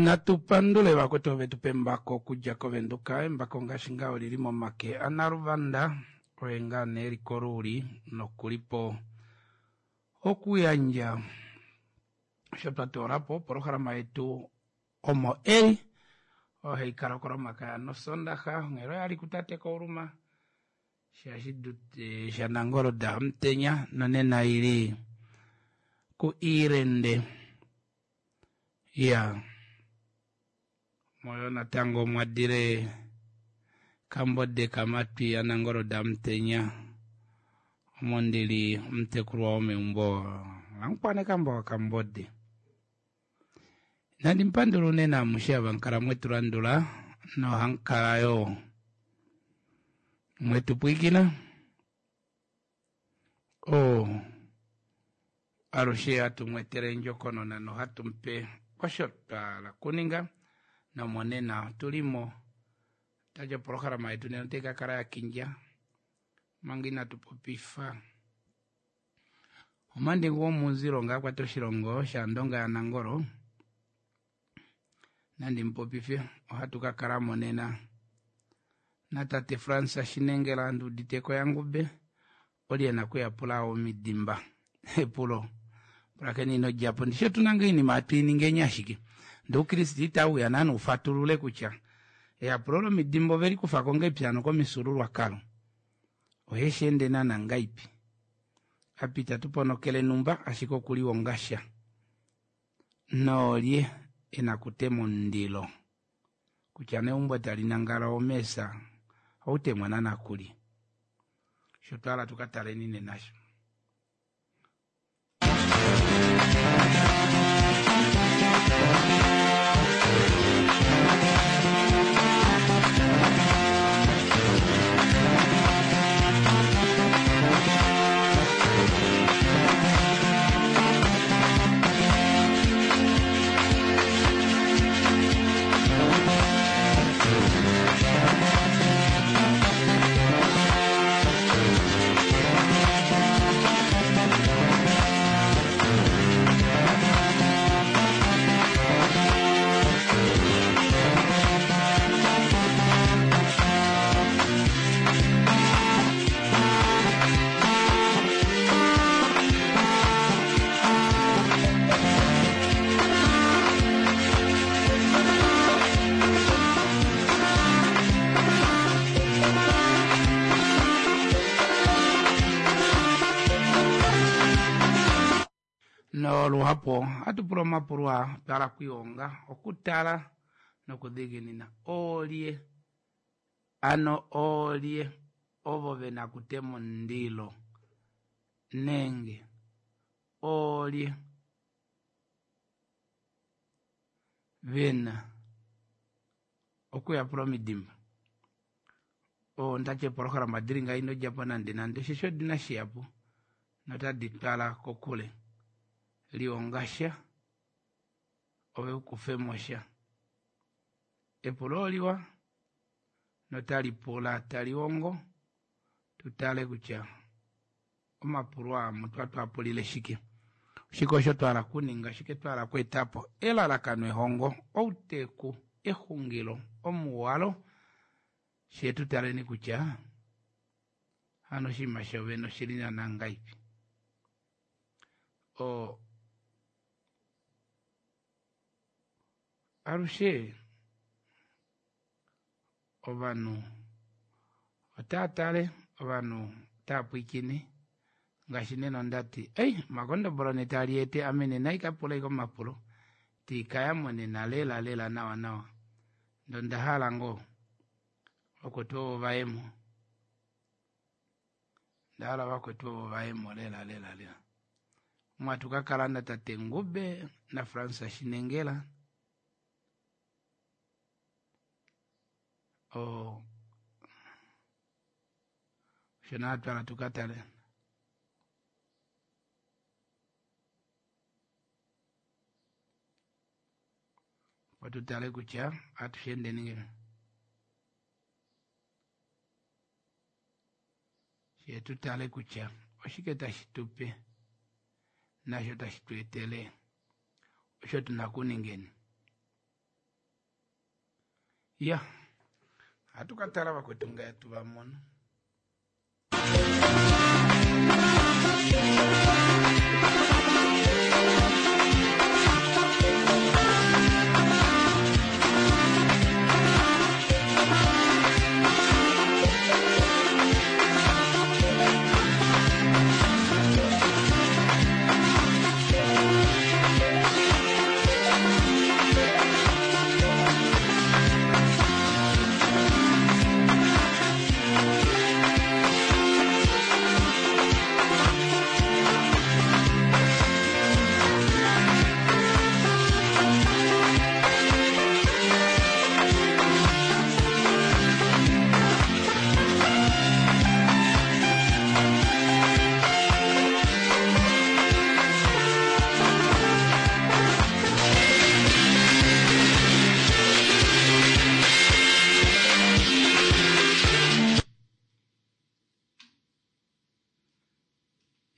Natu pandule vakwetu ove tu pa embako okudja kOvenduka. Embako ngaashi ngaa oli li momake aNaluvanda, oye ngaa nee eli koluuli nokuli po okuyandja osho twa toola po opolohalama yetu omo eli oyo hai kala okOlomakaya nOsondaxa onghela oya li kutate Kauluma shaNangolo daHamutenya nonena ili kuIirende. Ya moyo natango mwa dile Kambode Kamatwi yaNangolo daHamutenya omo ndi li omutekulwa womeumbo laMukwanekamba waKambode. Nandi mupandula unene amushe ava mukala mwetu landula nohamukala yo mwetu pwiikina. Oo alushe hatu mwetele endjokonona nohatu mupe osho twa hala okuninga nomonena otu li mo. Tati opolohalama yetu nena otai ka kala ya kindja manga inatu popifa omandingu womuuzilo ngaa kwata oshilongo shaNdonga yaNangolo nandi mupopife ohatu ka kala mo nena natate Frans Shinengela nduuditeko yaNgube oli e na okuyapula omidimba epulo pulakeni ino djapo ndishi otu na ngaa oinima hatu i ningeni ashike ndee oukriste itau uya naana ufatulule kutya eyapulo lomidimba ove li kufa ko ngaipi hano komifyuululwakalo ohe shi ende naana ngaipi apa itatu ponokele numba ashike okuliwonga sha noolye e na okutema omundilo kutya neumbo tali nangala omeesa outemwa naana kulye osho twa hala tu ka taleni nena sho. Noluhapu ohatu pula omapulo aa twa hala okwiihonga, okutala nokudhiginina. Oolye ano oolye ovo ve na okutema omundilo nenge oolye ve na okuyapula omidimba? Ondati eepolohalama dili ngaha ino djapo nande nande osheshi odina shihapu notadi twala kokule. Lihonga sha ove ukufemo sha. Epulo oliwa notali pula tali hongo tu tale kutya omapulo aa mutwa twa pulile shike. Oshike osho twa hala okuninga, oshike twa hala okweeta po, elalakano ehongo, outeku, exungilo, omuwalo, fye tu taleni kutya hano oshinima shovene oshili naana ngaipi. O alushe ovanhu otaa tale, ovanhu otaa pwiikine ngaashi nena ondati ei omakondobolo ne taa liete ame nena ika pula ike omapulo tiikaya mo nena lela lela nawa nawa ndee onda hala ngoo vakwetu ovo vayemo onda hala vakwetu ovo vayemo lela lela lela omo hatu ka kala natate Ngube naFrans Shinengela oo osho naa twala tu ka tale opo tu tale kutya ohatu shi endeni ngahelipi fye tu tale kutya oshike tashi tu pe nasho tashi tu etele osho tu na okuningeni. Ya, ohatu ka tala vakwetu ngee tu va mono.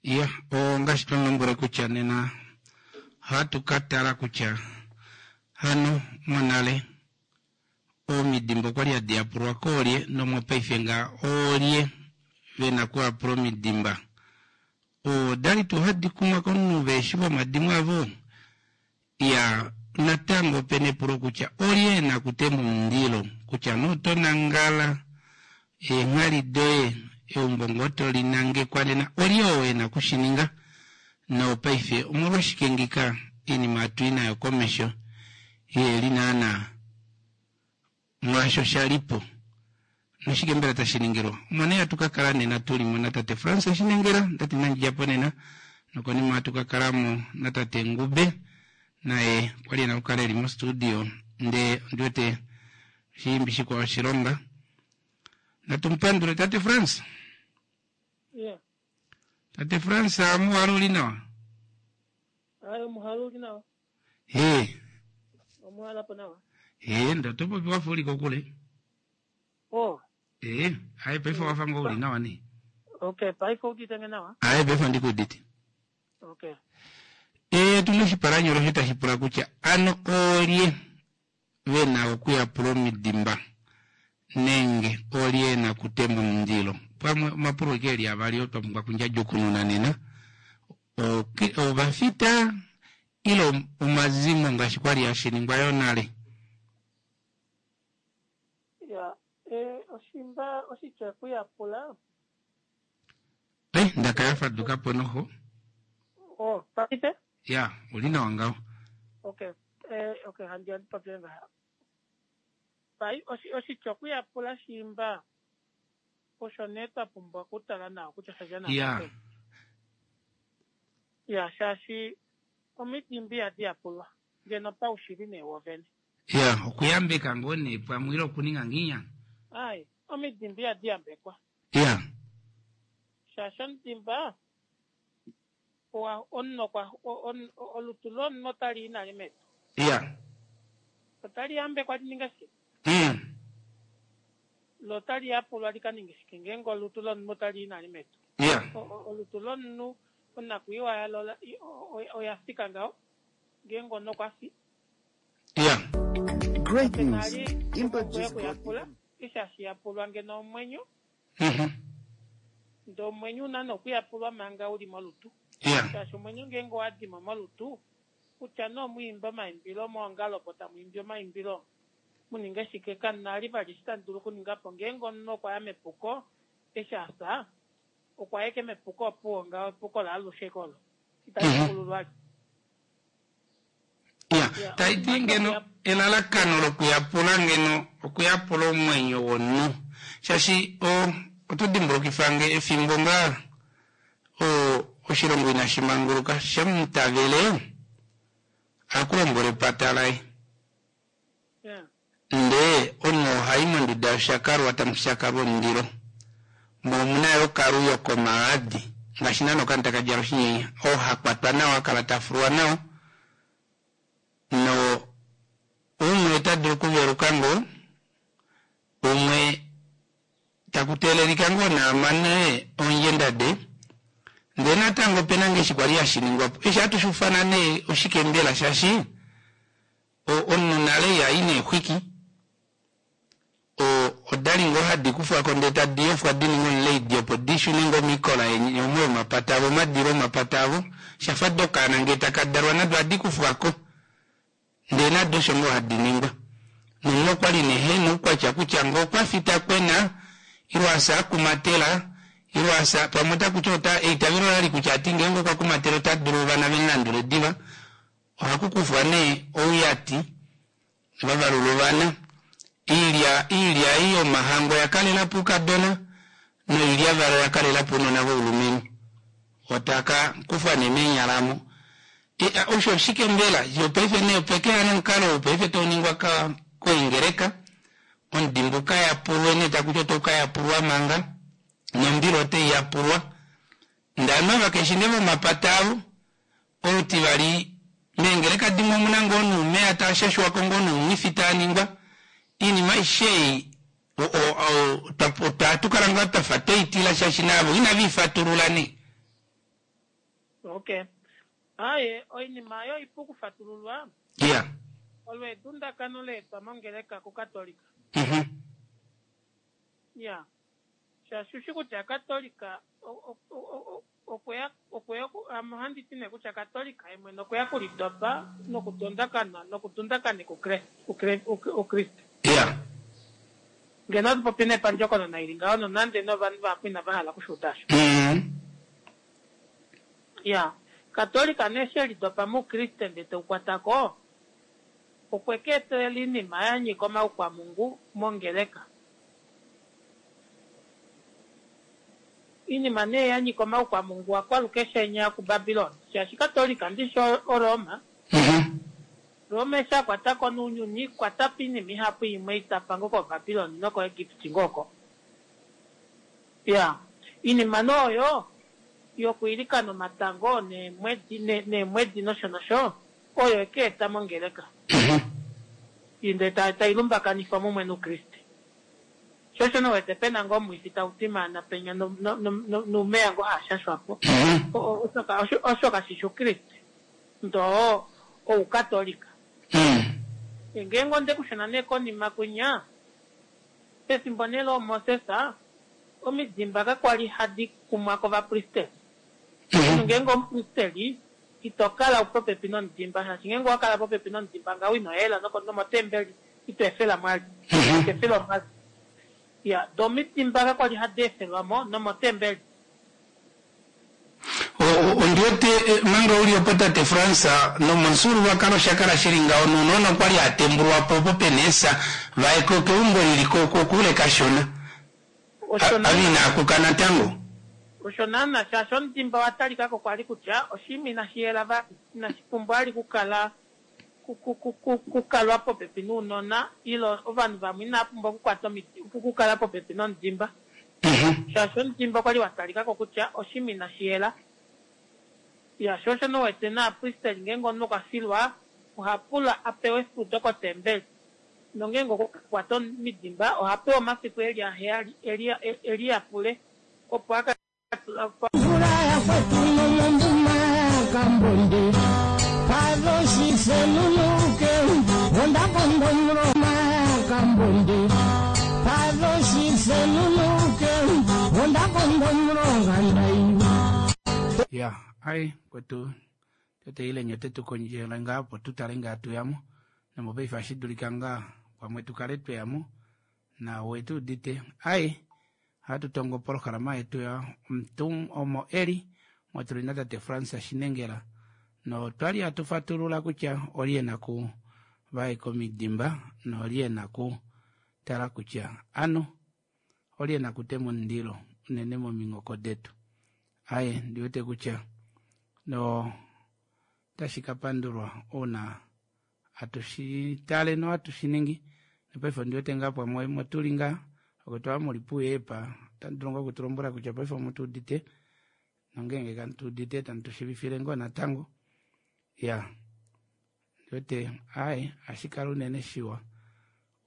Ya, ongaashi twa lombwele kutya nena ohatu ka tala kutya hano monale omidimba okwali hadi yapulwa koolye nomopaife ngaa oolye vena okuyapula omidimba. Odali tuu hadi kumwa komunhu veeshi vomadimo avo? Iya, natango opena epulo kutya olye ena okutema omundilo kutya nee oto nangala eenghali doye eumbo ngoo to li nangekwa nena olye oo ena okushininga? Nopaife omolwashike ngika iinima hatu i nayo komesho iheli naana mwaasho sha li po? Noshike mbela tashi ningilwa? Omo nee hatu ka kala nena tu li mo natate Frans Shinengela, ndati inandi dja po nena, nokonima ohatu ka kala mo natate Ngube, naye okwa li e na okukala e li mostudio, ndee ondi wete oshiimbi shikwao oshilonga. Natu mu pandule tate Frans. Yeah. Tate Frans, omuhalo uli nawa? Aye, omuhalo uli nawa. Hee. Omuhalo po nawa. Hee, ndo to popi wafa uli kokule. Oh. Ee, aye paife wafa ngoo uli nawa nee. Okay, paife udite nge nawa? Aye, paife ondi ku udite. Okay. Ee, tuna oshipalanyolo osho tashi pula kutya ano oolye ve na okuyapula omidimba nenge oolye e na okutema omundilo? Pamwe omapulo eke eli avali oo twa pumbwa okundjadjukununa nena. Ovafita ile omazimo ngaashi kwa li hashi ningwa yo nale? Ya, e, oshimba oshitya okuyapula. Eh, ndaka ya faduka po noho. Oh, paife? Ya, uli nawa ngaho. Okay. Eh, okay, handi handi popile ngaha. Pai oshitya okuyapula shiimba osho nee twa pumbwa okutala nawa kutya sha dja nawa. Ya, shaashi omidimba ihadi yapulwa ngeno paushili nee wovene. Ya, okuyambeka ngoo nee pamwe ile okuninga nginya. Ai, omidimba ihadi yambekwa. Ya. Shaashi omudimba owa omunhu okwa olutu lomunhu otali i nale medu. Ya. Otali yambekwa li ninge shike? Lo otali yapulwa li ka ninge shike ngeenge olutu lomunhu otali i nale medu? Ya. Olutu lomunhu onakwiiwa yalo oya fika ngaho ngeenge omunhu okwa fi. Ya. Great Kape na news! li Impact omhumbwe just got yokuyapula, even eshi hashi yapulwa ngeno omwenyo. Ndee omwenyo u na nee okuyapulwa manga u li molutu. Shaashi omwenyo ngeenge owa di mo molutu, kutya nee omu imbe omaimbilo meongalo opo tamu imbi omaimbilo mu ninge shike, kamu na li vali eshi tamu dulu okuninga po. Ngeenge omunhu okwa ya mepuko eshi a fya, okwa ya ashike mepuko opuwo ngaho, epuko laalushe olo, itali pukululwa vali. Ya, tai ti ngeno elalakano lokuyapula ngeno okuyapula omwenyo womunhu. Shaashi o, oto dimbulukifa nge efimbo ngaa o, oshilongo inashi manguluka, shamutavele a ku lombwele epata laye. Ndee omunhu oha i monduda yoshakalwa tamu shakalwa omundilo, mo omu na yo okaluyo komaadi, ngaashi naana okanhu taka djala oshinyenya, oo ha kwatwa nawa, ha kala ta fulwa nawa, no umwe ota dulu okuveluka ngoo, umwe taku teelelika ngoo naa mane oondjenda de, ndee natango ope na ngee eshi kwali hashi ningwa po. Eshi hatu shi ufana nee oshike mbela shaashi Omunhu nale iha i neexwiki. Oda li ngoo hadi kufwa ko ndee tadi yofwa di ninge omuleidi opo di shune ngoo moikola omo yomapata avo, omadilo omapata avo. Sha fa dokaana ngee taka dalwa nado ohadi kufwa ko ndee nado osho ngoo hadi ningwa. Nomunhu okwa li nee he na oukwatya kutya ngee okwa fi ta kwena ile a fya a kumatela ile a fya pamwe otaku ti ota eitavelo ola li kutya ati ngeenge okwa kumatela ota dulu ovana ve mu landule diva. Ohaku kufwa nee ouyati va valula ovana. Iilya iilya ei yomahangu oya kalela po oukadona noilyavalo oya kalela po ounona voulumenhu. Otaka kufwa nee meenyala mo. E, osho oshike mbela? Yo paife nee opeke ya nomukalo ou paife tau ningwa ka koingeleka, omudimba u ka yapulwe nee taku ti otau ka yapulwa manga, nombila otai yapulwa. Ndele ovanhu ava keshi nee vomapata avo. Olutivali, meengeleka dimwe omu na ngoo noumeya taa shashwa ko ngoo noumwifi taa ningwa. Oinima aishe ei ohatu kala ngaa twa fa twei tila shaashi naavo inave i fatulula nee. Ok. Aaye, oinima oyo oipu okufatululwa. Iya. Olo edundakano la etwa mongeleka kuKatolika. Iya. Shaashi ushi kutya Katolika okweya okweya ame ohandi ti nee kutya Katolika ye mwene okweya okulidopa nokudondakana nokudundakaneka Oukriste. Iya. Ngeno ohatu popi nee pandjokonona ili ngaho nonande nee ovanhu vahapu inava hala oku shi uda osho. Iya. Katolika nee eshi e lidopa mOukriste ndee teu kwata ko, okwe ka etelela oinima ya nyika omaukwamungu mongeleka. Oinima nee ya nyika omaukwamungu a kwalukeshe enya kuBabilon, shaashi Katolika ndishi oRoma. Roma eshi a kwata ko nounyuni, kwata po oinima ihapu imwe itapa ngoo koBabilon nokoEgipti ngoo oko. Ya, oinima nee oyo yokwiilikana omatango neemwedi, neemwedi nosho nosho, oyo e ka eta mongeleka. Ndee tai lumbakanifwa mumwe nOukriste. Sho osho nee wete pe na ngoo omwifi tau twimaana penya noumeya ngoo haa shashwa po. Osho kashi shi Oukriste, ndoo Oukatolika. Ngeenge onde ku shuna nee konima kwinya, pefimbo nee looMoses, omidimba kakwa li hadi kumwa kovapristeli. Omunhu ngeenge omupristeli, ito kala popepi nomudimba, shaashi ngeenge owa kala popepi nomudimba ngaho ino yela nomotembeli ito efela mwali. Ito efelwa mwali. Ya, do omidimba kakwa li hadi efelwa mo nomotembeli. Ondi. wete manga u li opo tate Frans, nomomufyuululwakalo osha kala shi li ngaho nounona okwa li ha tembulwa po opo pe na eefya va ye keumbo li li kokule kashona. Osho Ava naana. inaa kuka natango. Osho naana, shaashi omudimba owa talika ko kwali kutya oshinima inashi yela vali, inashi pumbwa vali okukala kukalwa popepi nounona ile ovanhu vamwe inava pumbwa okukwata okukala popepi nomudimba. Shaashi omudimba okwali wa talika ko kutya oshinima inashi yela. Ya, sho osho nowete naapristeli ngeenge omunhu okwa filwa oha pula a pewe efudo kotembeli. Nongeenge okwa kwata omidimba oha pewa omafiku eli aheyali e liyapule opo a ka Mvula yakwetu nomombuma yaKambonde Padoshisenunuke Ondakondomuloma yaKambonde Padoshisenunuke Ondakondomulonga ndai. Ya, ai kwetu tete ile ote tu kondjele ngaa opo tu tale ngaa tu yamo nomopaife ohashi dulika ngaa pamwe tu kale twe yamo na owe tu udite ai ohatu tongo opolohalama yetu ya omutum omo eli motuli na tate Frans Shinengela notwali hatu fatulula kutya olye na ku vaeka omidimba nolye na ku tala kutya ano olye na kutema omundilo unene mominghoko detu aye ndiwete kutya no tashi ka pandulwa ouna hatu shi tale nohatu shi ningi nopaife ondi wete ngaa pamwe motuli ngaa okutwa muli puye pa otamu dulu ngaa okutulombwela kutya paife omu tu udite nongeenge kamu tu udite tamu tu shivifile ngoo natango ya ndiwete aye ohashi kala unene shiwa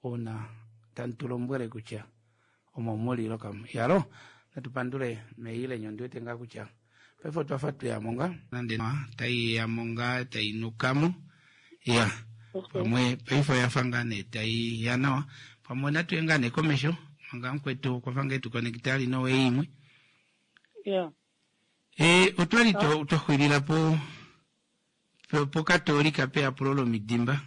uuna tamu tu lombwele kutya omo muli lokamu yalo natu pandule meilenyo ndiwete ngaa kutya paife otwa fa tweyamo ngaa nande tai yamo ngaa tai nukamo ya pamwe paife oya fa ngaa nee tai ya nawa pamwe natu ye ngaa nee komesho manga mukwetu okwa fa ngaa etu ali nowe imwe Yeah. e, otwali twa xwilila po pokatolika peyapulo lomidimba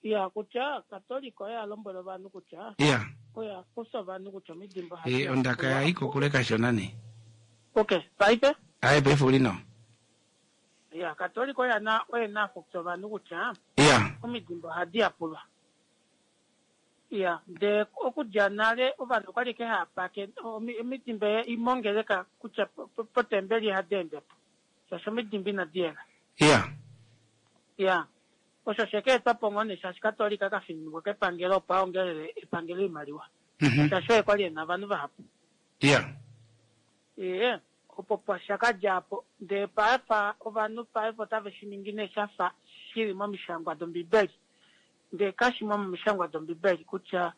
Ya, kutya katolika oye a lombwela ovanhu kutya ya oye a kufa ovanhu kutya omidimba ohadi e, ondaka ya ikokule kashona nee Okay, paife aye paife uli nawa ya katolika oye na oye na afukisa ovanhu kutya ya omidimba ohadi yapulwa. Ya, ndee okudja nale ovanhu okwali ke haya pake omidimba imongeleka kutya potembeli ihadi ende po shaashi omidimba inadi yela. Ya Ya, osho sheke etwa po ngoo nee shaashi katolika ka fininikwa kepangelo opo aongelele epangelo oimaliwa. Shaashi oye kwali ena ovanhu vahapu. Ya Ee, opo pa shakadja apo ndee paife ovanhu paife otave shi ningi nee shafa shili momishangwa dombibeli ndee kashimo momishangwa dombibeli kutya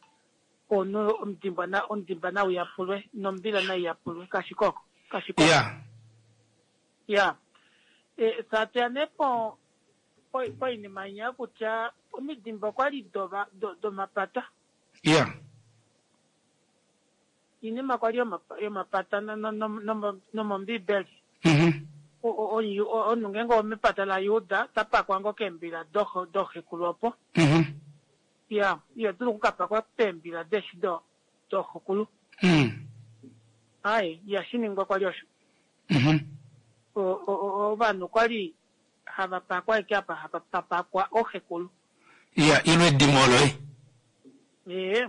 omunhu omudimba na omudimba nau yapulwe nombila nai yapulwe kashikoko kashikoko. Ya Ya e, satuya nee po poinima inya kutya omidimba okwali domapata ya iinima kwali yomapata nomombibeli omunhu ngeenge omepata laJuda tapakwa ngoo keembila doxekulu opo. Ya, iyo dulu okukapakwa peembila deshi doxekulu. Aye, ihashi ningwa kwali osho. Ovanhu kwali hava pakwa eke apa hapa papakwa oxekulu. Ya ilwe edimo loye Ee.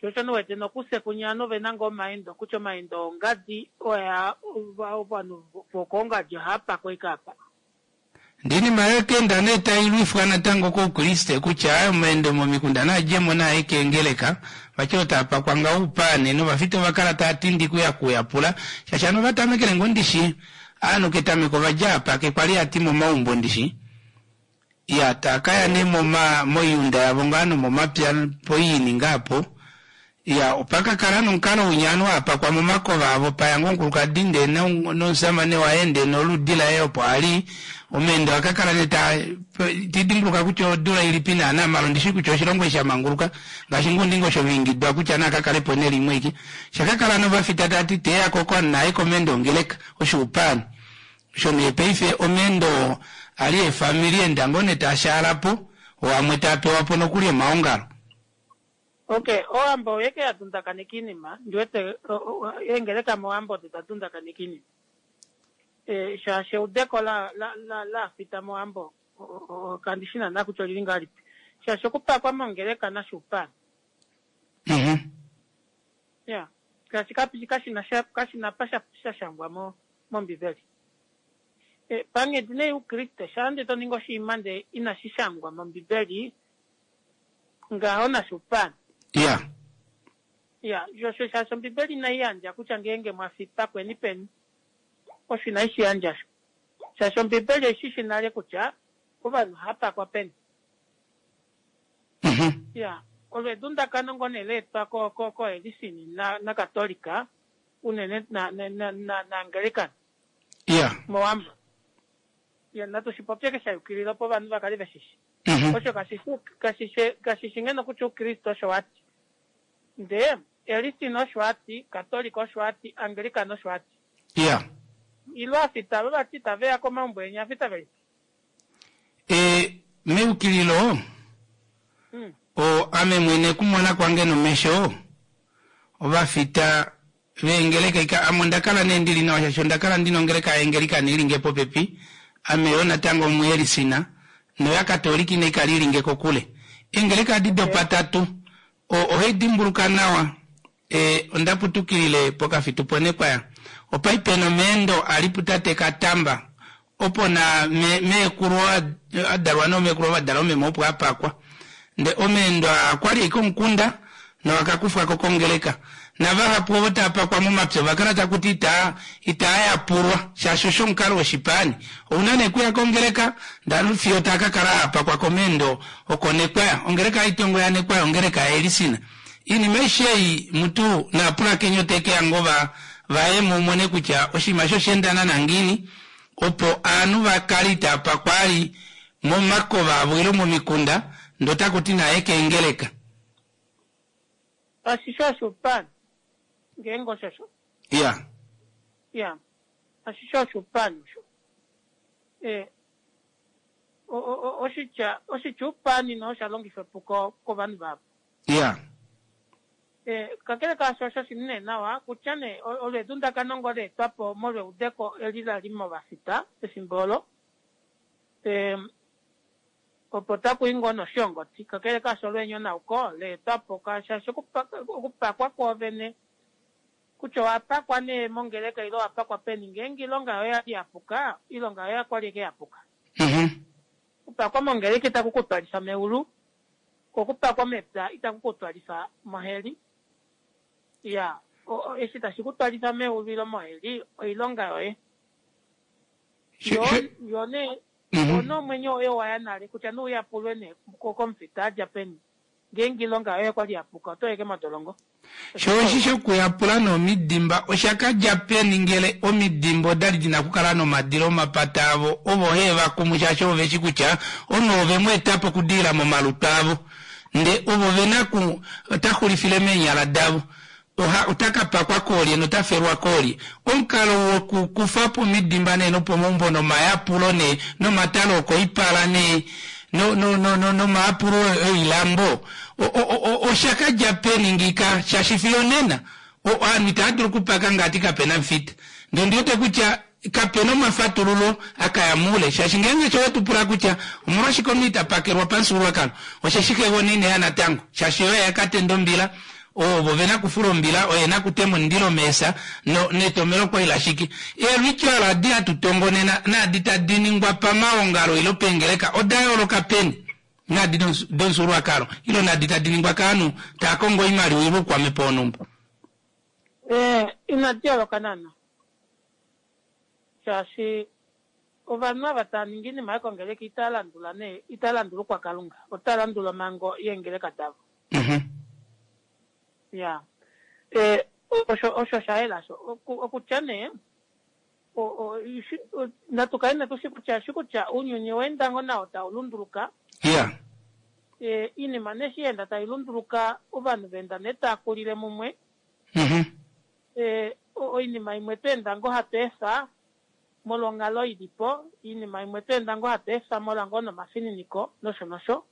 Sho osho niwete nokusekunya ovanhu vena ngoo omaendo kutya omaendo ongadi oya ovanhu vokoongadi ohava pakwa eke apa. Ndinima yokenda nee tai lwifwa natango koukriste kutya omaendo momikunda naadjemo naaye keengeleka vati otaa pakwa ngaho oupaane novafita ova kala taa tindi kuya kuyapula shaashi ovanhu ovatamekele ngoo ndishi ovanhu ketameko ovadja apa kwali hati momaumbo ndishi ya taakaya nee moiunda yavo ngaa nomomapya poiini ngaapo ya opakakala nomukalo winya ovanhu haapakwa momakova avo paya ngoo omukulukadi ndee nomusamane waye ndee noludi laye opo ali omeendo akakala nee taa tidimbuluka kutya odula ilipi naana malo ndishi kutya oshilongo eshi shamanguluka ngaashi ngundingo osho viingidwa kutya nakakalepo nelimwe ike shakakala novafita tati teya koko naye komeendo ongeleka oshuupani osho nee paife omeendo ali efamili enda ngoo nee taashaalapo wamwe taapewapo nokuli omaongalo. Okay, owambo oyeke ya dundakaneka iinima ndiwete eengeleka mowambo odo da dundakaneka iinima. Eh, shaashi eudeko la la la laafita mOwambo kandi shi naana kutya olili ngahelipi. Shaashi okupakwa mongeleka nasho oupana. Mhm. Ya, shaashi kapi kashi na sha kashi na pa sha sha shangwa mo mOmbibeli. Eh, panghedi nee youkriste shaa nde to ningi oshinima nde inashi shangwa mOmbibeli ngaho nasho oupana. Ya. Ya, shosho shaashi Ombibeli inai yandja kutya ngeenge mwa fi pakweni peni. Osho inai shi yandja sho. Shaashi Ombibeli oi shi shi nale kutya ovanhu ohava pakwa peni. Ya, olo edundakano ngoo nee la etwa ko, ko, koElisini na, naKatolika, unene na, na, na, na, naAngelican. Ya. Mowambo. Ya, natu shi popye ke sha yukilila opo ovanhu va kale ve shi shi. Osho kashi shi, kashi shi, kashi shi ngeno kutya Oukriste osho wa ti. Ndee Elcin osho a ti, Katolika osho a ti, Anglican osho a ti. Iya. Ile aafita ava vati itave ya komaumbo eni, aafita velipi? E, meyukililo, Mm. o, ame mwene kumona kwange nomesho, ovafita veengeleka ika, ame onda kala nee ndili nawa shaashi onda kala ndina ongeleka yaAngelican ili nge popepi, ame yoo natango omuElisina, noyaKatolika inai kala ili nge kokule. Eengeleka adi dopatatu, O, ohai dimbuluka nawa. E, onda putukilile pokafitu pOnekwaya. Opa li pena omeendo a li putate Katamba. Opo na me, meekulu a, a dalwa noomeekulu ova dala omeme opo a pakwa. Nde omeendo aa okwa li ashike omukunda nowa ka kufwa ko kongeleka. Navahapu ovo tava pakwa momapya ova kala taku ti itaa, itaa yapulwa, shaashi osho omukalo woshipaani. Ou na nee okuya kongeleka, ndele fiyo taa ka kala haa pakwa komeendo okoNekwaya. Ongeleka yaItongo yaNekwaya, ongeleka yaElisina. Iinima aishe ei mutu naapulakeni ote ke ya ngoo va, va ye mu mone kutya oshinima eshi osha enda naana ngiini, opo aanhu va kale itaa pakwa ali momakova avo ile momikunda, ndee otaku ti naa ye keengeleka. Kashi shi oshuupani, ngeenge osho sho. Iya. Iya. Kashi shi oshuupani osho. E, o, o, o, oshitya, oshitya uupani no osha longifwa epuko kovanhu vahapu. Iya. E, kakele kaasho osho shi nee nawa kutya nee olo edundakano ngoo la etwa po molweudeko eli la li movafita pefimbo olo. E, Opo taku i ngoo noshihongoti, kakele kaasho olweenyonauko la etwa po shaashi okupakwa kwoovene kutya owa pakwa nee mongeleka ile owa pakwa peni ngeenge oilonga yoye oya li ya puka, oilonga yoye okwa li ashike ya puka. Okupakwa mongeleka itaku ku twalifa meulu, ko okupakwa mepya itaku ku twalifa moheli. Iya, eshi tashi ku twalifa meulu ile moheli oilonga yoye. Yo, yo nee Opo nee omwenyo woye owa ya nale, kutya nee u yapulwe nee komufita a dja peni, ngeenge oilonga yoye okwa li ya puka, oto yeke modolongo. Sho eshi shokuyapula nee omidimba osha ka dja peni ngele omidimba oda li di na okukala nomadilo omapata avo ovo hee va kumu shaashi ovo ve shi kutya omunhu ove mu eta po okudiila momalutu avo nde ovo ve na ku ota xulifile meenyala davo. Oha, ota ka pakwa koolye nota felwa koolye? Omukalo wokukufa po omidimba nee nopomaumbo nomayapulo nee nomatalo okoipala nee no, no, no, no, nomayapulo oilambo o, o, o, osha ka dja peni ngiika? Shaashi fiyo onena o, ovanhu itava dulu okupaka ngati kape na mufita. Ndee ondi wete kutya Kape na omafatululo a ka ya muule, shaashi ngeenge osho we tu pula kutya omolwashike omunhu ita pakelwa pamufyuululwakalo, osheshi xegona ine ya natango, shaashi oye a ka tenda ombila, ovo ve na kufula ombila, oye na kutema omundilo meesa, no, netomelo okwa li lashike. Eelwityo olo adi hatu tongo nena naadi tadi ningwa pamaongalo ile peengeleka oda yooloka peni naadi domufyuululwakalo ile naadi tadi ningwa kaanhu taa kongo oimaliwa ile oukwamhepo wonhumba? Ee, inadi yooloka naana. Shaashi ovanhu ava tava ningi oinima yokongeleka itava landula nee, itava landula oukwakalunga, otava landula omhango yeengeleka davo. Ya. E, osho, osho sha yela osho. Oku, okutya nee, o, o, shi, o, natu kale nee tu shi kutya, shi kutya ounyuni owa enda ngoo nao tau lunduluka. Ya. E, oinima nee eshi ya enda tai lunduluka, ovanhu va enda nee tava kulile mumwe. Oinima imwe twa enda ngoo hatu efa molwa onghalo i li po, oinima imwe twa enda ngoo hatu efa molwa ngoo nomafininiko nosho nosho.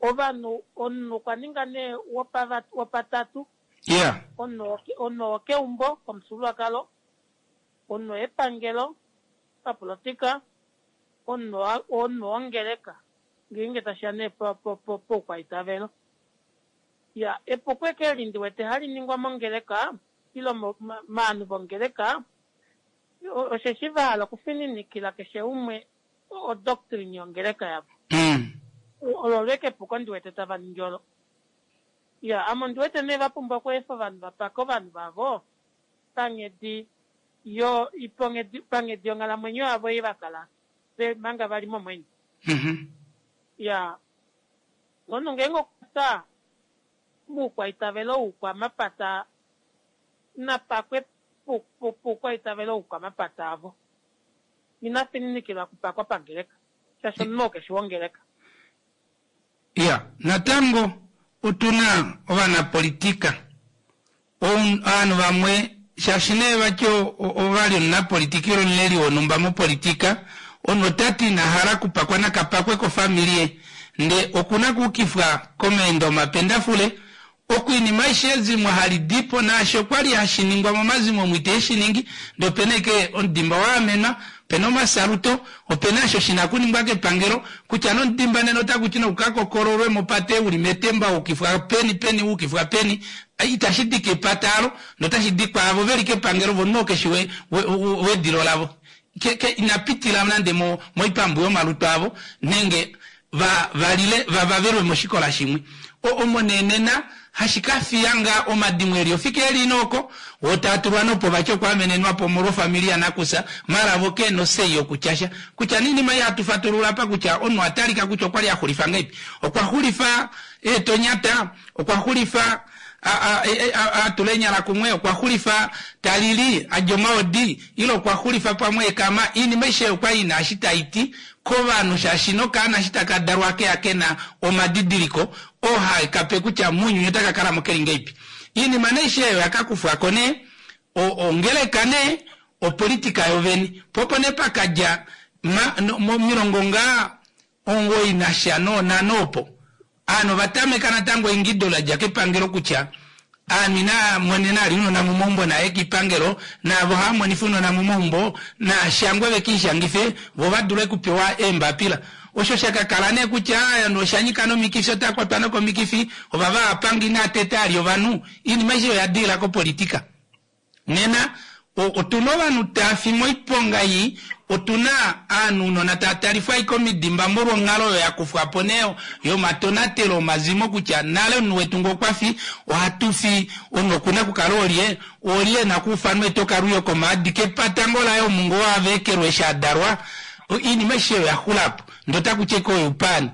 Ovanhu, omunhu okwa ninga nee wopatatu. Yeah. Omunhu wokeumbo komufyuululwakalo, omunhu wepangelo papolitika, omunhu wongeleka ngeenge tashi ya nee poukwaitavelo. Ya, epuko eke eli ndi wete hali ningwa mongeleka ile movanhu vongeleka osheshi va hala okufininikila keshe umwe odoctrine yongeleka yavo. Olo olo eke epuko ndi wete tava ningi olo. Ya, ame ondi wete nee va pumbwa okweefa ovanhu va pake ovanhu vavo panghedi yo, panghedi yonghalamwenyo yavo ei va kala ve manga va li momwenyo. Ya, omunhu ngeenge okwa fya moukwaitavelo woukwamapata na pakwe poukwaitavelo woukwamapata avo. Ina fininikilwa okupakwa pangeleka, shaashi omunhu oo keshi wongeleka. Iya, natango otu na ovanapolitika. Ovanhu vamwe, shaashi nee vati ova li omunapolitika ile omuleli wonhumba mopolitika, omunhu ota ti ina hala okupakwa na ka pakwe kofamili ye, nde oku na okuukifwa komaendo omapendafule, Oku inima aishe ezimo hali di po naashi okwa li hashi ningwa momazimo omu ite shi ningi, ndee opena ashike omudimba wa amenwa, opena omasaluto, opena osho shina okuningwa kepangelo, kutya nee omudimba nena otaku ti noku ka kokololwe mopate uli metemba wa ukifwa peni peni wa ukifwa peni, itashi di kepata alo, ndee otashi di kwaavo veli kepangelo vo omunhu oo keshi wedilo lavo. Ke, ke, ina pitila nande mo, moipambu yomalutu avo, nenge va, va lile, va vavelwe moshikola shimwe. O, omo nee nena hashi ka fiya ngaa omadimo e li ofika e li ina oko, wo taa tulwa nopo vati okwaamenenwa po omolwofamili yanakusa, mara vo ke na osei yokutya sha. Kutya nee oinima ei hatu fatulula apa kutya omunhu oha talika kutya okwa li a xulifa ngahelipi. Okwa xulifa eetonyata, Okwa xulifa a, a, a tula eenyala kumwe, okwa xulifa ta lili, a dja omaodi, ile okwa xulifa pamwe ekama. Oinima aishe oyo okwa li i na eshi tai ti kovanhu, shaashi nokaana eshi taka dalwa ohake ya ke na omadidiliko oo hae ka pe kutya mounyuni otaka kala mo ke li ngahelipi. Oinima nee aishe oyo oya ka kufwa ko nee, o, ongeleka nee, opolitika yovene. Po opo nee pa ka dja ma, no, momilongo ngaa 9 nasha noonhano opo, aanhu ova tameka natango eingido la dja kepangelo kutya aanhu inaa monena ali ounona momaumbo naa ye kiipangelo, naavo haa monifa ounona momaumbo naa shangwe ve kiishangife vo va dule okupewa eembapila. Osho sha ka kala nee kutya ovanhu osha nyika nomikifi otaa kwatwa nokomikifi, ovava hava panga inaa teta ali ovanhu, oinima aishe oya diila kopolitika. Nena, otu na ovanhu taa fi moiponga ii, otu na aanhu ounona taa talifwa ashike omidimba molwa onghalo oyo ya kufwa po nee yomatonatelo omazimo kutya nale omunhu wetu ngee okwa fi, ohatu fi, omunhu oku na okukala olye, olye e na okuufanwa etokalwiyo komaadi kepata ngoo laye omu ngoo a veekelwa eshi a dalwa. Oinima aishe oyo oya xula po, ndee otaku ti ashike oyo oupaani.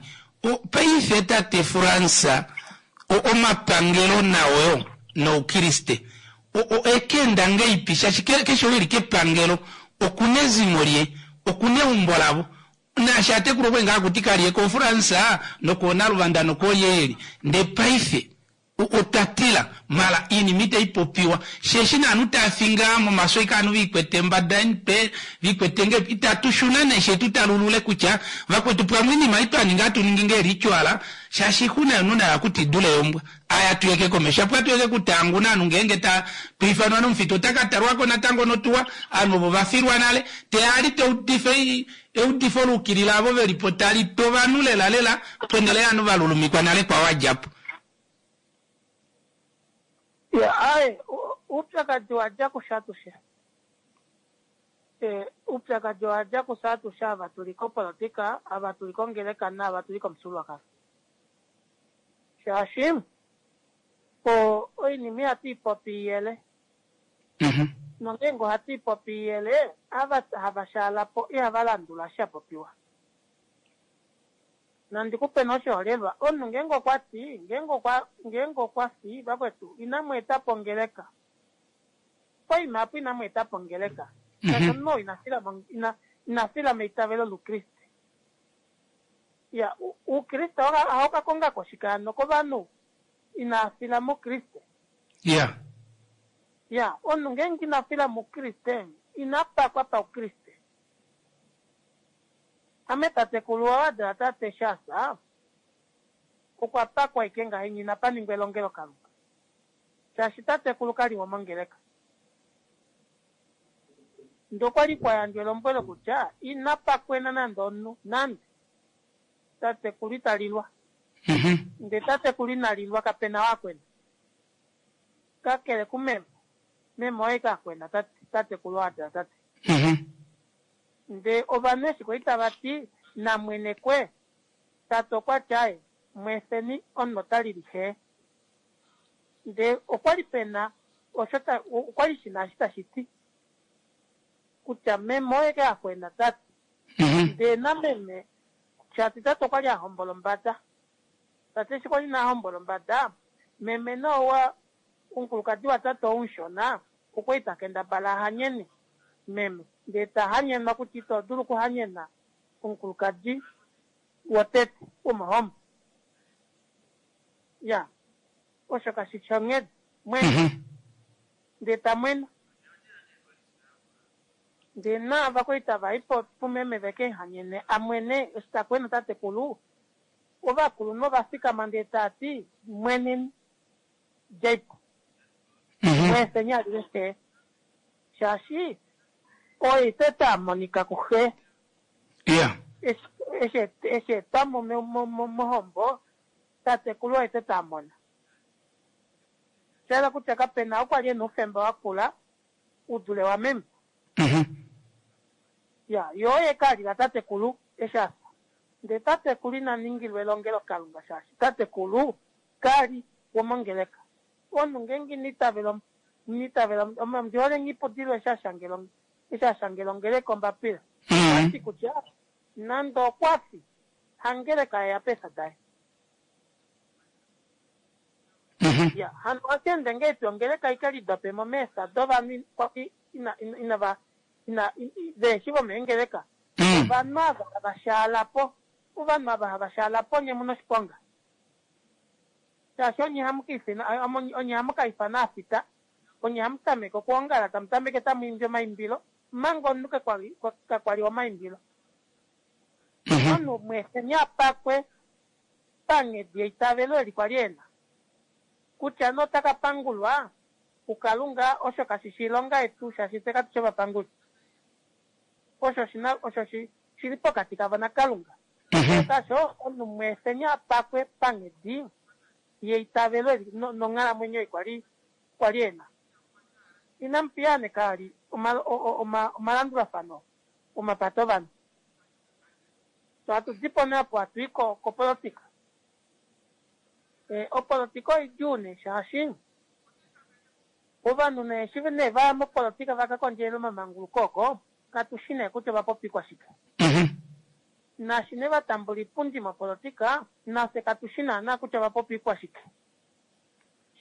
Paife tate Frans, omapangelo nao yo noukiriste oeka enda ngeipi shaashi keshe ou eli kepangelo okuna ezimo lye, okuna eumbo lavo naashi atekulu okwali ngaa hakuti kalye koFrance nokoonaluvanda nokoolyeyeli ndee paife otwa tila mala iinima itayi popiwa sheeshi naanhu taya fi ngaa momaso ike aanhu viikwete embada yomutwe viikwete nge itatu shuna nee shee tu talulule kutya vakwetu pamwe iinima ei twa ninga hatu ningi ngee ritual shaashi ixuna yomunhu nayo akuti idule yombwa aya tuyeke komesho apo atuyeke kutaanguna aanhu ngeenge ta twiifanwa nomufita ota ka talwako natango notuwa aanhu ovo vafilwa nale teya ali taudifa eudifo luukilila avo velipo tali tu ovanhu lela lela ponhele yaanhu valulumikwa nale kwa wadjapo. Ya, aye, oupyakadi wa dja kufye atushe. Eh, oupyakadi owa dja kufye atushe ava tu li kopolotika, ava tu li kongeleka naava tu li komufyuululwakalo. Shaashi, o, oinima ihatu i popi iyele. Nongeenge ohatu i popi iyele, ava hava shaala po ihava landula eshi sha popiwa. Nandi ku pe nee oshiholelwa, omunhu ngeenge okwa ti, ngeenge okwa, ngeenge okwa fi, vakwetu, inamu eta po ongeleka. Poima apo inamu eta po ongeleka. Shaashi omunhu oo ina fila mo, ina, ina fila meitavelo loukriste. Iya, uukriste ohau ka konga ko shike hano kovanhu inaa fila mukriste? Iya. Iya, omunhu ngeenge ina fila mukriste, ina pakwa paukriste. Ame tatekulu oo a dala tate eshi a fya, okwa pakwa ashike ngahenya inapa ningwa elongelokalunga. Shaashi tatekulu ka li womongeleka. Ndee okwa li kwa yandjwa elombwelo kutya ina pakwena nande omunhu, nande. Tatekulu ita lilwa. Ndee tatekulu ina lilwa kape na oo a kwena. Kakele kumeme. Meme oye ka kwena tate, tatekulu oo a dala tate. Ndee ovanhu eshi kwali tava ti namwenekwe, tate okwa ti aaye, mweefeni omunhu ota lili xee. Ndee okwali pena osho ta, okwali shina eshi tashi ti kutya meme oye ke a kwena tate. Ndee nameme shaashi tate okwali a hombola ombada. Tate eshi kwali ina hombola ombada, meme nee owa omukulukadi watate ou mushona okwali ta kendabala a hanyene meme. Ndee ta hanyenwa kutya ito dulu okuhanyena omukulukadi wotete womohombo. Ya, osho kashi shi onghedi. Mwena. Ndee ta mwena. Ndee naava kwali tava i po pumeme ve ke mu hanyene a mwene eshi ta kwena tatekulu, ovakulunhu ova fikama ndee tava ti, Mweneni, djei po. Mweefeni a lile xe. Shaashi oye tete a monika kuxe. Ya. Eshi, eshi, eshi etwa mo mohombo, tatekulu oye tete a mona. Osha yela kutya kape na ou kwa li e na oufemba wa kula u dule wameme. Ya, ye oye ka lila tatekulu eshi a fya. Ndele tatekulu ina ningilwa elongelokalunga shaashi tatekulu ka li womongeleka. Omunhu ngeenge ina itavela, ina itavela, ondi hole Nghipudilo eshi a shangela, eshi a shangela ongeleka ombapila. Okwa ti kutya nande okwa fi, hangeleka ye ya peesa daye. Ya, hano ohashi ende ngahelipi ongeleka i ke lidope mo meesa dovanhu kwa li ina, ina, inava, ina, vehe shi vomeengeleka? Ovanhu ava hava shaala po, ovanhu ava hava shaala po nye mu na oshiponga. Shaashi onye hamu ka ifena, onye hamu ka ifana aafita, onye hamu tameke okuongala, tamu tameke tamu imbi omaimbilo, omanga omunhu kakwa li omaimbilo. Omunhu mweefeni a pakwe panghedi yeitavelo eli kwa li e na. Kutya nee ota ka pangulwa kuKalunga, osho kashi shi oilonga yetu, shaashi fye katu shi ovapanguli. Osho oshi na, osho shi, shi li pokati kavo naKalunga. Kakele kaasho, omunhu mweefeni a pakwe panghedi yeitavelo eli no, nonghalamwenyo ei kwa li, kwa li e na. Inamu piyaaneka vali oma, o, o, oma, omalandulafano omapata ovanhu. So hatu di po nee opo hatu i ko, kopolotika. E, opolotika oidjuu nee shaashi ovanhu nee eshi nee va ya mopolotika va ka kondjelele omamanguluko oko, katu shi nee kutya ova popikwa shike. Naashi nee va tambula oipundi mopolotika, nafye katu shi naanaa kutya ova popikwa shike.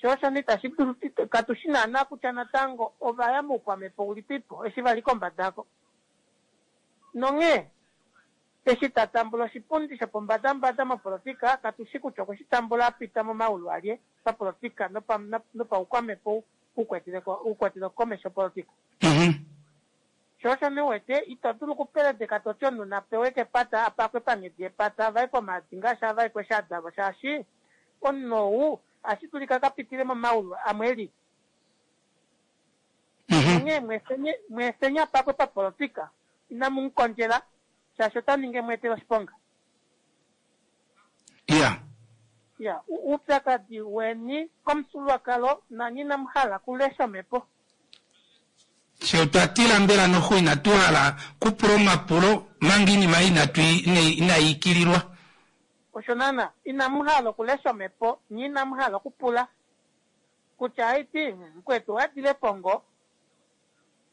Sho osho nee itashi dulu, katu shi naanaa kutya natango ova ya moukwamhepo ulipipo eshi va li kombada oko. Nonghee, eshi ta tambula oshipundi shopombadambada mopolotika, katu shi kutya okwe shi tambula a pita momaulu alye papolotika nopaukwamhepo u kwetele komesho opolotika. Sho osho nee u wete, ito dulu okupeledeka to ti omunhu na pewe kepata, a pakwe panghedi yepata, a vaekwe omaadi ngaashi a vaekwa eshi a dalwa, shaashi omunhu ou ohashi dulika a ka pitile momaulu amwe e lili. Onghee mweefeni a pakwe papolotika, inamu mu kondjela shaashi ota ningi e mu etele oshiponga. Iya. Iya, oupyakadi weni komufyuululwakalo nanye inamu hala okulesha omhepo. Fye otwa tila mbela noxo inatu hala kupula omapulo manga iinima ei inatu inai ikililwa. Osho naana, inamu hala okulesha omhepo nye inamu hala okupula. Kutya haiti, mukwetu owa dile po ngo,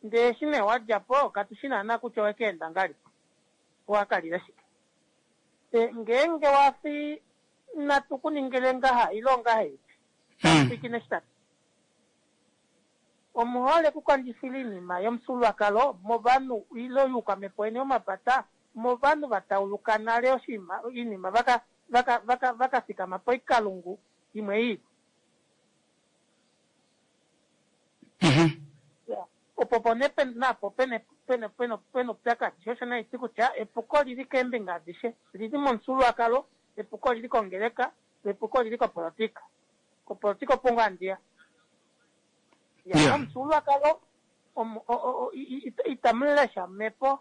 ndee eshi nee wa dja po katu shi naana kutya owe ka enda ngalipi, owa ka lile shike. E, ngeenge wa fi natu ku ningile ngaha ile ongahelipi, pwilikina eshi ta ti. Omu hole okukondjifila oinima yomufyuululwakalo movanhu ile youkwamhepo weni womapata movanhu va tauluka nale oshinima, oinima vaka, vaka, vaka, vaka fikama poikalungu imwe i ili. Opo opo nee napo pena pena pena pena oupyakadi. Sho osho nee haiti kutya epuko olili keembinga adishe. Olili momufyuululwakalo, epuko olili kongeleka, lo epuko olili kopolotika. Kopolotika opo ngoo handi ya. Ya, Momufyuululwakalo omu- o- o- o- i- i- itamu lesha omhepo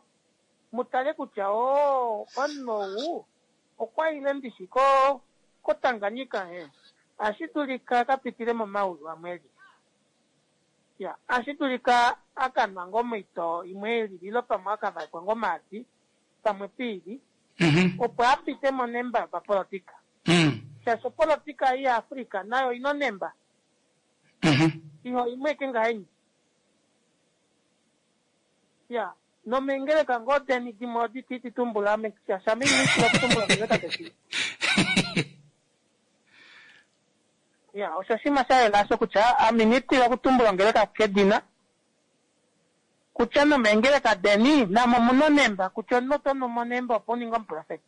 mu tale kutya oo omunhu ou okwa ile ndishi ko koTanganyika he ashi dulika ka pitile momaulu amwe eli. Ya, ashi dulika a ka nwa ngoo moitoo imwe e lili ile pamwe a ka vaekwa ngoo omaadi pamwe piili opo a pite monemba yopapolotika. Shaashi opolotika ei yaAfrica nayo oi na onemba. Iho imwe eke ngahenya. Ya, nomeengeleka ngoo deni dimwe odi ti tumbula ame shaashi ame ina tila okutumbula ongeleka keshe. Ya, osho oshinima sha yela osho kutya ame ina tila okutumbula ongeleka kedina. Kutya nomeengeleka deni namo omuna onemba kutya omunhu oto nu monemba opo u ninge omuprofeti.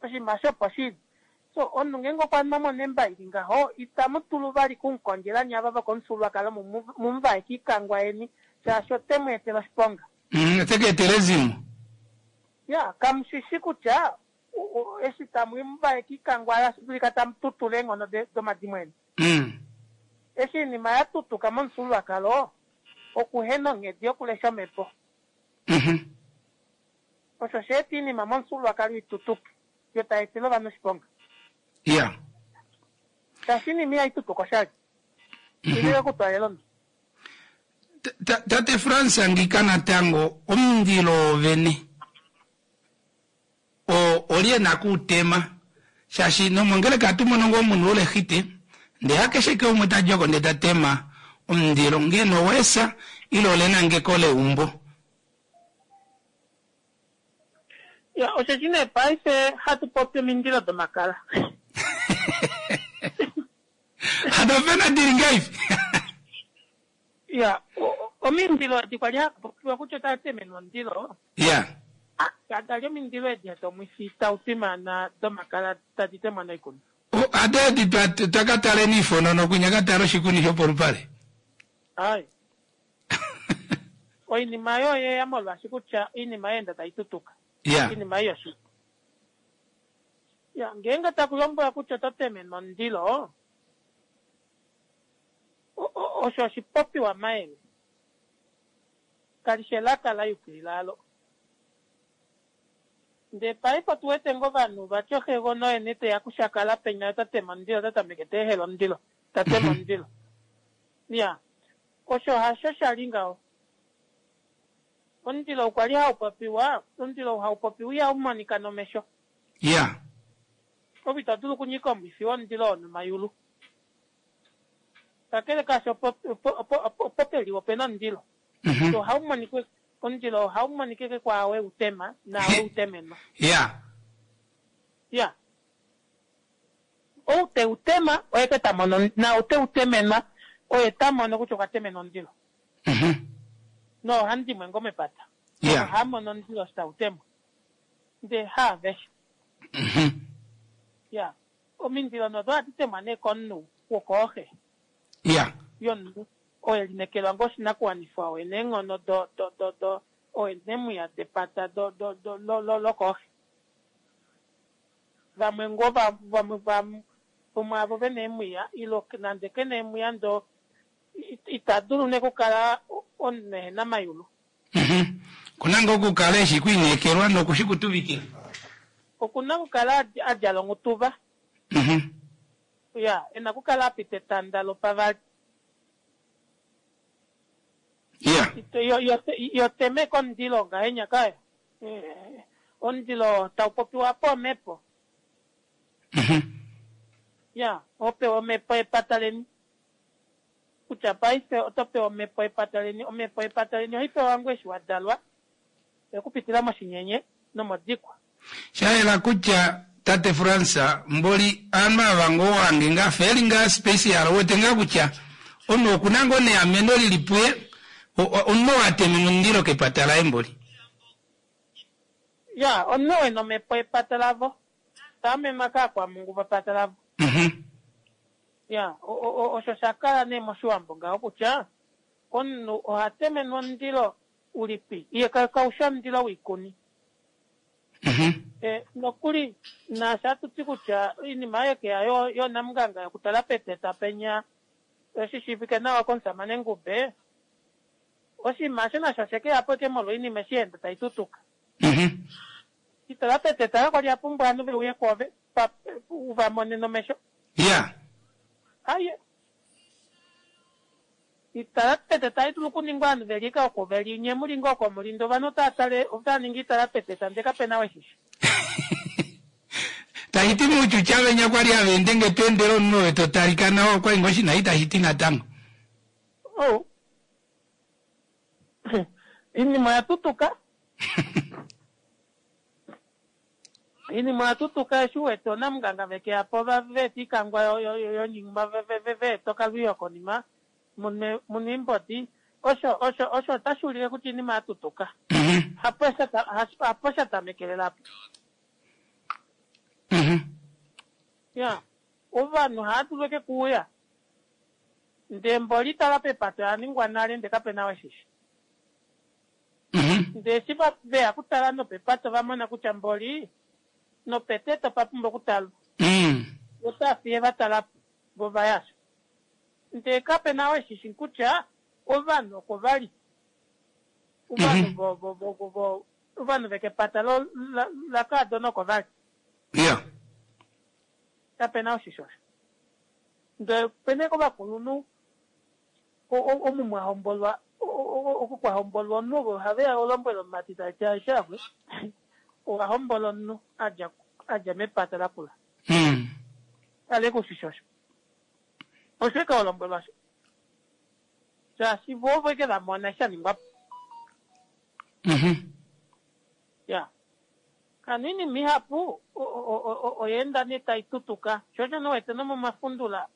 Oshinima osho opo shili. So omunhu ngeenge okwa nwa monemba ili ngaho itamu dulu vali kumukondjela nye ava vokomufyuululwakalo mu mu vaeke oikangwa yeni shaashi ote mu etele oshiponga. Ote ka etela ezimo. Ya, kamu shi shi kutya eshi tamu mu vaeke oikangwa otashi dulika tamu tutula eenghono domadimo eni. Eshi oinima ya tutuka momufyuululwakalo, okuhena onghedi yokulesha omhepo. Osho sha eta oinima momufyuululwakalo i tutuke, yo tai etele ovanhu oshiponga. Ya. Shaashi oinima ihai tutuka oshali. Ile yokutwaalela omunhu. Tate Frans ngika natango omundilo wovene. O, olye e na ku u tema? Shaashi nomongeleka ohatu mono ngoo omunhu wolehite, ndee hakeshe ke umwe ta djoko ndee ta tema omundilo, ngeno oweesa ile olenangeko leumbo. Ya, osheshi nee paife hatu popi omindilo domakala. Hano opena dili ngaifi? Ya, omindilo edi kwa li haku popiwa kutya otava temenwa omundilo. Ya. Kada li omindilo edi domwifi tau twimaana domakala tadi temwa noikuni. Hado edi twa ka taleni ifonono kwinya ka tala oshikuni shopolupale. Ai. Oinima oyo oyeya molwaashi kutya oinima ya enda tai tutuka. Ya. Oinima ei yoshili. Ya, ngeenge taku lombwelwa kutya oto temenwa omundilo, Osho oshipopiwa mayele. Kali shi elaka la yukilila alo. Ndee paife otu wete ngoo ovanhu vati oxegona oye nee teya kushakala penya ota tema omundilo ota tameke ta ehela omundilo, ta tema omundilo. Iya, osho hasho sha li ngaho. Omundilo ou kwali hau popiwa, omundilo ou hau popiwa ihau monika nomesho. Iya. Ove ito dulu okunyika omwifi womundilo oo nomayulu. Kakele kaasho, opo pe li ope na omundilo. So ohau monika, omundilo ohau monika ashike kwaao e u tema naao e u temenwa. Ya. Ya. Ou te u tema oye ke ta mono, naau te u temenwa oye ta mono kutya okwa temenwa omundilo. Noohandimwe ngoo mepata ohava mono omundilo eshi tau temwa, ndele haaveshe. Ya. Omindilo nodo ohadi temwa nee komunhu wokooxe Ya. yomunhu oo e linekelwa ngoo oshinakuwanifwa, oo e na eenghono do, do, do, do, oo e na eemwiya depata do, do, do, lo, lo, lokooxe. Vamwe ngoo va, vamwe, vamwe vomwaavo ve na eemwiya, ile nande ke na eemwiya ndoo ita dulu nee okukala omunhu ehe na mayulu. Oku na ngoo okukala e shii kwiinekelwa noku shi kutuvikila. Oku na okukala a djala onghutuva. Ya, e na okukala a pita etanda lopavali. Ya. Yo teme komundilo ngahenya kaya. Omundilo tau popiwa apa omhepo. Ya, ho pewa omhepo yepata leni. Kutya paife oto pewa omhepo yepata leni. Omhepo yepata leni ohai pewa ngoo eshi wa dalwa, okupitila moshinyenye nomodikwa. Sha yela kutya tate Frans mboli aanhu ava ngoo wange ngaa fa eli ngaa special uwete ngaa kutya omunhu okuna ngoo neameno lili puye omunhu oo ateme omundilo kepata laye mboli. Ya omunhu oo ena omhepo yepata lavo ta amenwa kaakwamhungu vepata lavo. Ya osho sha kala nee moshiwambo ngaho kutya omunhu oha temenwa omundilo ulipi ye kau shi omundilo woikuni. Nokuli naashi hatu ti kutya oinima oyo ke ya yoonamunganga yokutala peteta penya. Oshi shiivike nawa komusamane Ngube, oshinima osho nasho oshe ke ya po eke molwa oinima eshi ya enda tai tutuka. Itala peteta kakwa li a pumbwa ovanhu ve uye kwoove pa, u va mone nomesho. Ya. Aye. Itala peteta ai dulu okuningwa ovanhu ve li eke oko ve li, nye mu li ngoo oko mu li, ndee ovanhu otava tale, otava ningi itala peteta ndee kape na weshishi. Tashi ti muutyutya venya kwa li hava ende nge to endele omunhu ove to talika nawa okwa li ngoo shina itashi ti natango. Oh. Iinima oya tutuka. Iinima oya tutuka eshi u wete oonamunganga ve ke ya po va eta iikangwa yonyingma va eta okalwiyo konima muna iimbodi. Osho osho osho otashi ulike kutya iinima ya tutuka. Hapo hapo sha tamekelela apo. Ya, ovanhu ohava dulu eke kuuya ndee mboli tala pepato oya ningwa nale ndee kape na weshishi. Ndee eshi veya okutala nopepato va mona kutya mboli nopetete opa pumbwa okutalwa. Otava fiye va talapo vo va yasha. Ndee kape na weshishi kutya ovanhu oko vali. Ovanhu vo vo vo vo ovanhu vekepata lo lakaadona oko vali. Ya. Kape na oshisho osho. Ndee opena ovakulunhu omu mwa hombolwa oku kwa hombolwa omunhu ovo ohave ya olombwela omumati tali ti aishe axwe owa hombola omunhu a dja mepata lakula. Kale kushisho osho. Osho eke olombwelwa osho. Shaashi vo ovo eke va mona eshi sha ningwa po. Ya. Hano oinima ihapu oya enda nee tai tutuka. Sho osho nee wete nomomafundula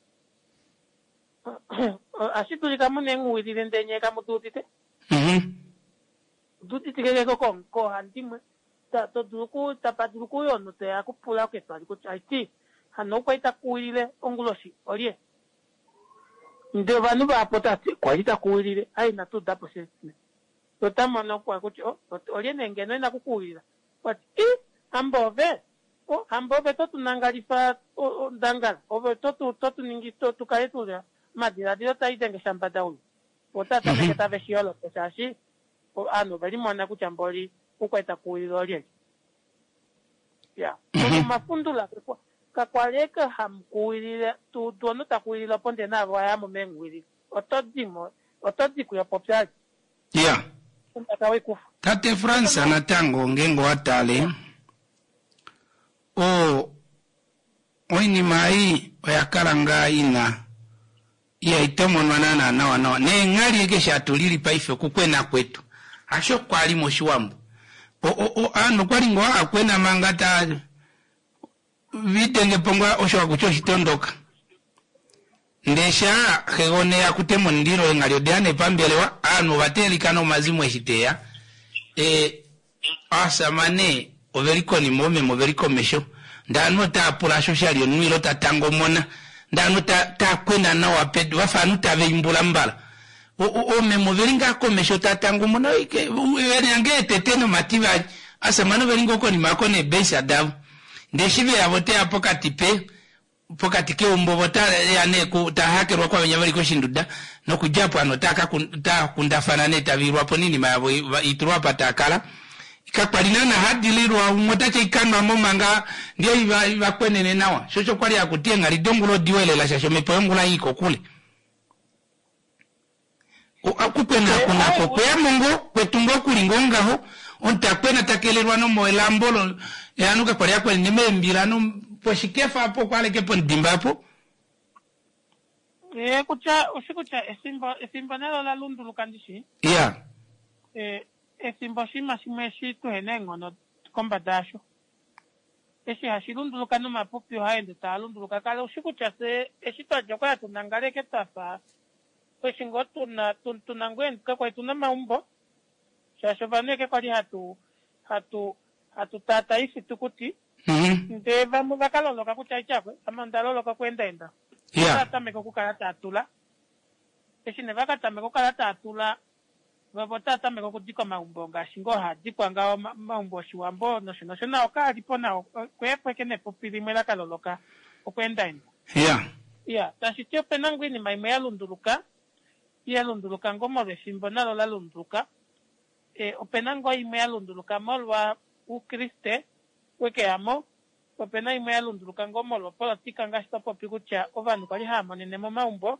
ohashi dulika mu na eenghuwilile ndele nyee kamu di udite. Odu uditike ke koohandimwe. To dulu oku, tapa dulu okuuya omunhu teya kupula ketwali kutya aiti hano ou kwali ta kuwilile onguloshi olye? Ndele ovanhu vahapu otava ti kwali ta kuwilile, ai inatu uda po sha. Ota mono kutya oh, olye nee ngeno e na okukuwilila? Okwa ti, I, hamba ove! O, hamba ove to tu nangalifa ondangala, ove to tu, to tu ningi tu, tu kale tu na omadiladilo taa idenge shambadaulu. Otava tameke tave shi yolo po, shaashi ovanhu ove limona kutya mboli ou ta kuwilile olyelye. Ya. Nomomafundula kakwa li eke hamu kuwilile, tu udu omunhu ta kuwilile opo ndee naave owa ya mo meenguwililo. Oto di mo, oto di kuyo popyali. Ya. Ondaka wekufa. Tate Frans natango ngeenge owa tale o oinima ei oya kala ngaa ina ihai tomonwa naanaa nawa nawa neenghali eke eshi hatu lili paife okukwena kwetu hasho kwali moshiwambo o, o, o, aanhu okwali ngoo hakwena manga ta Videnge po ngaa osho hakutya oshitondoka. Ndee shaa xegona eya kutema omundilo eenghali odeya nee pambelewa, aanhu ova teelikana omazimo eshi teya. E, aasamane oveli konima oomeme oveli komesho. Ndee aanhu otaa pula sho sha li omunhu ilo ta tangomona. Ndee aanhu ta, taa kwena nawa pedu vafa aanhu tava imbula mbala. O, o, oomeme oveli ngaa komesho taa tangomona oike, vena ngee etete nomativali. Aasamane oveli ngoo konima oko neebeisa davo. Ndee eshi ve ya vo ote ya pokati pe, pokati keumbo vo ota ya nee ku, ta hakelwa kwavenya veli koshinduda, nokudja po ovanhu otaa ka otaa kundafana nee tava ilwa po noinima yavo i tulwa apa taa kala. Kakwa li naana hadi lilwa, umwe ota ti ikanwa mo manga ndee iva, iva kwenene nawa. Sho osho kwali haku ti eenghali dongula odiwa elela shaashi omhepo yongula ii kokule. Okukwenakwena oko okweya mo ngoo, kwetu ngoo ku li ngoo ngaho, omunhu ta kwena ta kelelwa nomelambo lo, ovanhu kakwa li hava kwenene meembila no poshikefa apo okwa aleke pomudimba apo. Ee, kutya oshi kutya efimbo efimbo nalo ola lunduluka ndishi. Iya. Ee, efimbo oshinima shimwe eshi tuhena eenghono kombada yasho. Eshi hashi lunduluka nomapupi ohaa ende taa lunduluka. Kala ushi kutya fye eshi twa dja okwali hatu nangala eke twa fa eshi ngoo tuna tuna ngoo eenduka kwali tuna omaumbo shaashi ovanhu eke kwali hatu hatu hatu taataa oifitukuti ndee vamwe va ka loloka kutya aityakwe ame onda loloka okuendaenda. Ova tameka okukala taa tula. Eshi nee va ka tameka okukala taa tula Vo otava tameke okudika omaumbo ngaashi ngoo haa dikwa ngaho omaumbo oshiwambo nosho nosho nao kaa li po nao okweepweke nepupi limwe la ka loloka okweendaenda. Ya. Ya, tashi ti ope na ngoo oinima imwe ya lunduluka, ya lunduluka ngoo molwefimbo nalo la lunduluka. E, ope na ngoo imwe ya lunduluka molwa Oukriste we ke ya mo, ope na imwe ya lunduluka ngoo molwa opolotika ngaashi twa popi kutya ovanhu kwali hava monene momaumbo.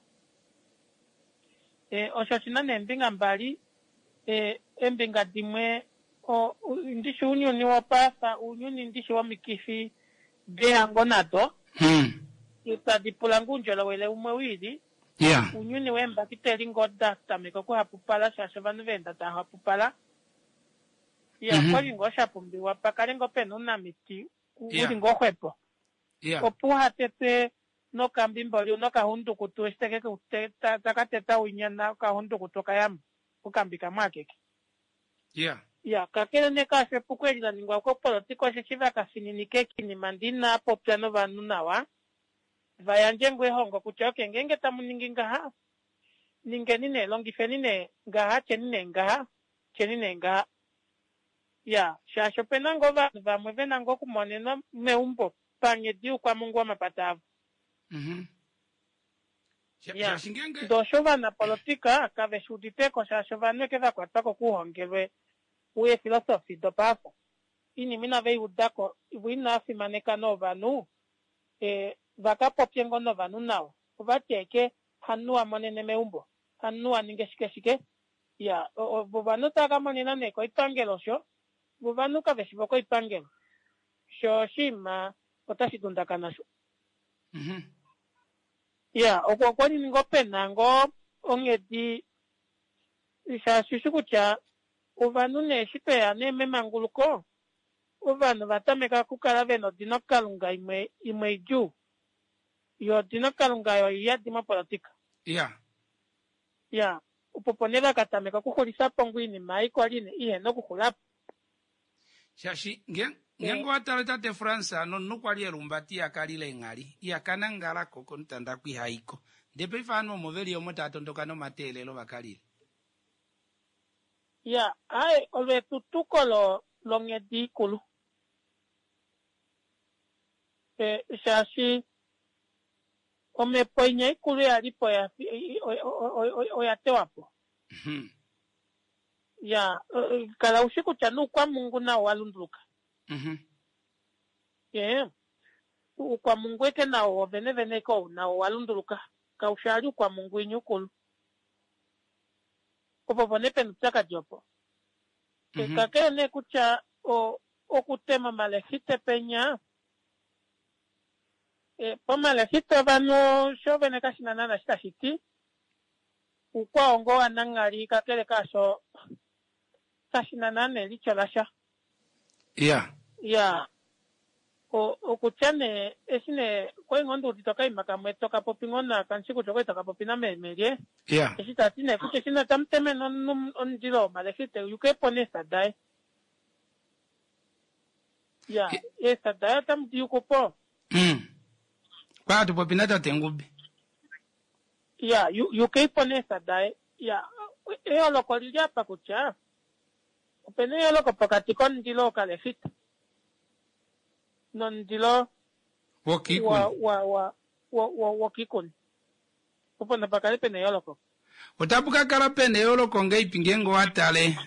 E, osho oshi na neembinga mbali. E, eembinga dimwe o, ndishi ounyuni wopaife, ounyuni ndishi womikifi dehango nado. Tadi pula ngoo oundjolowele umwe wiili. Ounyuni weembakiteli ngoo da tameka okuhapupala shaashi ovanhu va enda tava hapupala. Ya, okwali ngoo sha pumbiwa pa kale ngoo pena ounamiti u li ngoo xwepo. Opo uha tetwe nokambimboli nokahundukutu eshi teke ku taka teta winya nokahundukutu okayamo okambi kamwe akeke. Ya, kakele nee kaasho epuko eli la ningwa kopolotika osheshi va ka fininika ekinima ndee inaa popya novanhu nawa va yandje ngoo ehongo kutya okay ngeenge tamu ningi ngaha ningeni nee longifeni nee ngaha tyeni nee ngaha tyeni nee ngaha. Ya, shaashi opena ngoo ovanhu vamwe vena ngoo okumonenwa meumbo panghedi youkwamungu womapata avo. Ya, ndee osho ovanapolotika kave shi uditeko shaashi ovanhu eke va kwatwa ko kuuhongelwe weefilosofi dopaafa. Oinima inave i udako, vo inava fimaneka nee ovanhu, va ka popye ngoo novanhu nawa. Ova ti eke hamunhu wa monene meumbo, hamunhu wa ninge shike shike. Ya, vo ovanhu otava ka monena nee koipangelo osho, vo ovanhu kave shi vokoipangelo. Sho oshinima otashi dundakana sho. Ya, okwa okwa li ngoo pe na ngoo onghedi shaashi ushi kutya ovanhu nee eshi tweya nee memanguluko ovanhu va tameka okukala ve na odinokalunga imwe imwe idjuu. Yo odinokalunga oyo iyadi mopolotika. Ya. Ya, opo opo nee va ka tameka okuxulifa po ngoo oinima ei kwali ihena okuxula po. Shaashi nge ngeenge owa tale tate Frans nomunhu kwali elumbati iha kalila eenghali, iha ka nangalako komutanda ku iha iko. Ndee paife ovanhu omo veli omo tava tondoka nomateelelo va ka lile. Ya, aaye olo etutuko lo longhedi ikulu. E, shaashi omhepo inya ikulu ya li po oya oya tewa po. Ya, kala u shi kutya nuukwamungu nawo owa lunduluka. Ee, uukwamungu eke nawo wo venevene eke ou nawo owa lunduluka. Kau shi ali uukwamungu winya ukulu. Opo opo nee pena uupyakadi opo. Kakele nee kutya okutema omalehite penya, pomalehite ovanhu sho vene kashi na naana eshi tashi ti. Uukwao ngoo wananghali kakele kaasho kashi na naana elityo lasha. Iya. Iya. O, okutya nee, eshi nee, okwali ngoo ndi udite okaima kamwe toka popi ngoo na, kandi shi kutya okwali taka popi nameme lye. Iya. Eshi ta ti nee kutya eshi nee tamu temene omunhu omundilo womalehite, yuke po neesa daye. Iya, eesa daye otamu di yuku po. Okwali hatu popi natate Ngube. Ya, yukei po neesa daye. Ya, eyooloko oli li apa kutya ope na eyooloko pokati komundilo wokalefita nomundilo wokiikuni. Opo napa kale pe na eyooloko. Otapu ka kala pe na eyooloko ngeipi ngeenge owa tale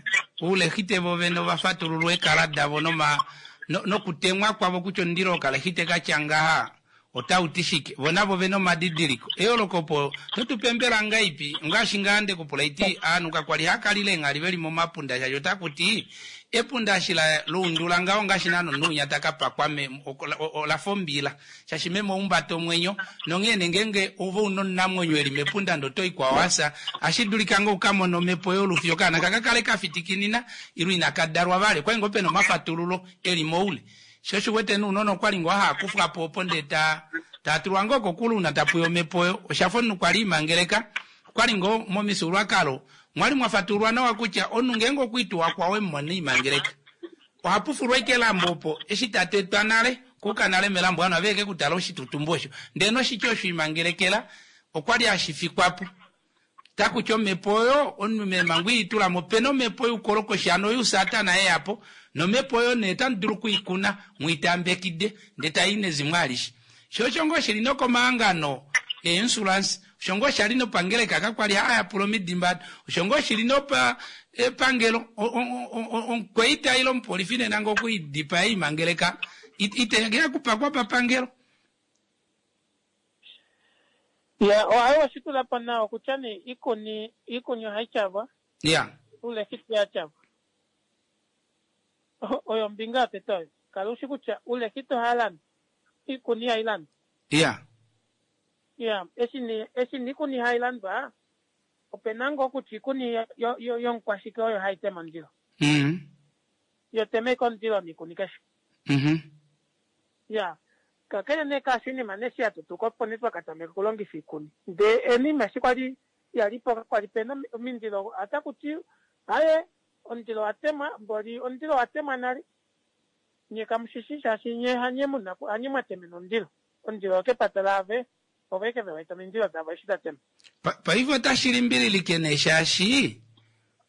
oulehite vo vene ova fatululwa eekala davo noma, no, nokutemwa kwavo kutya omundilo wokalehite ka tya ngaha otau ti shike. Vo navo ve na omadidiliko. Eyooloko opo to tu pe mbela ngaipi? Ongaashi ngaa nde ku pula iti, Aanhu kakwa li hava kalile eenghali ve li momapunda shaashi otaku ti epunda eshi la luundula ngaho ongaashi naana omunhu winya ta ka pakwa me, ola fa ombila. Shaashi meme ohumbata omwenyo, nonghee nee ngeenge ove u na omunamwenyo e li mepunda ndee oto i kwao a fya, ohashi dulika ngoo u ka mone omhepo yolufi okaana ka ka kale ka fitikinina ile inaka dalwa vali. Okwali ngoo pe na omafatululo e li moule. Sho osho u wete nounona okwali ngoo haa kufwa po opo ndee ta taa tulwa ngoo kokule ouna tapu ya omhepo oyo. Osha fa omunhu kwali e limangeleka. Okwali ngoo momifyuululwakalo mwali mwa fatululwa nawa kutya omunhu ngeenge okwa ituwa kwao e mu mona e limangeleka oha pufulwa ashike elambo opo eshi ta tetwa nale okuuka nale melambo ovanhu aveke kutala oshitutumbu osho ndee noshitya osho imangelekela okwali hashi fikwa po. Taku ti omhepo oyo omunhu meemhango i tula mo opena omhepo youkolokoshi hano yousatana ye ya po nomhepo oyo nee otamu dulu oku i kuna mu i tambekide ndee tai i nezimo alishe. Sho osho ngoo shili nokomahangano. Einsurance osho ngoo shali nopangeleka kakwali haayapula omidimba osho ngoo shili nopa epangelo omukwaita ile omupolifi nena ngoo okwiidipaya imangeleka ite kupakwa papangelo. Ya, ohayi oshitula po nawa kutya nee ikuni ikuni ohayi tyavwa. Ya. Ulekiti ya tyavwa. Oyo ombinga yotete oyo. Kala ushi kutya ulekiti oha landwa. Ikuni ihayi landwa. Ya. Ya, eshi nee eshi nee ikuni hayi landwa opena ngoo kutya ikuni yomukwashike oyo hayi tema omundilo. Yo tema ike omundilo niikuni keshe. Ya, kakele nee kaasho oinima nee eshi ya tutuka opo nee twa ka tameka okulongifa oikuni. Ndee enima eshi kwali ya li po kakwali pena omindilo otaku ti aye omundilo owa temwa mboli omundilo owa temwa nale. Nye kamu shi shi shaashi nye hanye muna hanye mwa temena omundilo. Omundilo okepata laave ovo eke ve wete omindilo davo eshi da tema. Paife otashi limbililike nee shaashi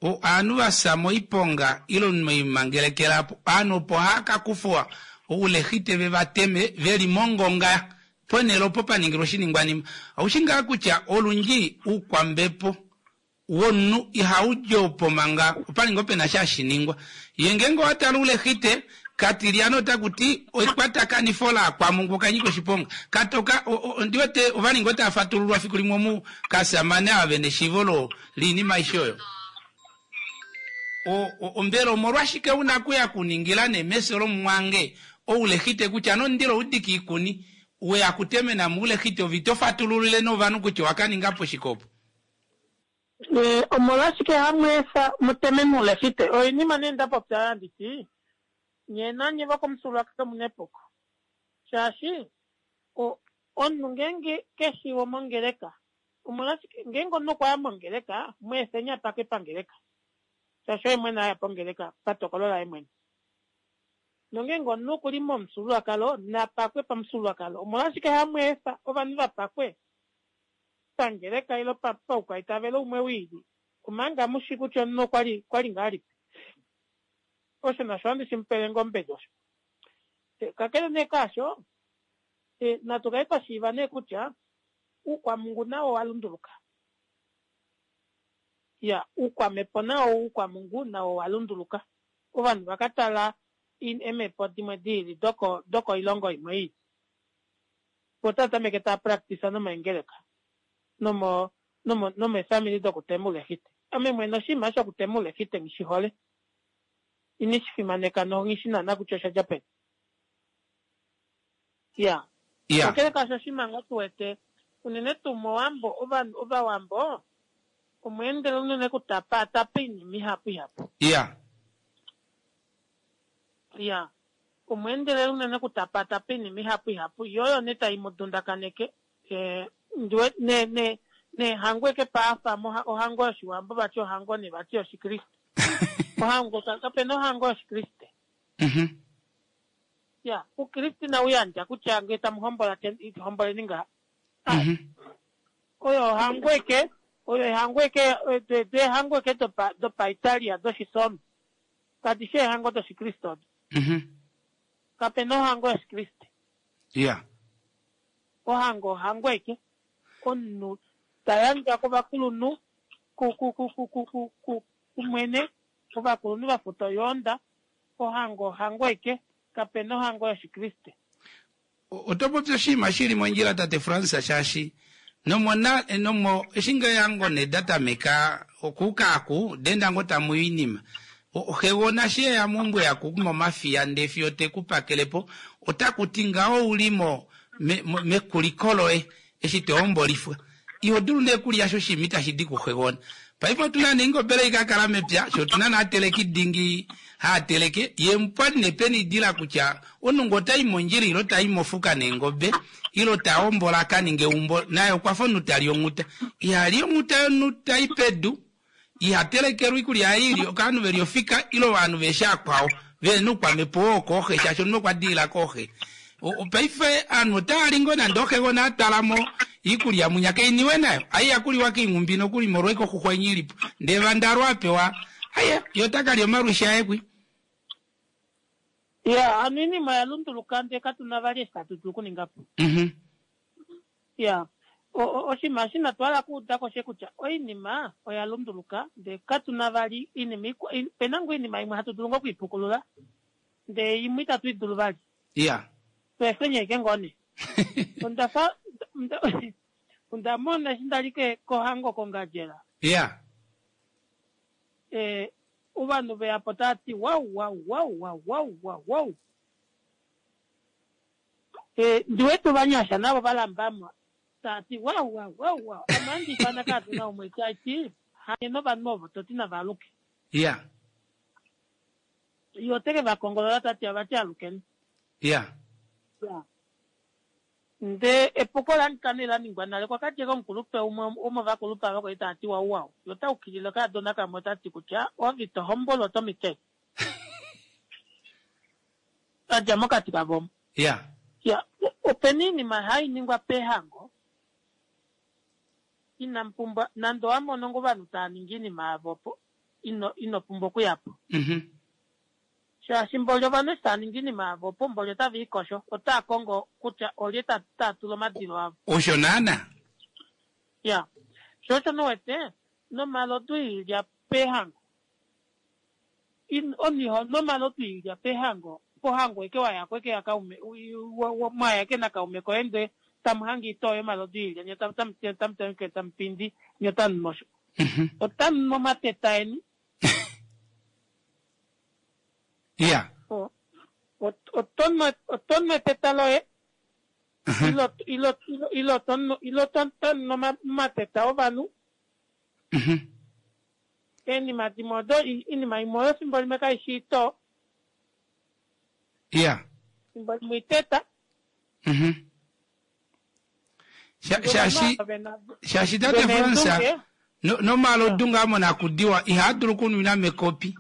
ovanhu va fya moiponga ile moimangelekela apo ovanhu opo hava ka kufwa oulehite ve va teme ve li mongonga ponhele opo pa ningilwa oshiningwanima. Oushi ngaa kutya olundji oukwambepo womunhu ihau di opo manga opa li ngoo pe na sha hashi ningwa. Ye ngeenge owa tala ulehite, katilyana otaku ti ekwatakanifo laakwamungu oka nyika oshiponga. Katoka, ondi wete ova li ngoo tava fatululwa fiku limwe omu kasamane ava ve na eshiivo lo liinima aishe oyo. O, o, mbela omolwashike u na kuya kuningila nee mefyo lomumwange oulehite kutya nomundilo u dike oikuni, we ya kutemena mo oulehite ove ito fatululile nee ovanhu kutya owa ka ninga po shike opo? Omolwashike hamu efa mu teme muulehite? Oinima nee nda popya oyo handi ti, nye nanye vokomufyuululwakalo omu na epuko. Shaashi omunhu ngeenge ke shi womongeleka, omolwashike ngeenge omunhu okwa ya mongeleka, mu efeni a pake pangeleka. Shaashi oye mwene a ya pongeleka patokolo laye mwene. Nongeenge omunhu oku li momufyuululwakalo, na pakwe pamufyuululwakalo. Omolwashike hamu efa ovanhu va pakwe pangeleka ile paukwaitavelo umwe wiili, omanga mu shii kutya omunhu okwa li okwa li ngahelipi. Osho nasho ohandi shi mu pele ngoo ombedi osho. Kakele nee kaasho, natu kale twa shiiva nee kutya uukwamungu nawo owa lunduluka. Ya, uukwamhepo nawo uukwamungu nawo owa lunduluka. Ovanhu va ka tala eemhepo dimwe diili doko dokoilongo imwe iili. Otava tameke tava practice nomaengeleka nomo nomo nomeefamili dokutema oulehite. Ame mwene oshinima shokutema oulehite nghi shi hole. Ini shi fimaneka no nghi shi naana kutya osha dja peni. Ya. Ya. Kakele kaasho oshinima ngoo tu wete unene tuu mOwambo ovanhu Ovawambo omwa endela unene okutapaatapa oinima ihapu ihapu. Ya. Ya. Omwa endelela unene okutapaatapa oinima ihapu ihapu, yo oyo nee tai mu dundakaneke. Ndi ne ne neehango eke paafa mo ohango yoshiwambo vati ohango nee vati yoshikriste. Ohango kape na ohango yoshikriste. Ya, ukriste inau yandja kutya ngee tamu hombola homboleni ngaha. Oyo ohango eke, oyo ehango eke, eehango eke dopa dopaItalia doshisomi. Kadi shi eehango dOshikriste odo. Kape na ohango yOshikriste. Ya. Ohango ohango aike. Omunhu ta yandjwa kovakulunhu, ku, ku, ku, ku, ku, ku, ku, kumwene, ovakulunhu va futa oyoonda. Ohango ohango aike. Kape na ohango yOshikriste. Oto popi oshinima shi li mondjila tate Frans shaashi nomona nomo eshi ngoo ehango ne da tameka okuuka aku denda ngoo tamu oinima xegona shi eya meumbo yaku momafiya ndee fiyo te ku pakele po otaku ti ngaho ou li mo mekuliko loye eshi to hombolifwa iho dulu nee kulya sho oshinima itashi di kuxegona. Paife otu na nee ingobela ei ka kala mepya, sho otu na nee ateleki dingi haa teleke, ye pwali nee pena idila kutya omunhu ngee ota i mondjila ile ta i mofuka neengobe ile ta hombola a ka ninge eumbo naye okwa fa omunhu ta li onghuta. Iha li onghuta yomunhu ta i pedu, iha telekelwa oikulya yaye ili ovanhu ve li ofika ile ovanhu veeshi akwao vehena oukwamhepo oo kooxe shaashi omunhu okwa dilila kooxe. Paife ovanhu otava li ngoo nande oxegona a twala mo iikulya munya kainiwe nayo aiya kuliwa koinghumbi nokuli molwa ike oxuxwa inya ilipo ndee vandalwa a pewa aye ye ota kalya omalwishi aye kwi. Ya hano oinima oya lunduluka ndee katu na vali eshi tatu dulu okuninga po. Ya. Oshinima eshi inatu hala okuuda ko she kutya oinima oya lunduluka ndee katu na vali oinima ikwa, ope na ngoo oinima imwe hatu dulu ngoo okwiipukulula ndee imwe itatu i dulu vali. Iya. Tu efeni ashike ngoo nee. Onda fa onda, onda mona eshi nda li ke, kohango kOngandjera. Iya. Eh, ovanhu ve ya po tava ti wau wau wau wau wau wau wau. Eh, ndi wete ovanyasha navo va lamba mo tava ti wau wau wau wau. Ame ohandi ifana kaadona umwe tai ti hanye novanhu ovo to ti nava aluke. Iya. Ye ote ke va kongolola ta ti avati alukeni. Iya. Ya. Nde epuko la nika nee la ningwa nale kwa ka djeka omukulupe umwe womovakulupe ava kwali tava ti wau wau. Ye ota ukilile okaadona kamwe ota ti kutya ove ito hombolwa oto mitele. A dja mokati kavo omo. Ya. Ya, opena iinima hai ningwa pehango inamu pumbwa nande owa mono ngoo ovanhu tava ningi iinima yavo opo ino ino pumbwa okuya po. Mhm. Shaashi mboli ovanhu eshi tava ningi iinima yavo opo mboli otava ikosho, otava kongo kutya olye ta ta tula omadilo avo. Osho naana. Ya. Sho osho nee u wete nomalodu iilya pehango. Omunhu iho nu omalodu oilya pehango, pohango eke wa yako eke ya kaume, mwa ya eke nakaume koye ndee tamu hange itoo yomalodu oilya nye tamu tameke tamu pindi nye otamu nu osho. Otamu nu omateta eni. Iya. Oto nu eteta loye ile oto nu omateta ovanhu. Eenima dimwe odo, oinima imwe oyo fimbo limwe kai shi itoo. Iya. Fimbo limwe iteta. Shaashi, shaashi tate Fransa, no, nomalodu ngaa monakudiwa ihaa dulu okunwina mekopi,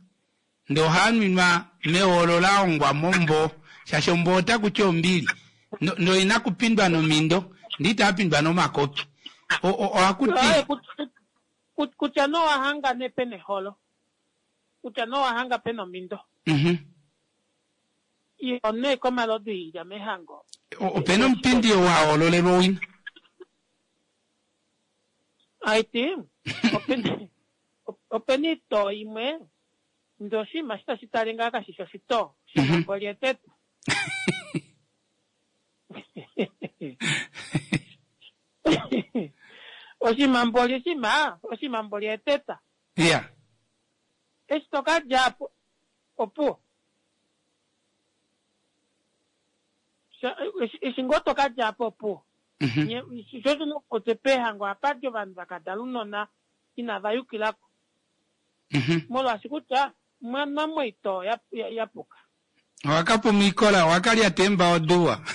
ndee ohaa nwinwa meolo la hongwa momboo, shaashi omboo otaku ti ombili, no, noina kupindwa nomindo, ndee itaa pindwa nomakopi. O, o, ohaku ti. Kutya nee owa hanga nee pena eholo, kutya nee owa hanga pena omindo. Iho nee komalodu iilya mehango. Opena omupindi oo wa hoololelwa owina. Aiti, opena oitoo imwe ndee oshinima eshi tashi tale ngaa kashishi oshitoo, oshinima mboli eteta. Oshinima mboli oshinima, oshinima mboli eteta. Iya. Eshi to ka dja po, opuwo. Eshi ngoo to ka dja po, opuwo. Nye, sho osho nee kutya peehango ohapa di ovanhu va ka dala ounona inava yukila ko. Molwaashi kutya mwa nwa moitoo ya, ya puka. Owa ka puma oikola, owa ka lyata eembao duwa.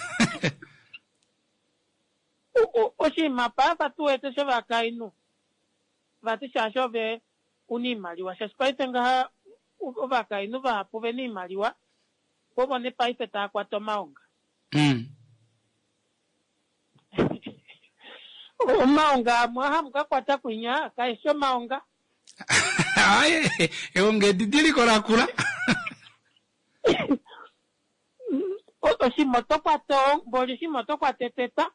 Oshinima paife tu wete shovakainhu vati shaashi ove una iimaliwa shaashi paife ngaha ovakainhu vahapu vena iimaliwa ovo ne paife tava kwata omaonga. Omaonga amwe hamu ka kwata kwinya kaeshi omaonga. Aaye, eonga edidiliko lakula. Oshinima oto kwata mboli oshinima oto kwata eteta.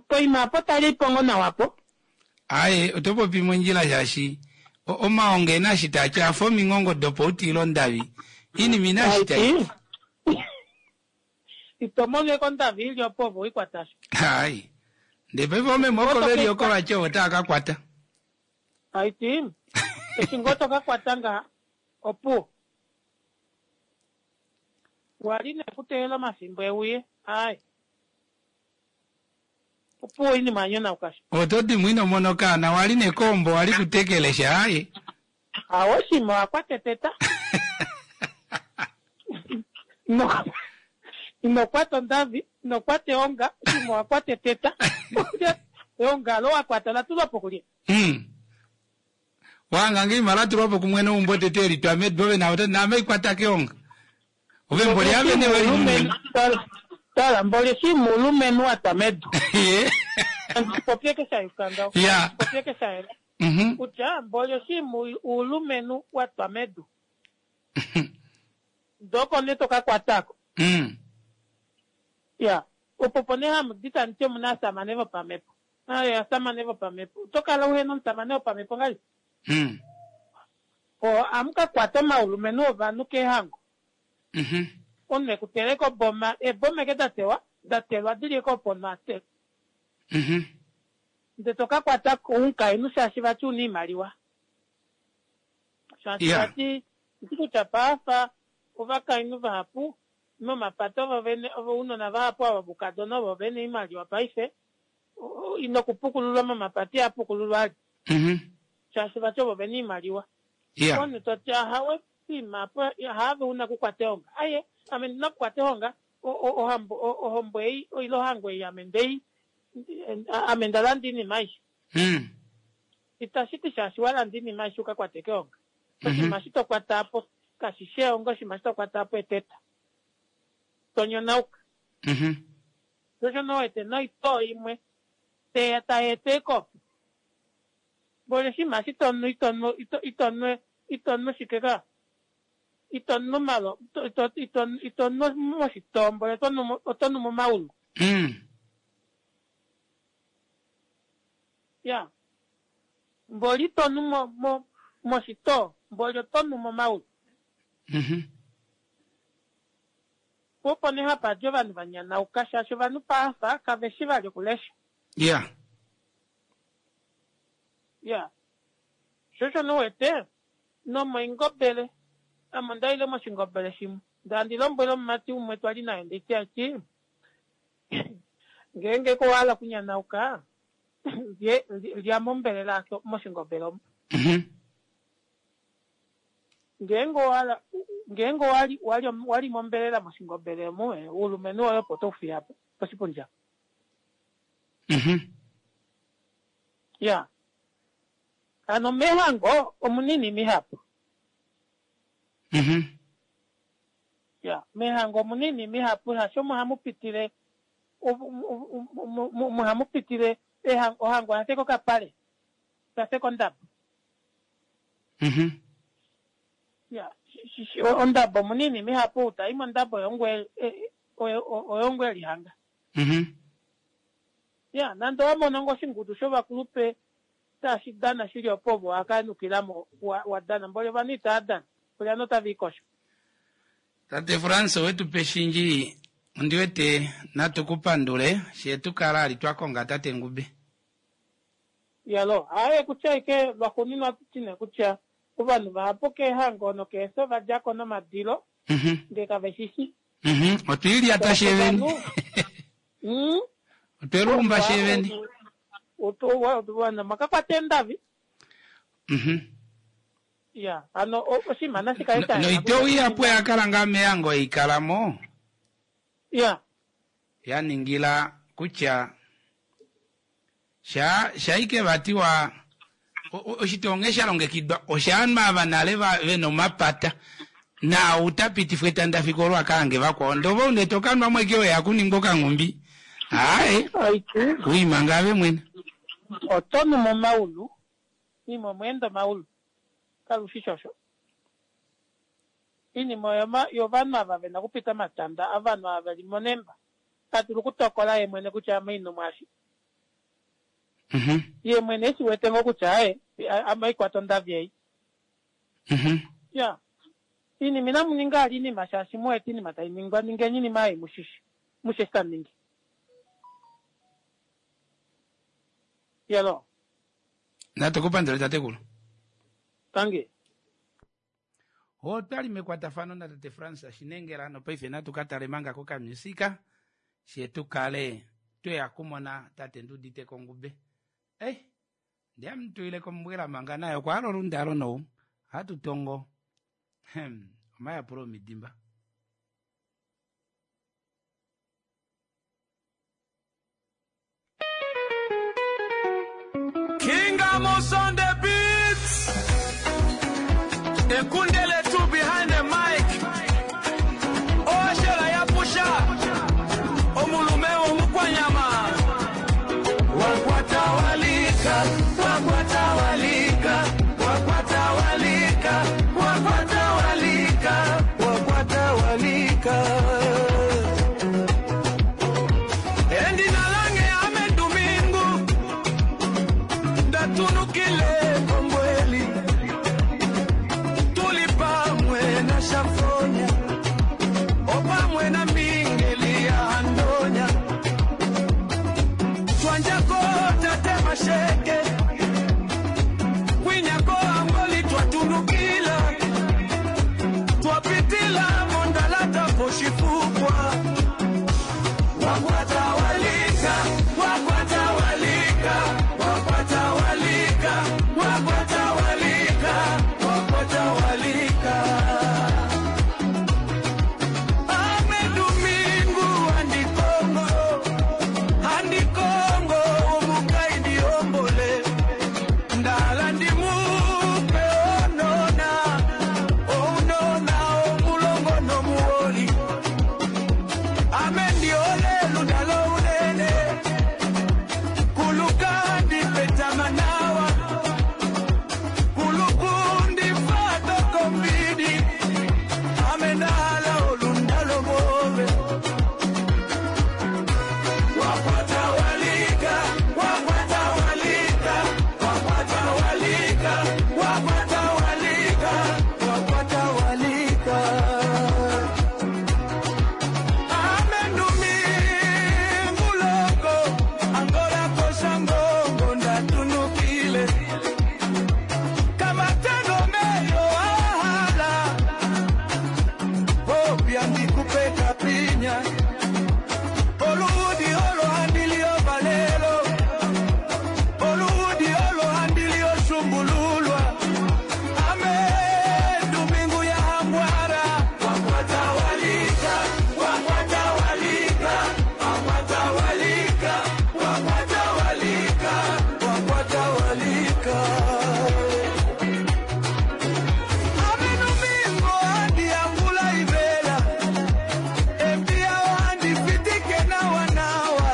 Poima apo tali po ngoo nawa po. Aaye, oto popi mondjila shaashi omaonga ena eshi taa ti a fa omingongo dopoutiilo ondavi. Iinima ina eshi tai ti. Ito mono eke ondavi ili opo ove wei kwata sho. Hai. Ndee paife oomeme oko veli oko vati ovo tava ka kwata. Haiti, eshi ngoo to ka kwata ngaha, opuwo. Wali nee kuteelela omafimbo e uye, aai. Opuwo oinima ya nyonauka sho. Oto di mo ino mona okaana, wali nee koombo wali kutekelesha, aai. Awo shima owa kwata eteta. Ino kwata ondavi, ino kwata eonga, shima owa kwata eteta. Eonga olo wa kwata ola tulwa po kulye? Wahanga ngee ima la tulwa po kumwene weumbo tete e li twa medu ove naave ototi naame kwata keonga. Ove mboli ave ne weli mumene. Tala, mboli eshi mulumenhu wa twa medu. Popye ke sha yuka ngaho. Popye ke sha yela. Kutya mboli eshi uulumenhu wa twa medu. Ndoo oko nee to ka kwata ko. Ya, opo opo nee hamu di tamu ti omu na ovasamane vopamhepo. Aye, ovasamane vopamhepo. Oto kala uhe na omusamane wopamhepo ngahelipi? Mm. Ohamu ka kwata omaulumenhu ovanhu keehango. Mhm. Omunhu e ku teleka oboma, eeboma eke da tewa, da telwa di li eke opo omunhu a tele. Mhm. Ndele to ka kwata omukainhu shaashi vati u na oimaliwa. Shaashi vati, ndi kutya paafa ovakainhu vahapu momapata ovo vene, ounona vahapu ava voukadona ovo vena oimaliwa paife, inokupukululwa momapata ihaa pukululwa ali. Mhm. Shaashi vati ovo vena oimaliwa. Omunhu to ti ahawe poima apo haave una okukwata ehonga. Aye, ame ndi na okukwata ehonga, ohambo, ohombo ei, ile ohango ei ame ndei, ame nda landa oinima aishe. Itashi ti shaashi wa landa oinima aishe u ka kwate keonga. Oshinima eshi to kwata apo kashi shi eonga, oshinima eshi to kwata apo eteta. To nyonauka. Sho osho nee wete noitoo imwe teya tai eta ekopi. Mboli oshinima eshi to nu ito nu ito ito nu ito nu shike ka? Ito nu malo ito ito ito nu moshitoo mboli oto nu oto nu momaulu. Ya. Mboli ito nu mo mo moshitoo mboli oto nu momaulu. Po opo nee hapa di ovanhu va nyanauka shaashi ovanhu paafa kave shi vali okulesha. Ya. Ya. Sho osho nee u wete nomoingobele ame onda ile moshingobele shimwe ndee handi lombwele omumati umwe twali naye nditi ati ngeenge ko owa hala okunyanauka lye lya mombelela moshingobele omo. Ngeenge owa hala ngeenge owa li wa li wa li mombelela moshingobele omu oulumenhu woye opo to u fiya po poshipundi apa. Ya. Hano mehango omuna oinima ihapu. Ya, mehango omuna oinima ihapu shaashi omo hamu pitile omo hamu pitile ohango oya feka okapale, oya feka ondabo. Ya, ondabo omuna oinima ihapu, ou ta i mondabo oye ongo e lihanga. Ya, nande owa mono ngoo oshingudu shovakulupe tashi dana shili opo ove wa ka nukila mo wa dana mboli ovanhu itava dana mboli ovanhu otava ikosho. Tate Frans owetu pe shindji ondi wete natu ku pandule she tu kala ali twa konga tate Ngube. Iyaloo, aaye kutya ashike lwaxuuninwa ohatu ti nee kutya ovanhu vahapu keehango nokeefya ova dja ko nomadilo ndee kave shi shi. Otwe lilyata sheeveni. Otwe luumba sheeveni. Ovanhu makakwata eendavi. Ya, hano oshinima nashi kale sha yela. Noitoo ihapu oya kala ngaa mehango ei kala mo. Ya. Ya ningila kutya sha shaike vati wa oshitoo nghee sha longekidwa oshaanhu ava nale vena omapata naau ta pitifwa etanda fiku olo a ka hange vakwao ndee ove une to ka nwa mo ashike weya kuningwa okanghumbi aaye wiimanga ave mwene. Oto nu momaulu imwe omweenda omaulu kalushi shosho Iinima oyo yovanhu ava vena okupita omatanda, ovanhu ava veli monemba, ta dulu okutokola ye mwene kutya ame ino mwaashi. Ye mwene eshi wete ngoo kutya aye, ame oikwata ondavi ei. Ya. Iinima inamu ninga ali iinima shaashi mu wete iinima tai ningwa, ningeni iinima ei mushishi, mushi eshi tamu ningi. Yelo. Natu ku pandule tatekulu. Tangi. Otwali mekwatafano natate Frans Shinengela nopaife natu ka tale manga kokamusika she tu kale tweya kumona tate Nduudite Kongube. Eh, ndi ame tuile kombwela manga naye okwa hala olundalo nou. Ohatu tongo. Hem, omayapulo omidimba. King Amos on the beats. Ekundele two behind the mic. Oshela ya pusha. Omulume womukwanyama. Wakwatawalika, wakwatawalika, wakwatawalika, wakwatawalika, wakwatawalika. Twatunukile kombweli tuli pamwe na Shafonya opamwe na Mingeli ya Andonya twanjako tate Masheke kwinyako Angoli twatunukila twapitila Mondalata poshifukwa wakwatawalika wakwatawalika wakwatawalika wakwatawalika wakwatawalika amedumingu andikongo andikongo omukaidi ombole ndala ndimupe onona onona omulongo nomuwoli amendiole lundalo unene kuluka ndipetamanawa kulukundi fatokombidi amenala olundalo bove wakwatawalika wakwatawalika wakwatawalika wakwatawalika wakwatawalika amenduminguloko angola koshangongo ndatunukile kamatego meyo ahala popya ndikupeka pinya oludi olohandilio valelo oludi olohandilio shumbululwa ame dumingu ya hambwara wakwatawalika wakwatawalika wakwatawalika wakwatawalika wakwatawalika amenumingo andi angula ivela embia ohandi fitike nawa nawa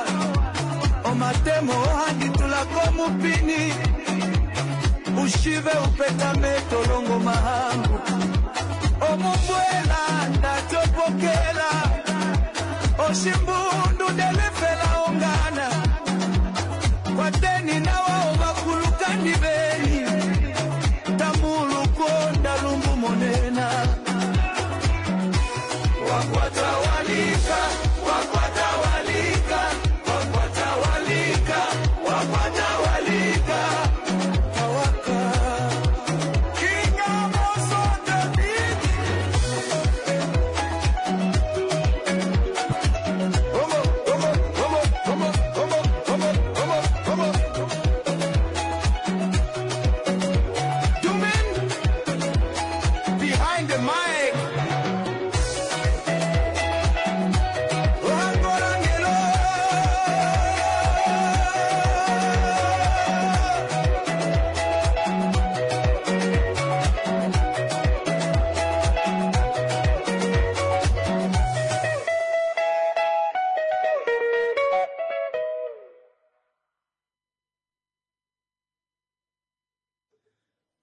omatemo ohandi tulako mupini ushive upetame tolongo mahangu omumbwela ndatopokela oshimbundu ndelefela ongana kwateni nawa ovakulukandi veni tamuluko ndalumbu monena wakwatawalika wakwatawalika wakwatawalika wakwatawalika tawaka kingamosotabiti Omo, omo, omo, omo, omo, omo, omo, omo. Dumin behind the mic. Oangorangelo.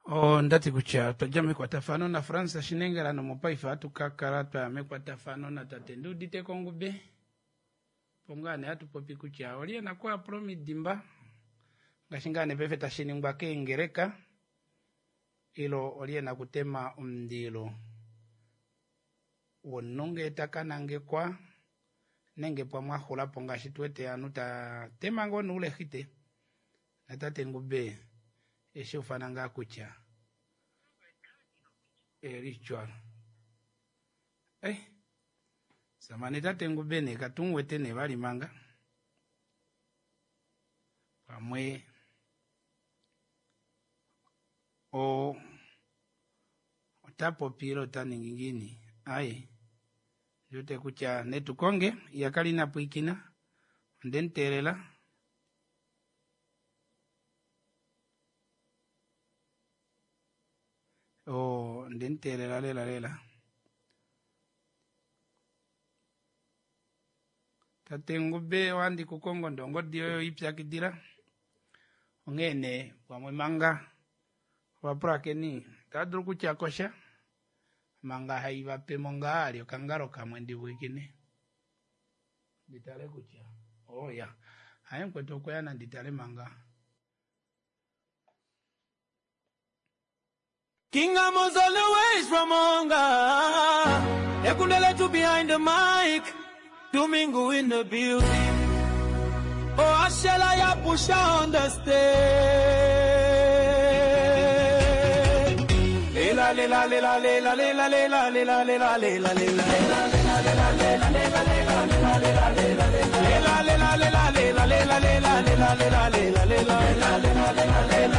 Ondati kutya otwadja mekwatafano naFrans Shinengela nomopaife ohatu ka kala twaya mekwatafano natate Nduudite Kongube opo ngaa nee hatu popi kutya olye ena okuyapula omidimba ngaashi ngaa nee paife tashi ningwa keengeleka ilo olye ena okutema omundilo womunhu ngee taka nangekwa nenge pamwe axulapo ngaashi tuwete ovanhu tatema ngoo noulexite natate Ngube eshiufana ngaa kutya elitwalo eh samane tate Ngube nee katumuwete nee vali manga pamwe o ota popi ile ota ningi ngiini aye ndiwete kutya netukonge iyakala ina pwiikina ondemuteelela o ondemuteelela lela lela tate Ngube ohandi kukongo ndee ongodi yoye oipyakidila onghee nee pamwe manga ovapulakeni otava dulu okutya kosha manga haivapemo ngaa ali okangalo kamwe ndipwiikine nditale kutya oya haye mukwetu okweya nanditale manga. King Amos all the ways from Onga. Ekundele behind the mic. Domingo in the building. Oh, Ashela ya pusha on the stage. Lela, lela, lela, lela, lela, lela, lela, lela, lela, lela. Lela, lela, lela, lela, lela, lela, lela,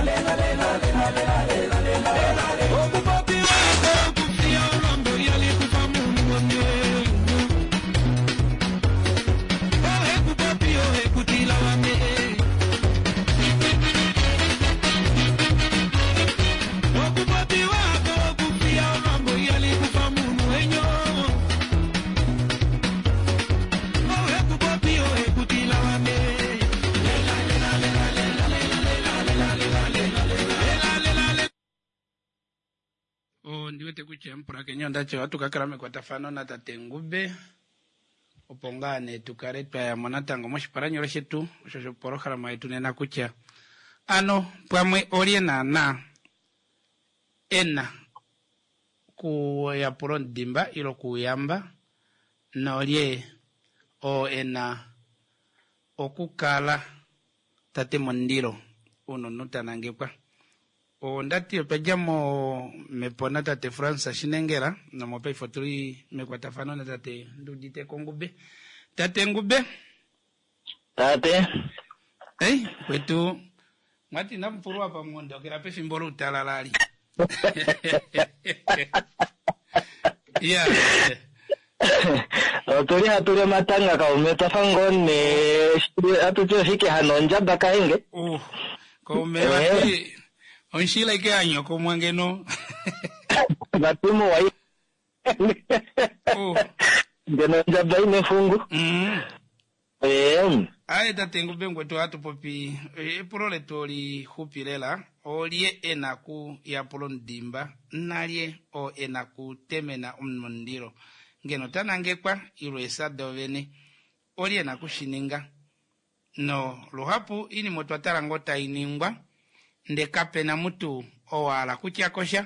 lela, lela, lela. Ondi wete kutya mupulakeni ondati ohatu ka kala mekwatafano natate Ngube opo ngaa nee tu kale twa ya mo natango moshipalanyole shetu osho shopolohalama yetu nena kutya ano pamwe olye naanaa e na kuyapula omudimba ile okuuyamba nolye oo e na okukala tate mondilo uuna omuntu ta nangekwa. Onda ti otwa dja mo mepo natate Frans Shinengela nomopaife otuli mekwatafano natate Nduudite Ngube. Tate Ngube. Tate. Ei, kwetu mwati namupulwa pamwondokela pefimbo loutalala ali. Ya. Otuli hatu li omatanga kaume twafa ngoo nee hatu ti oshike hano ondjaba kahenge. Kaume vati onshila ike yanyokomwa ngeno. Vati muwa ngeno ondjaba ine fungu. Aye tate Ngube ngwetu ohatu popi epulo letu olixupi lela olye e na kuyapula omudimba nalye oo e na kutemena omundilo ngeno ta nangekwa ile eesa dovene olye e na kushininga no luhapu iinima otwa tala ngoo tai ningwa nde kapena mutu oo a hala kutya kosha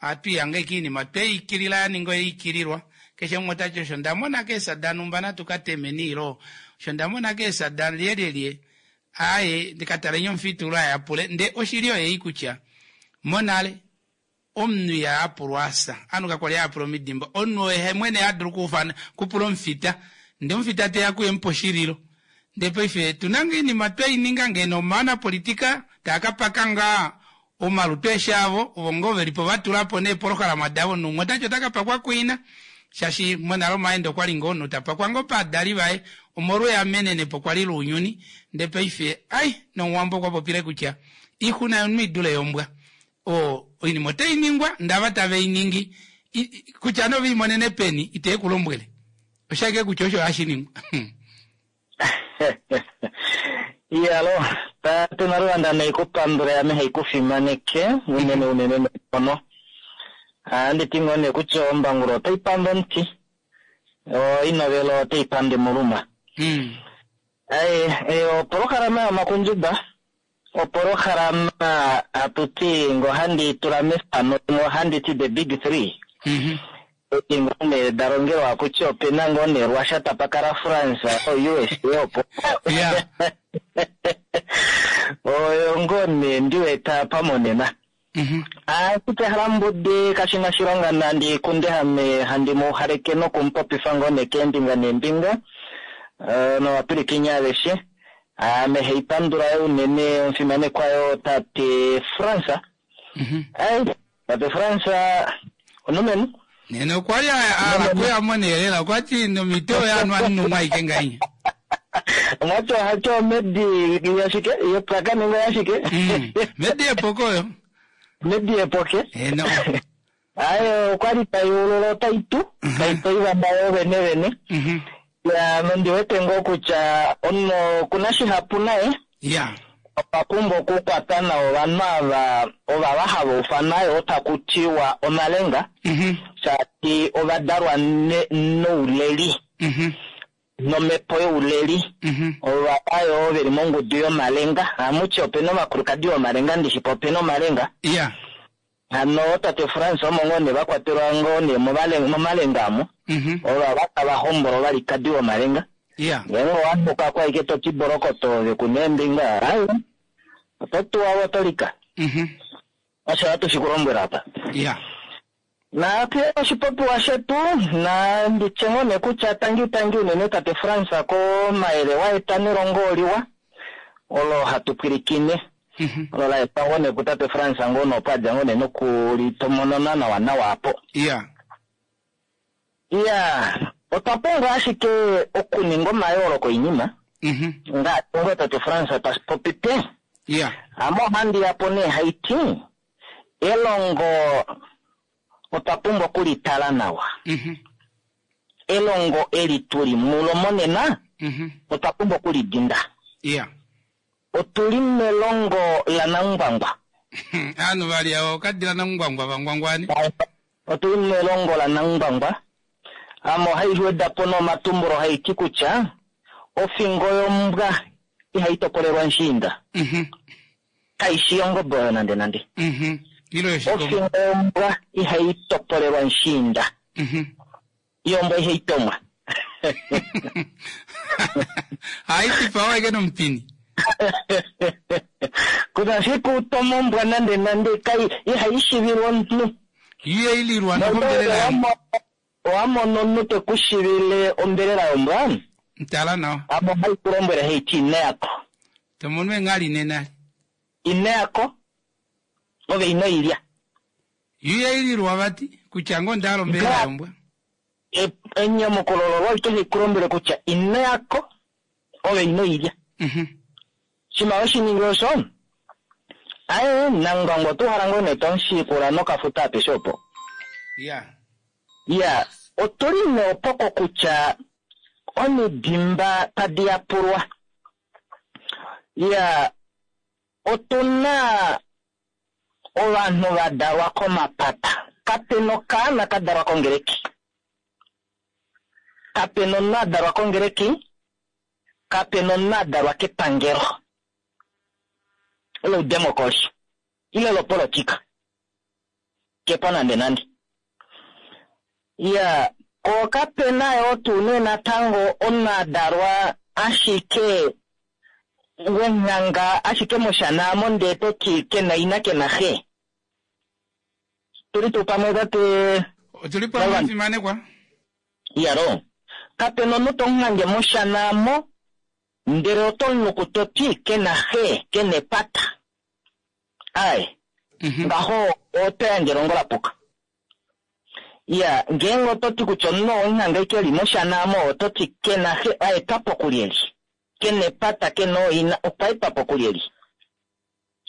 ohatu ihange ashike iinima tweikilila ya ninga oyeikililwa keshe umwe otati osho ndamona keesa danumba natu ka temeni ilo osho ndamona keesa da lyelyelye aaye ndikataleni omufitulo ayapule nde oshili oyei kutya monale omunhu iha yapulwa asa ovanhu kakwali hayapula omidimba omunhu oye mwene hadulu kuufana kupula omufita nde omufita teya kuye mupe oshililo ndee paife tuna ngaa oinima tweininga ngeno omanapolitika taakapaka ngaa omalutu eshi avo ovo ngoo velipo vatulapo neepolohalama davo noumwe otati otakapakwa kuina shaashi monale omaendo okwali ngoo omunhu tapakwa ngoo pavadali vaye omolwa eamenenepo kwali lounyuni ndee paife ai nomuwambo okwa popile kutya oixuna yomunhu idule yombwa o oinima otai ningwa ndava tave iningi kutya nee oveimonene peni ite ku lombwele oshaike kutya osho hashi ningwa. Iyalo, tate Naluvanda naikupandula ame haikufimaneke unene unene neenghono. Ohandi ti ngoo nee kutya ombangulo otai pande omuti, oinovelo otai pande muluma. Aye, opolohalama yomakundjuba, opolohalama hatu ti ngo handi tula mefano ngo handi ti the big three. Edi ngoo nee da longelwa kutya opena ngoo nee Russia tapa kala France o USA opo. Oyo ngoo nee ndiwete apa monena. Ashike Halambudi kashi na shilonga nandi kunde handi mu haleke nokumupopifa ngoo nee keembinga neembinga novapwilikini aveshe. Ame haipandula yo unene omufimanekwa yo tate France. Ai, tate France onomenu. Nena okwa li a kuya mo nee lela okwa ti nomito oyo anuwa numwa aike ngainya. Omwati ohati omedi yashike yepwaka ninga yashike. Medi yepoko oyo. Medi yepoke. Eno. Aye okwa li tai ulula otai tu, tai toiva yo vene vene. Ya nondi wete ngoo kutya omunhu okuna shihapu naye. Ya. Okwa pumbwa okukwata nawa ovanhu ava ovava hava ufana yo taku tiwa omalenga. Shaashi ovadalwa nouleli. Nomhepo youleli. Ovava yo veli mongudu yomalenga. Hamuti opena ovakulukadi vomalenga ndishipo opena omalenga. Ya. Hano tate Frans omo ngoo nee vakwatelwa ngoo nee momalenga amo. Ova tava hombola ovalikadi vomalenga. Ngeenge owa nhuka ko ashike to ti bolokoto ove ku neembinga, ai, oto tuwa ove oto lika. Osho hatu shi ku lombwela apa. Naafye oshipopiwa shetu na nditye ngoo nee kutya tangi tangi unene tate Frans komayele wa eta nelongo oliwa olo hatu pwilikine. Olo la etwa ngoo nee kutate Frans ngoo nee opo adja ngoo nee nokulitomonona nawa nawa apo. Iya, otwa pumbwa ashike okuninga omayooloko oinima. Ngaashi ngoo tate Frans tashi popi. Ame ohandi yapo nee haiti elongo otwa pumbwa okulitala nawa. Elongo eli tuli mulo monena otwa pumbwa okulidinda. Otuli melongo laNangwangwa. Ovanhu vali ava okadila Nangwangwa vangwangwani. Otuli melongo laNangwangwa. Ame ohai weda po nomatumbulo haiti kutya ofingo yombwa ihai topolelwa nshiinda. Kaishi yongobe oyo nande nande. Ile yoshikombo. Ofingo yombwa ihai topolelwa nshiinda. Yombwa ihai tomwa. Hai dipawa ashike nomupini. Kuna siku toma ombwa nande nande kai ihai shivilwa omunhu. Iye ililwa nokombelela yombwa. Owa mono omunhu te ku shivile ombelela yombwa. Tala nawa. Amo ohai ku lombwele haiti ine yako. Tomono engali nena. Ine yako. Ove ino ilya. Iye ililwa vati kutya ngoo onda hala ombelela yombwa. Enyamukulo lolo ite li ku lombwele kutya ine yako. Ove ino ilya. Shima oshiningi osho. Aye, Nangwangwa otu hala ngoo nee tomushikula nokafuta apeshe opo. Iya, otuli nee opoko kutya omidimba tadi yapulwa. Iya, otuna ovanhu va dalwa komapata. Kapena okaana ka dalwa kongereki. Kapena omunhu a dalwa kongereki. Kapena omunhu a dalwa kepangelo. Loudemokoli. Ile lopolitika. Kepo nande nande. Iya, ko kapena yo tuu nee natango omunhu a dalwa ashike wonghanga ashike moshana amo ndee toti kena ina kena xe. Tuli tuu pamwe tate Otuli pamwe fimanekwa. Iyalo. Kapena omunhu tomuhange moshana amo ndele oto muluku toti kena xe kena epata. Ai. Ngaho oto yandje elongo la puka. Iya, ngeenge oto ti kutya omunhu omuhange ke li moshana amo oto ti kena xe a etwa po kulyeli. Kena epata kena ooina okwa etwa po kulyeli.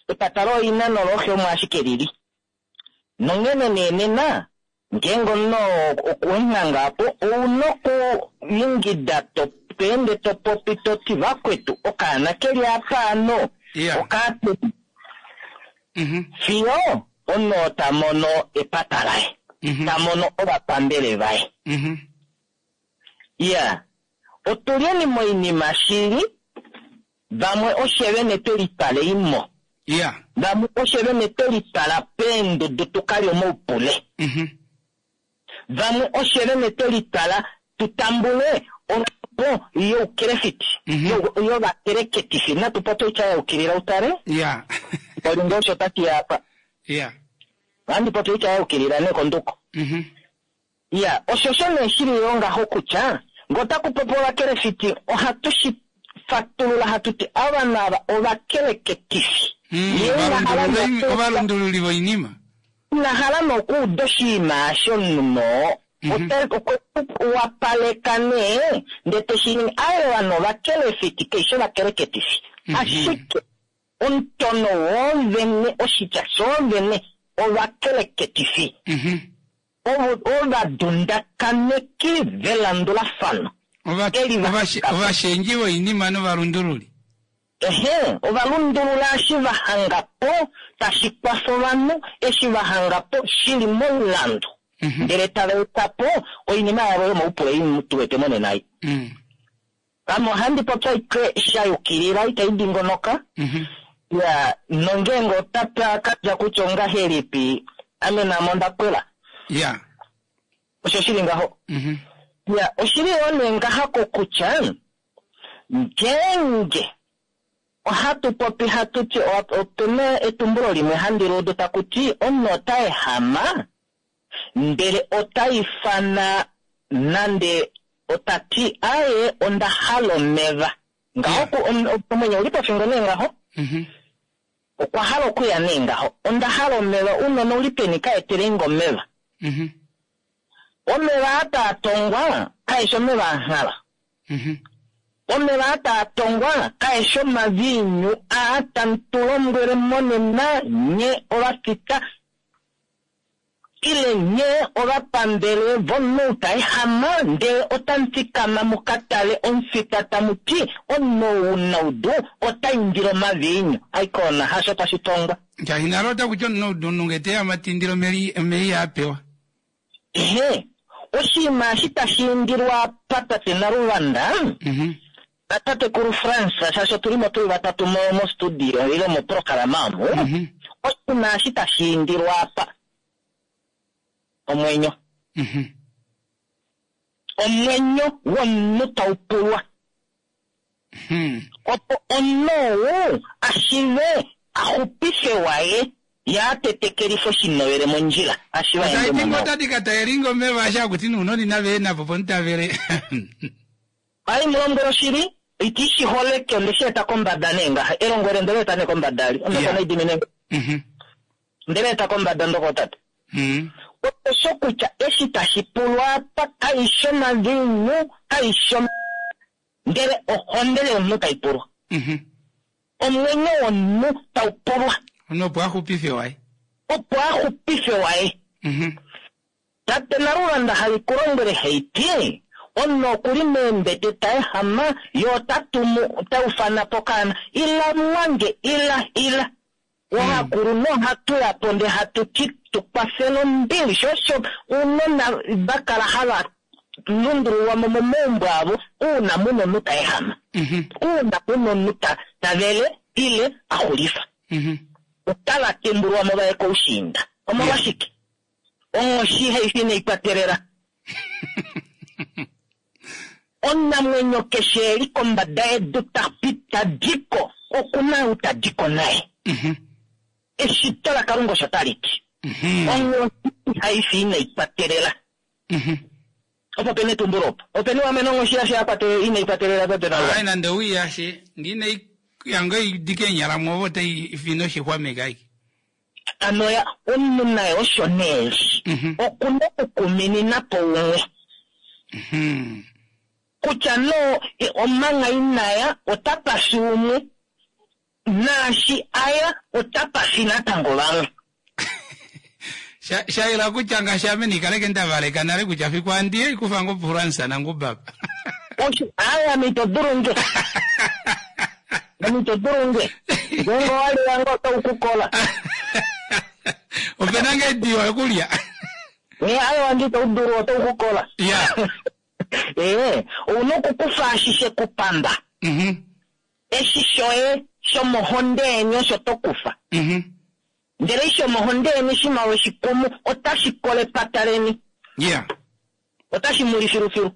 Epata looina nolooxe omo ashike lili. Nonghene nee nena ngeenge omunhu okuhanga apo ouna okuyingida to ende to popi to ti vakwetu okaana keli apa ano okaatu. Fiyo omunhu ta mono epata laye. Ta mono ovapambele vaye. Iya, otulyeni moinima shili vamwe oshevene twe litwale imo. Vamwe oshevene twe litwala peendudu tukalye omaupule. Vamwe oshevene twe litwala tutambule omhepo youkelefiti. Yovakeleketifi. Natu popye oitya ya yukilila utale. Olinga osho tati apa. Ohandi popi oitya ya yukilila nee konduko. Iya, osho osho nee shili yo ngaho kutya ngee otaku popi ovakelefiti ohatu shi fatulula hatu ti ovanhu ava ovakeleketifi. Ovalundululi voinima. Ina hala nokuuda oshinima osho omunhu no. Okwe wapaleka nee ndee teshi ningi. Aye ovanhu ovakelefiti kaishi ovakeleketifi. Ashike omutono woovene oshitya shoovene ovakeleketifi. Ovadundakaneki velandulafano. Ovashendji voinima novalundululi. Ehe, ovalundulula eshi va hanga po tashi kwafa ovanhu, eshi va hanga po shili momulandu. Ndele tava eta po oinima yavo yomaupule ei tu wete monena ei. Ame ohandi popi ashike sha yukilila itai dingonoka. Ya, nongeenge otapa ka dja kutya ongahelipi. Ame naame onda pwela. Ya. Osho shili ngaho. Ya, oshili yoo nee ngaha kokutya, ngeenge ohatu popi hatu ti, ope na etumbulo limwe handi li udu taku ti, omunhu ota ehama, ndele ota ifana nande ota ti, aye, onda hala omeva. Ngaho omwenyo uli pofingo nee ngaho. Okwa hala okuya nee ngaho. Onda hala omeva, unona uli peni ka etele nge omeva. Omeva aa taa tongwa, kae shi omeva a nghala. Omeva aa taa tongwa, kae shi omaviinyu aa tamu tu lombwele monena nye ovafita, ile nye ovapambele vomunhu ta ehama, ndele otamu fikama mu ka tale omufita tamu ti, omunhu ou omunaudu ota indile omaviinyu. Aikona, hasho tashi tongwa. Shaashi nale otaku ti omunaudu omunhu nge te ehama ta indile omeva ihaa pewa. Ehe, oshinima eshi tashi indilwa apa tate Naluvanda, natatekulu Frans, shaashi otu li mo tuli vatatu mostudio ile moprograma omu, oshinima eshi tashi indilwa apa, omwenyo. Omwenyo womunhu tau pulwa. Opo omunhu ou a shive a xupife waye, ye a tetekelife oshinovele mondjila, a shive a ende Otai ti mo. ngoo tadi ka taelinga omeva asha akuti nounona inava ena po pomutavele. Ai, mu lombwele oshili, iti shi holeke, onde shi eta kombada nee ngaha. Elongo ele ndele eta nee kombada ali. Omhepo nai dimine nge. Ndele eta kombada ndoko tate. Osho kutya eshi tashi pulwa apa, kai shi omaviinyu, kai shi ndele ohonde yomunhu tai pulwa. Omwenyo womunhu tau pulwa. Omunhu opo a xupife waye. Opo a xupife waye. Tate Naluvanda hali ku lombwele heiti, omunhu oku li meembete ta ehama, ye ota tumu, ta ufana po kaana, ila mwange, ila, ila. Ohakulu nohatu ya po nde hatu ti tu kwafele ombili, sho osho ounona va kala hava lundululwa mo momaumbo avo, uuna muna omunhu ta ehama. Uuna muna omunhu ta vele, ile a xulifa. Otava tembulwa mo vaye koushiinda. Omolwashike? Onghoshi hai fi inai kwatelela. Omunamwenyo keshe e li kombada yedu ta pi, ta di ko, oku na ou ta di ko naye. Eshito laKalunga osho tali ti. Onghoshi hai fi inai kwatelela. Opo pene etumbulo opo. Ope ni wamene onghoshi yashe ya kwatelela, inai kwatelela tate Nalwa. Ai, nande oi yashe, ngine yango idike enyala mwovo otai fi noshixwameka aike. Ano ya, omunhu naye osho nee li. Oku na okukuminina po umwe. Kutya no, omanga inaya, ota pasi umwe. Naashi aya, ota pasi natango vamwe. Shaila kutya ngaashi ame nikaleke nda valeka nale kutya fiku andiye ikufa ngo Fransa nangubaba. Osho, aya, ame ito dulu nge. Ame ito dulu nge. Ngeenge owa li wange otau ku kola. Ope na nge diwa yokulya. Aya wange ito dulu, otau ku kola. Ou na okukufa ashishe kupamba. Eshi shoye shomohonde yeni osho to kufa. Ndele eshi shomohonde yeni shima weshikumu, otashi kole epata leni. Otashi muli filufilu.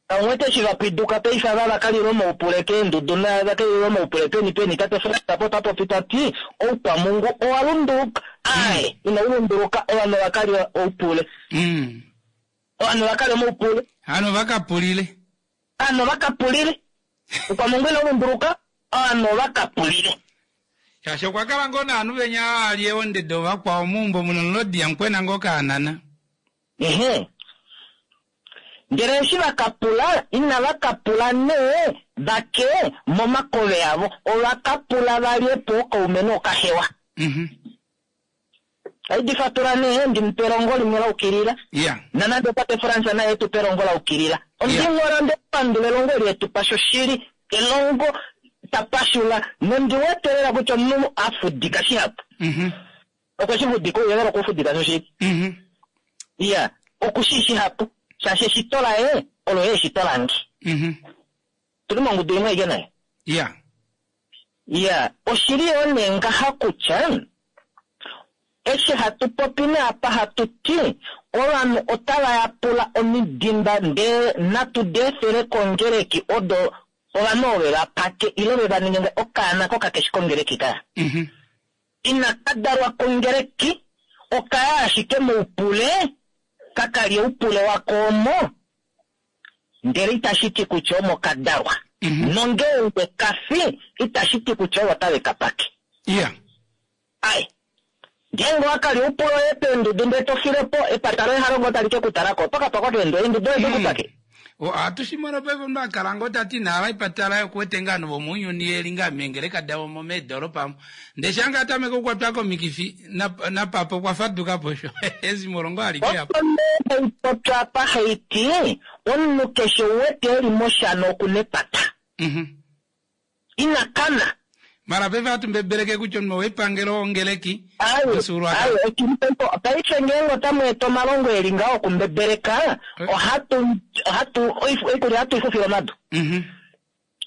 Omwete eshi va pwiduka paife ava va kalila omaupule keendudu na va kalila omaupule peni peni, tate Frans po ta popi ta ti, oukwamungu owa lunduluka. Ae, inau lunduluka, ovanhu va kalila oupule. Ovanhu va kalila omaupule. Hano va ka pulile. Hano va ka pulile. Oukwamungu inau lunduluka, ovanhu va ka pulile. Shaashi okwa kala ngoo naanhu venya a lye ondede ovakwao meumbo muno nolodi ya mukwena ngoo kaanana. Ehe. Ndele eshi va ka pula, inava ka pula nee vake momakove avo, ova ka pula va lye po okaume nookahewa. Aidi fatula nee, ndi mupe elongo limwe la ukilila. Nanande tate Frans naye tu pe elongo la ukilila. Ondingola nde pandula elongo eli etu pa shoshili, elongo tapashula, nondi wetelela kutya omunhu a fudika shihapu. Okwe shi fudika, ouyelele okwe u fudika shoshili. Iya, oku shi shihapu. Shaashi eshito laye, olo ye eshito lange. Tuli mongudu imwe aike naye. Iya, oshili yoo nee ngaha kutya, Eshi hatu popi naapa hatu ti ovanhu otava yapula omidimba ndee natu di efele kongeleki odo ovanhu ove va pake ile ve va ninge nga okaana ko kakeshi kongeleki kaya. Inaka dalwa kongeleki, okaya ashike moupule, ka kalye oupule wako omo, ndele itashi ti kutya omo ka dalwa. Nongeenge ka fi, itashi ti kutya ovo otave ka pake. Ai. Ngeenge owa kalya oupule woye peendudu ndele to file po, epata loye halo ngoo tali ke ku tala ko, oto ka pakwa keendudu, eendudu odo ku pake. Ohatu shi mono paife omunhu a kala ngoo ta ti ina hala epata laye oku wete ngaa ovanhu vomounyuni ye li ngaa meengeleka davo omo meedolopa omo. Ndele shaa ngaa a tameke okukwatwa komikifi, napapa okwa faduka po osho ezimo olo ngoo alike apa. Opo nee hai popya apa hai ti, omunhu keshe u wete e li moshana oku na epata. Ina kana. Mara paife ohatu mbebeleke kutya omunhu wepangelo wongeleki Ai, womufyuululwakalo. ai, oshili paife ngeenge otamu eta omalongo e li ngaho okumbebeleka, ohatu, ohatu, oikulya ohatu i fufile omadu.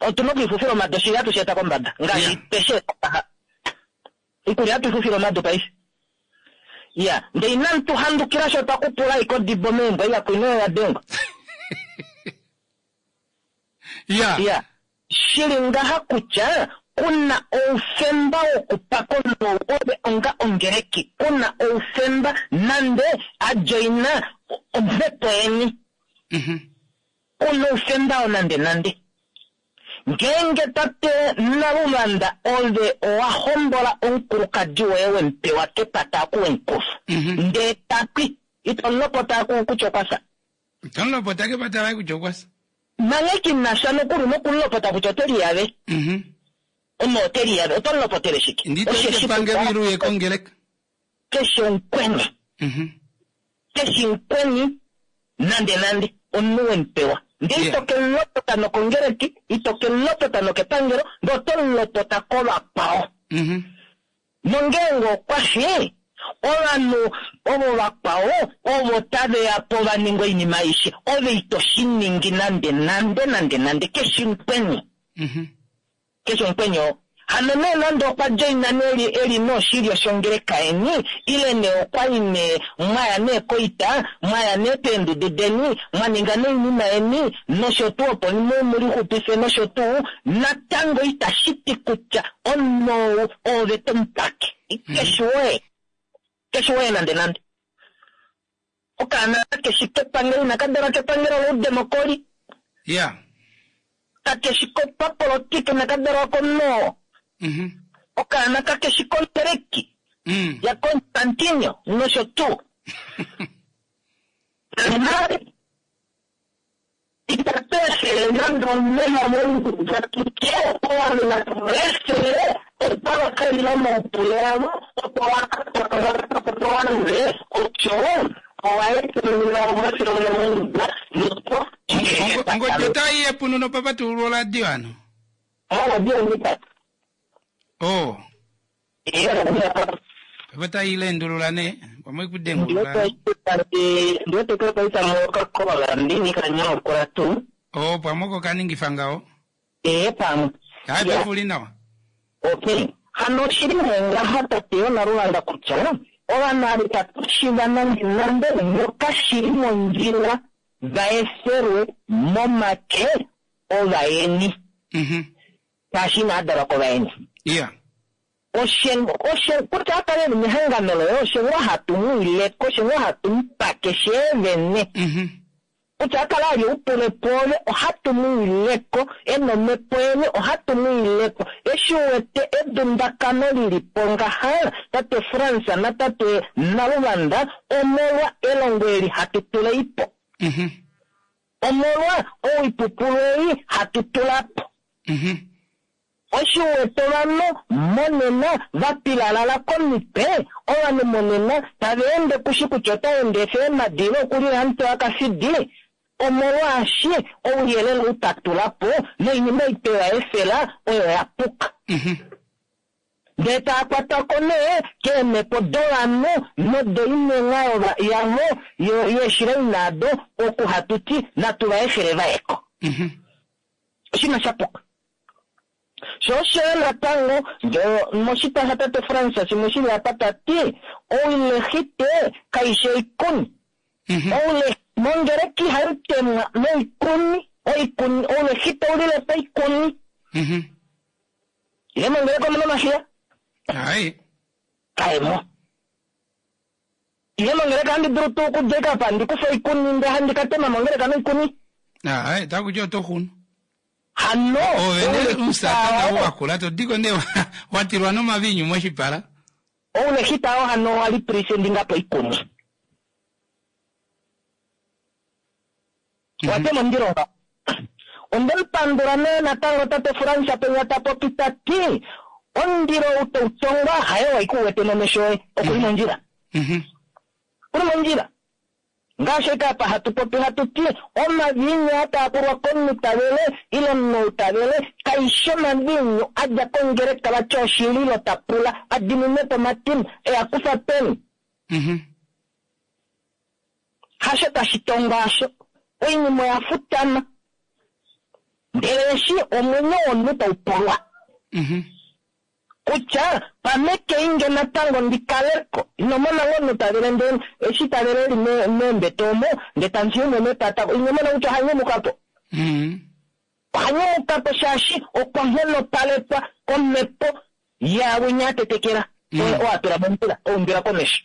Otu na okuifufila omadu, oshili hatu shi eta kombada. Ngaashi tweshi eta ngaha. Oikulya ohatu i fufile omadu paife. Ya, ndee inamu tu handukila sho twa kupula iko odibo meembwa iya kwina oyo ya dengwa. Ya, shili ngaha kutya kuna oufemba wokupaka omunhu ove onga ongeleki, kuna oufemba nande a joina omhepo yeni. Kuna oufemba oo nande nande. Ngeenge tate Naluvanda ove owa hombola omukulukadi woye wemupewa kepata aku wemukufa. Ndee ta pi, ito mulopota aku kutya okwa fya. Ito mulopota kepata laye kutya okwa fya. Nanghee ki na sha nokuli nokumulopota kutya ote liyave. Omo ote liyave, oto mulopotele shike? Ndi to Osheshi epangelo kutya ile uye kongeleka. Keshe omukweni. Keshe omukweni nande nande omunhu wemupewa. Ndee ito ke mulopota nokongeleki, ito ke mulopota nokepangelo, ndee oto mulopota kovakwao. Nongeenge okwa fi, ovanhu ovo vakwao ovo tave ya po va ninga oinima aishe, ove ito shi ningi nande nande nande nande. Keshe omukweni. Keshe omukweni oo. Hano nee nande okwa joina nee eli noshilyo shongeleka yeni, ile nee okwa li nee mwaya nee koita, mwaya nee peendudu deni, mwa ninga nee oinima yeni, nosho tuu opo mu lixupife nosho tuu, natango itashi ti kutya omunhu ou oove to mu pake. Keshi woye. Keshi woye nande nande. Okaana kakeshi kepangelo, inaka dalwa kepangelo loudemokoli. Kakeshi kopapolitika, inaka dalwa komunhu oo. Okaana kakeshi kongeleki ya Constantino nosho tuu. Itatu efele nande omeva moingudu tutye ovanhu natu efele otava ka lila moupule avo opo vakalwe osho owa etelelwa omafilo moingudu nopo Ongodi otai yepuno nopapatululo oradio ano? Oradio ndika. Oh. Papa tai lendulula ne, pamwe kudengulula. Ndiwete kwa paita moka kola ndini kanyokora tu. Oh, pamwe ko kaningifa ngaho. Pamwe. Hai, pefuli nawa. Okay. Hano shili ngaha tate yo Naluvanda kutya ovanhu ava itatu shiva nande nande nokashili mondjila va efelwe momake ovayeni. Shaashi inaa dalwa kovayeni. Oshe kutya a kale mehangano loye, oshe ngoo hatu mu ileko, oshe ngoo hatu mu pake sheevene. Kutya a kale a li oupule pwoove, ohatu mu ileko, e na omhepo yeni, ohatu mu ileko. Eshi u wete edundakano li li po ngaha, tate Frans natate Naluvanda, omolwa elongo eli hatu tula ipo. Omolwa oipupulu ei hatu tula po. Oshi wete ovanhu monena va pilalala komitwe, ovanhu monena tava ende kushi kutya ota ende efe eemadi ile okulila omutwe wakafidi, omolwaashi ouyelele ou ta tula po noinima ei twe efela oyo ya puka. Ndee taa kwatwa ko nee keemhepo dovanhu nodoinenga yavo yeeshila inaado, oku hatu ti natu va efele va ye ko. Oshinima sha puka. Sho osho yo natango ngee moshitwa shatate Frans shimwe shili apa ta ti oulehite kaishi oikuni. Oule mongeleki ihai temwa noikuni, oikuni oulehite oulile po oikuni. Ile mongeleki omuna omahiya? Ai. Kaemo. Ile mongeleka handi dulu tuu okudja apa ndi kufe oikuni nde handi ka tema mongeleka noikuni? Ai, taku ti oto xunu. Hano, Ove ne oulehita omusatana oo- wakula to diko ne wa tilwa nomavinyu moshipala. oulehita oo hano owa lipresendinga po oikuni. Wa tema omundilo ngaho. Onde mu pandula nee natango tate Frans Penya ta popi ta ti omundilo ou tau tongwa haye wa ike u wete nomesho oye, oku li mondjila. Oku li mondjila. Ngaashi ashike apa hatu popi hatu ti omaviinyu aa taa pulwa komunhu ta vele ile omunhu ou ta vele kaishi omaviinyu a dja kongeleka vati oshililo ta pula a diminwe po omatimba e a kufa peni. Hasho tashi tongwa asho. Oinima oya futama. Ndele eshi omwenyo womunhu tau pulwa. Kutya pamekeinge natango ndi kaleko. Ino mona ngoo omunhu ta vele ndele eshi ta vele eli meembete omo, ndele tamu fiye umwe mepata, ino mona kutya oha nyumuka po. Oha nyumuka po shaashi okwa nghonopalekwa komhepo yaawinya a tetekela. Oo a tula mondjila, a umbila komesho.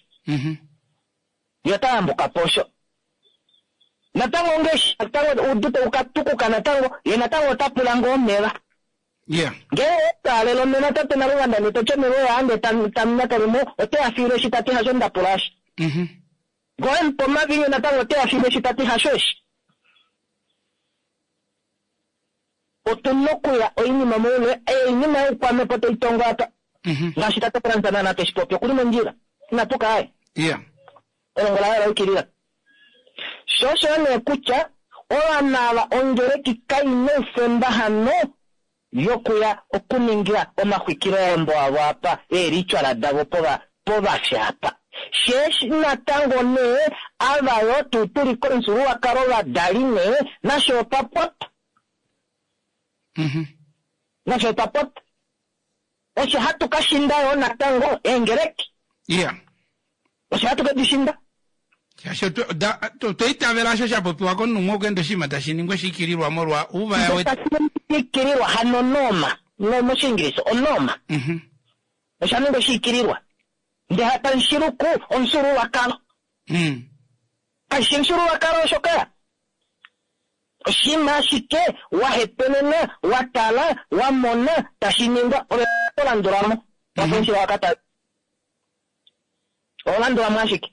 Ye ota yambuka po osho. Natango ongeshi natango oudu tau ka tukuka natango, ye natango ota pula ngoo omeva. Ngee owa taalela omeva tate Naluvanda ndee to ti omeva oyaa ndee tamu mo, ote ya fiile eshi ta ti hasho nda pula eshi. Ngee owe mu pa omavinyu natango ote ya fiile eshi ta ti hasho eshi. Otu na okuya oinima moule, oinima youkwamhepo tai tongwa apa. Ngaashi tate Frans naana teshi popi, okuli mondjila. Ina puka aye. Elongo laye ola yukilila. Sho osho nee kutya ovanhu ava ongeleki kai na oufemba hano yokuya okuninga omaxwikiloyambo avo apa, eelitwala davo povafya apa. Sheeshi natango nee ava yo tuu tuli komufyuululwakalo vadali nee, nasho otwa popya. Nasho otwa popya. Osho hatu ka shinda yo natango eengeleki. Osho hatu ke di shinda. Shaashi otwa itavela osho sha popiwa komunhu umwe okuenda oshinima tashi ningwa shiikililwa molwa ouvaya wetu. Shiikililwa, hano noma. No, mOshiingilisa, onoma. Osha ningwa shiikililwa. Ndele hapa nshiluku omufyuululwakalo. Kashi omufyuululwakalo osho ka. Oshinima ashike wa hepenena, wa tala, wa mona, tashi ningwa, ove to landula mo. Wa fenshila wa ka tala. Oho landula mo ashike.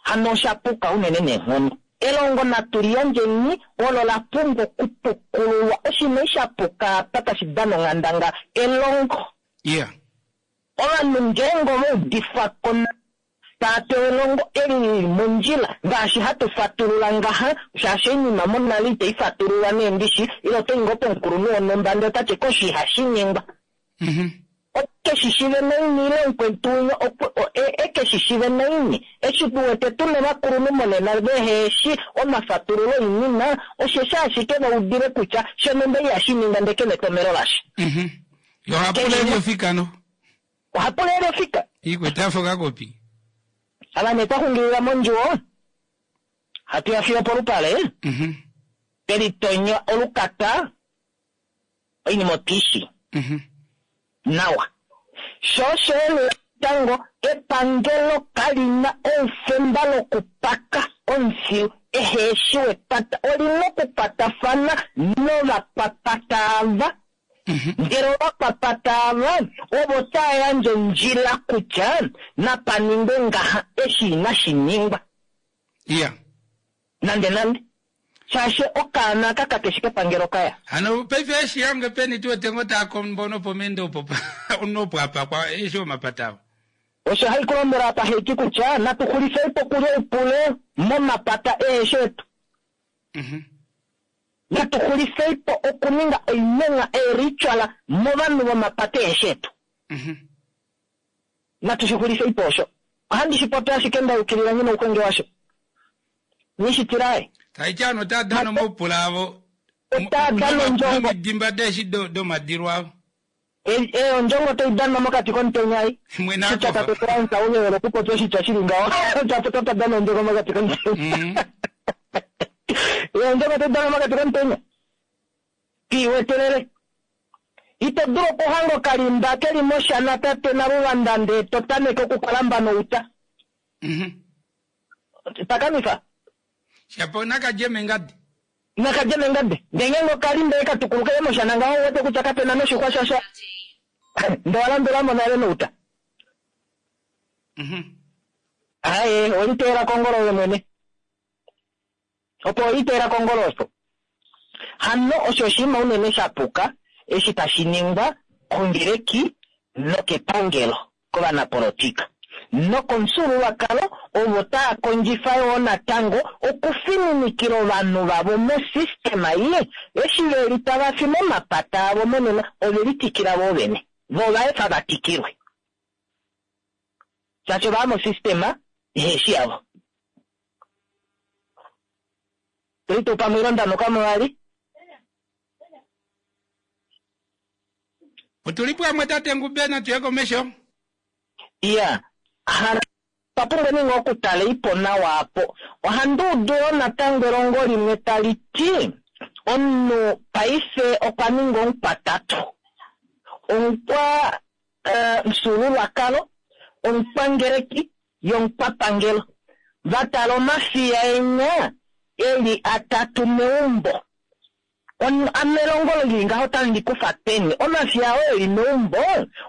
Hano osha puka unene neenghono. Elongo natu liyandjeni olo la pumbwa okupukululwa. Oshinima sha puka apa tashi dana onghandangala elongo. Ovanhu ngeenge ova udifwa ko tava pewa elongo eli lili mondjila ngaashi hatu fatulula ngaha, shaashi oinima monale itai fatululwa neendishi, ile oto i ngoo pomukulunhu wonhumba ndele ota ti koshi ihashi ningwa. Oke shi shive naini ile omukwetu winya eke shi shive naini. Eshi tu wete tu na ovakulunhu monena vehe shi omafatululo oinima, osheshi ashike va udile kutya shonhumba ihashi ningwa ndele ke na etomhelo lasha. Yo oha pula eli ofika no. Oha pula eli ofika. Ikwete afa okakopi. Ava nee twa xungilila mondjuwo, hatu ya fiyo polupale, twe litonya olukata, oinima otu i shii nawa. Sho osho yo natango epangelo kali na oufemba lokupaka omufilu ehe eshi wepata. Oli na okukwatafana novakwapata ava. Ndele ovakwapata ava ovo tava yandje ondjila kutya napa ningwe ngaha eshi inashi ningwa. Nande nande. Shaashi okaana aka kakeshi kepangelo kaya. Hano paife eshi yange peni tu wete ngoo taa kombo nopomende opo opo apakwa eshi omapata avo. Osho hai kulombwela apa haiti kutya natu xulifei po okulya oupule momapata eeshi etu. Natu xulifei po okuninga oinenga eeritual movanhu vomapata eeshi etu. Natu shi xulifei po osho. Ohandi shi popi ashike nda yukilila nghi nouxwenge washo. Nghishitilae. Taiti hano otaa dana omaupula avo. Otaa dana ondjongo. Nomidimba deeshi domadilo avo. Ondjongo otai danwa mokati komutenya ei. Mwene Oshitya akofa. tate Frans auhewele okupopya oshitya shili ngaho. Ota dana ondjongo mokati komutenya. Ondjongo otai danwa mokati komutenya. Kiiwetelele. Ito dulu okuhanga okalimba keli moshana tate Naluvanda ndee to tameke okukalamba nouta. Takamifa. Shapo nakadje mengadi. Nakadje mengadi. Ndee ngeenge okalimba eka tukulukele moshana ngaho ouwete kutya kapena noshixwa shasha. Ndee owa landulamo nale nouta. Aye, oweliteela kongolo ove mwene. Opo oweliteela kongolo osho. Hano osho oshinima unene sha puka eshi tashi ningwa kongeleki nokepangelo kovanapolotika nokomufyuululwakalo ovo taa kondjifa yoo natango okufininikila ovanhu vavo mosystema ei eshi veli tava fi momapata avo monena ovelitikila voo vene vo ovaefa va tikilwe shaashi ovaya mosystema iheshi yavo. Tuli tuu pamwe ile onda nuka mo vali? Otuli pamwe tate Ngube natu ye komesho. Iya, hano otwa pumbwa nee ngoo okutala ipo nawa apo. Ohandi udu yoo natango elongo limwe tali ti omunhu paife okwa ninga omukwatatu. Omukwa mufyuululwakalo, omukwangeleki yomukwapangelo. Va tala omafiya enya eli atatu meumbo. Ame elongo lili ngaho otali ndi kufa peni? Omafiya oo eli meumbo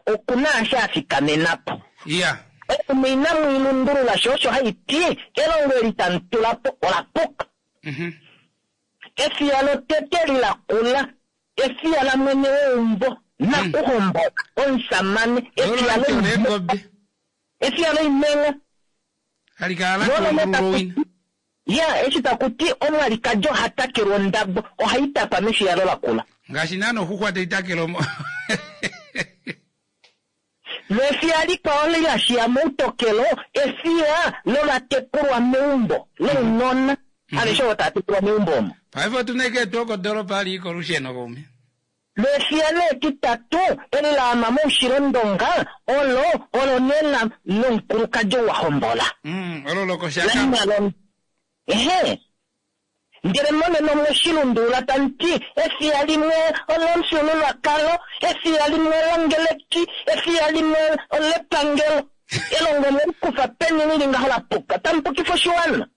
oku na ashe a fikamena po. Iya. Oinima inamu i lundulula sho osho hai ti elongo eli tamu tula po ola puka. Efiya lotete eli la kula, efiya lamwene weumbo, nakuhombola, omusamane, efiya loimhenga. Efiya loimhenga. Hali kala la tungululwa owina. Ya, eshi taku ti omwalikadi oha takelwa ondabo, ohai tapa mefiya olo lakula. Ngaashi naana oxuxwa tai takelwa mo. Lefiya likwao li la shiya moutokelo, efiya lovatekulwa meumbo, lounona, aveshe ovo tava tekulwa meumbo omo. Paife otu na ashike etuwa kodoolopa hali i kolusheno kaume. Lefiya nee etitatu, eli la ama moushilondonga, olo, olo nee la, lomukulukadi ou wa hombola. Olo lokoshaka. La Ehe. Ndele monena omwe shi lundulula tamu ti, Efiya limwe olomufyuululwakalo, efiya limwe olongeleki, efiya limwe olepangelo. Elongo omwe li kufa peni li li ngaho la puka? Tamu pukifa oshiwana.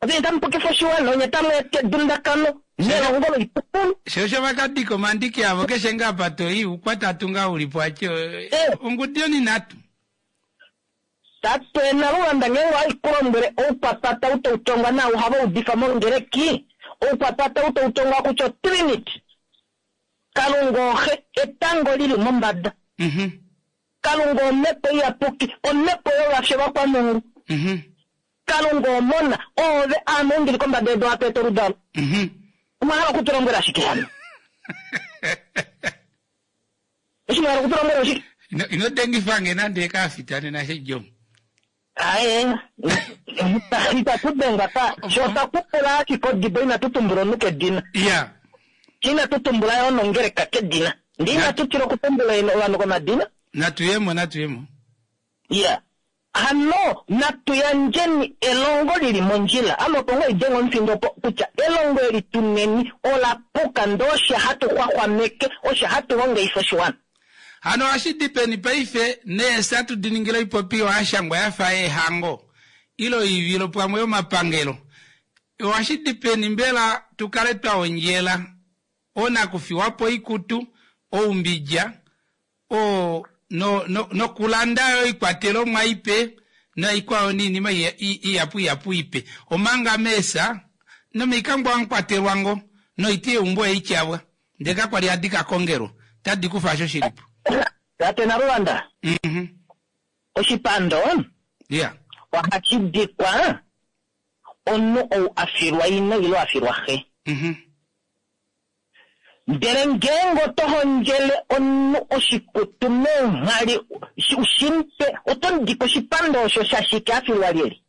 Onye tamu pukifa oshiwana, onye tamu eta edundakano nelongo loipupulu. Sho osho va ka dika omandiki avo keshe ngaa apa to i, oukwatatu ngaa u li po ache, ongudu yoninhatu. Tate Naluvanda ngeenge ohai ku lombwele oukwapata ou tau tongwa naau hava udifa mongeleki, oukwapata ou tau tongwa kutya oTrinity. Kalunga oXe, etango li li mombada. Kalunga Omhepo Iyapuki, omhepo yovafye vakwamungu. Kalunga Omona, oove, aame ou ndi li kombada yedu ohatu eta oludalo. Omwa hala oku tu lombwela shike hano? Eshi mwa hala oku tu lombwela oshike? Ino, ino dengifa nge nande ekaafita nena shedjomo. Aye, itatu dengwa pa. Sho otwa kupula ashike odibo inatu tumbula omunhu kedina. Ya. Inatu tumbula yo nongeleka kedina. Ndee inatu tila okutumbula ovanhu komadina. Natu ye mo, natu ye mo. Ya. Hano natu yandjeni elongo li li mondjila. Ame opo ngoo idenge omufindo opo kutya elongo eli tuneni ola puka ndee osho hatu xwaxwameke, osho hatu hongeifa oshiwana. Hano ohashi di peni paife neesa tu di ningile oipopiwa ya shangwa ya fa yeehango ile oivilo pamwe yomapangelo? Ohashi di peni mbela tu kale twa ondjela oonakufiwa po oikutu, oumbidja, o, no, no, nokulanda yo oikwatelomwa ipe naikwao niinima ihapu ihapu ipe, omanga meesa nomoikangwa hamu kwatelwa ngo noiti yeumbo oye i tyavwa, ndee kakwa li hadi ka kongelwa, otadi kufa osho shi li po. Tate Naluvanda, oshipando ohashi dikwa omunhu ou a filwa ina ile a filwa xe. Ndele ngeenge oto hondjele omunhu oshikutu meenghali u shi mu pe, oto mu dike oshipando osho shashike a filwa lyelye?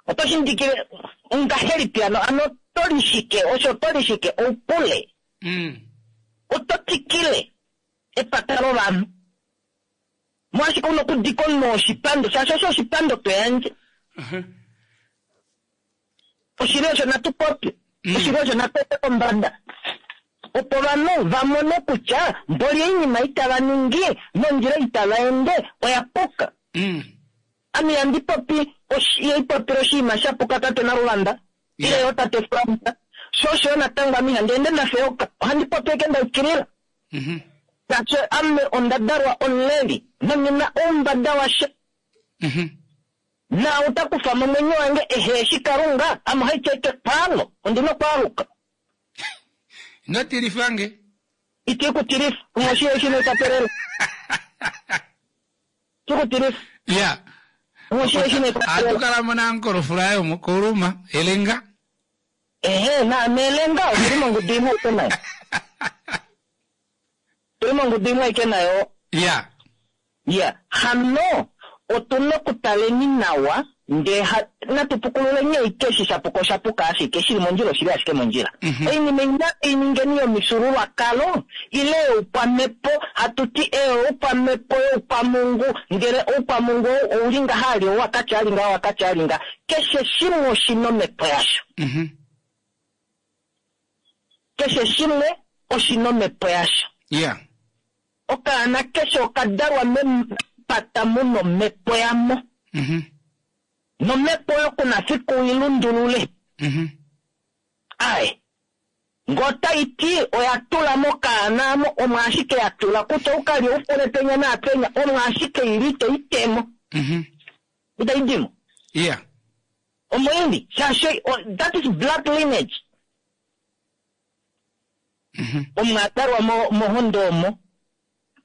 Oto shi mu dikile ngahelipi hano? Hano Oto lishike osho oto lishike oupule. Oto tikile epata lovanhu. Molwashike una okudika omunhu oshipando shaashi osho oshipando to yandje. Oshili osho natu popye. Oshili osho natu ete kombada. Opo ovanhu va mone kutya mboli oinima itava ningi nondjila itava ende oya puka. Ame ihandi popi ihandi popile oshinima sha puka tate Naluvanda ile yo tate Frans. Sho osho yo natango ame ihandi ende nafeyoka. Ohandi popi ashike nda yukilila. Shaashi ame onda dalwa omuleli nonghi na oumbada washa. Naau ta kufa mo omwenyo wange ehe shi Kalunga, ame ohaiti ashike kwaalo, ondi na okwaaluka. Ino tilifa nge. Iti ku tilifa, umwe oshi eshi nekwatelelo. Iti ku tilifa. Ya. Umwe oshi eshi nekwatelelo. Ohatu kala mo naankolofula yo moKouluma, Elenga. Ehe, naame Elenga, otuli mongudu imwe aike nayo. Tuli mongudu imwe aike nayo. Ya. Ya, hano otu na okutaleni nawa ndee natu pukululeni ashike eshi sha puka osha puka ashike, shili mondjila oshili ashike mondjila. Oinima ei natu i ningeni yomifyuululwakalo ile youkwamhepo, hatu ti eyo youkwamhepo youkwamungu, ndele oukwamungu ou ouli ngaha ali ou wakatya ali ngaha wakatya ali ngaha. Keshe shimwe oshi na omhepo yasho. Keshe shimwe oshi na omhepo yasho. Okaana keshe okadalwa mepata mu na omhepo yamo. Nomhepo oyo kuna fiku i lundulule. Ai. Ngee otai ti oya tula mokaana amo, omo ashike ya tula kutya oukalye oufule penya naapenya, omo ashike ili itai temo. Itai dimo. Omo ili, shaashi that is blood lineage. Omo a dalwa mohondo omo.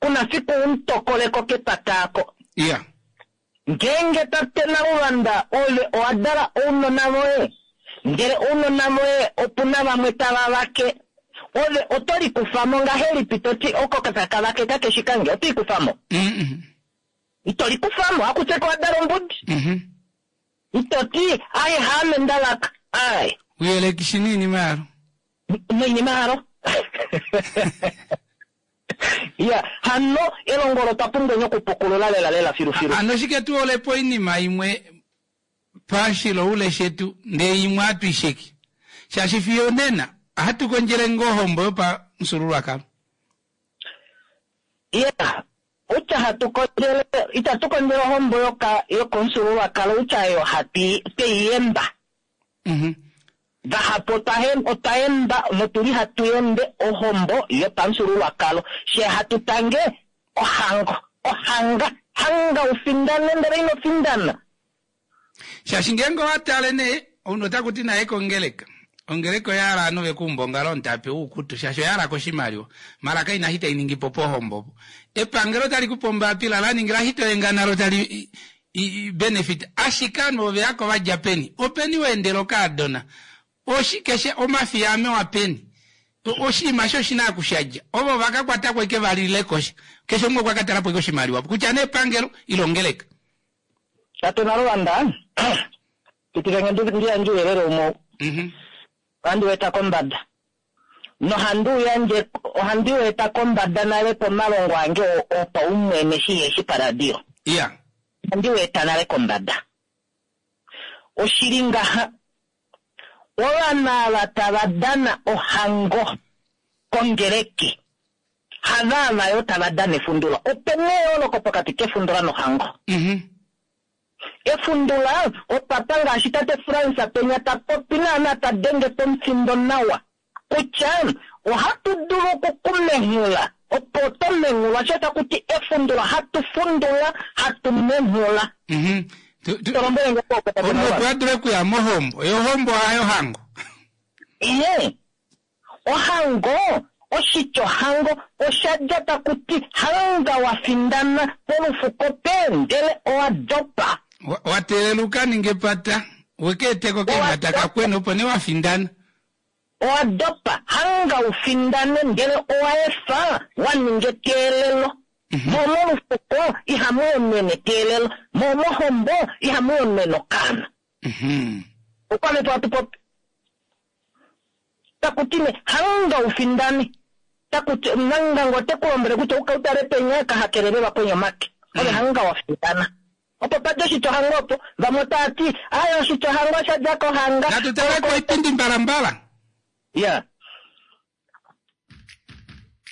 Kuna fiku umutokoleko kepata ako. Ngeenge tate Naluvanda ove owa dala ounona voye, ndele ounona voye opuna vamwe tava vake, ove oto likufamo ngahelipi to ti oko taka vake kakeshi kange, oto ikufamo? Ito likufamo, akutye owa dala ombudi. Ito ti, ai haame nda vaka, ai. Uyelekishi noinima yalo. Noinima yalo. Ya, hano elongo olo twa pumbwa okupukulula lela lela filufilu. Hano shike tu olepo oinima imwe pashiloule shetu ndee imwe hatu isheki. Shaashi fiyo nena ohatu kondjele ngoo ohombo yopamufyuululwakalo. Ya, utya hatu kondjele, itatu kondjele ohombo yokomufyuululwakalo, utya yo hatu twei yemba. Vahapu otwa yemba notuli hatu yembe ohombo yopamufyuululwakalo. She hatu tange ohango, ohanga, hanga ufindane ndele ino findana. Shaashi ngeenge owa tale nee, omunhu ota kuti naye kongeleka. Ongeleka oya hala ovanhu vekuumba ongalo omutape woukutu, shaashi oya hala koshimaliwa. Mala kaina eshi tai ningi po pohombo opo. Epangelo tali kupe ombapila la ningila eshi to yenga nalo tali benefit. Ashike ovanhu ove yako va dja peni? Openi wa endela okaadona? Oshike she omafiya ame wa peni? Oshinima eshi oshina okushadja. Ovo va ka kwata ko eke va lile kosha. Keshe umwe okwa ka tala po eke oshimaliwa. Kutya nee epangelo ile ongeleka. Tate Naluvanda, pitika nge ndi yandje ouyelele umwe. Ohandi u eta kombada. Nohandi u yandje, ohandi u eta kombada nale pomalongo ange opaumwene shi paradio. Ohandi u eta nale kombada. Oshili ngaha, ovanhu ava tava dana ohango kongeleki, hava ava yo tava dana efundula. Ope na eyooloko pokati kefundula nohango. Efundula opapa ngaashi tate Frans penya ta popi naana ta denge pomufindo nawa kutya ohatu dulu okukumenghula opo to menghulwa sho taku ti efundula hatu fundula hatu menghula. To lombwele nge po, tate Omunhu Naluvanda. opo a dule okuya mohombo, yo ohombo hayo hango. Ihe, ohango, oshitya ohango osha dja taku ti hanga wa findana polufuko pe ndele owa dopa. Wa teelela uka ninge epata, weke eteko keemhata kakwena opo nee wa findana. Owa dopa, hanga u findane ndele owa efa wa ninga eteelelo. Mo molufuko ihamu yonene eteelelo, mo mohombo ihamu yonene okaana. Okwame to hatu popi. Taku ti nee hanga u findane. Taku ti nanga ngoo ote ku lombwele kutya u ka utale penya ka hakelele vakweni omake. Ove hanga wa findana. Opo pa dja oshitya ohango opo. Vamwe otava ti, Aaye oshitya ohango osha dja kohanga. Natu tale koipindi mbalambala. Ya.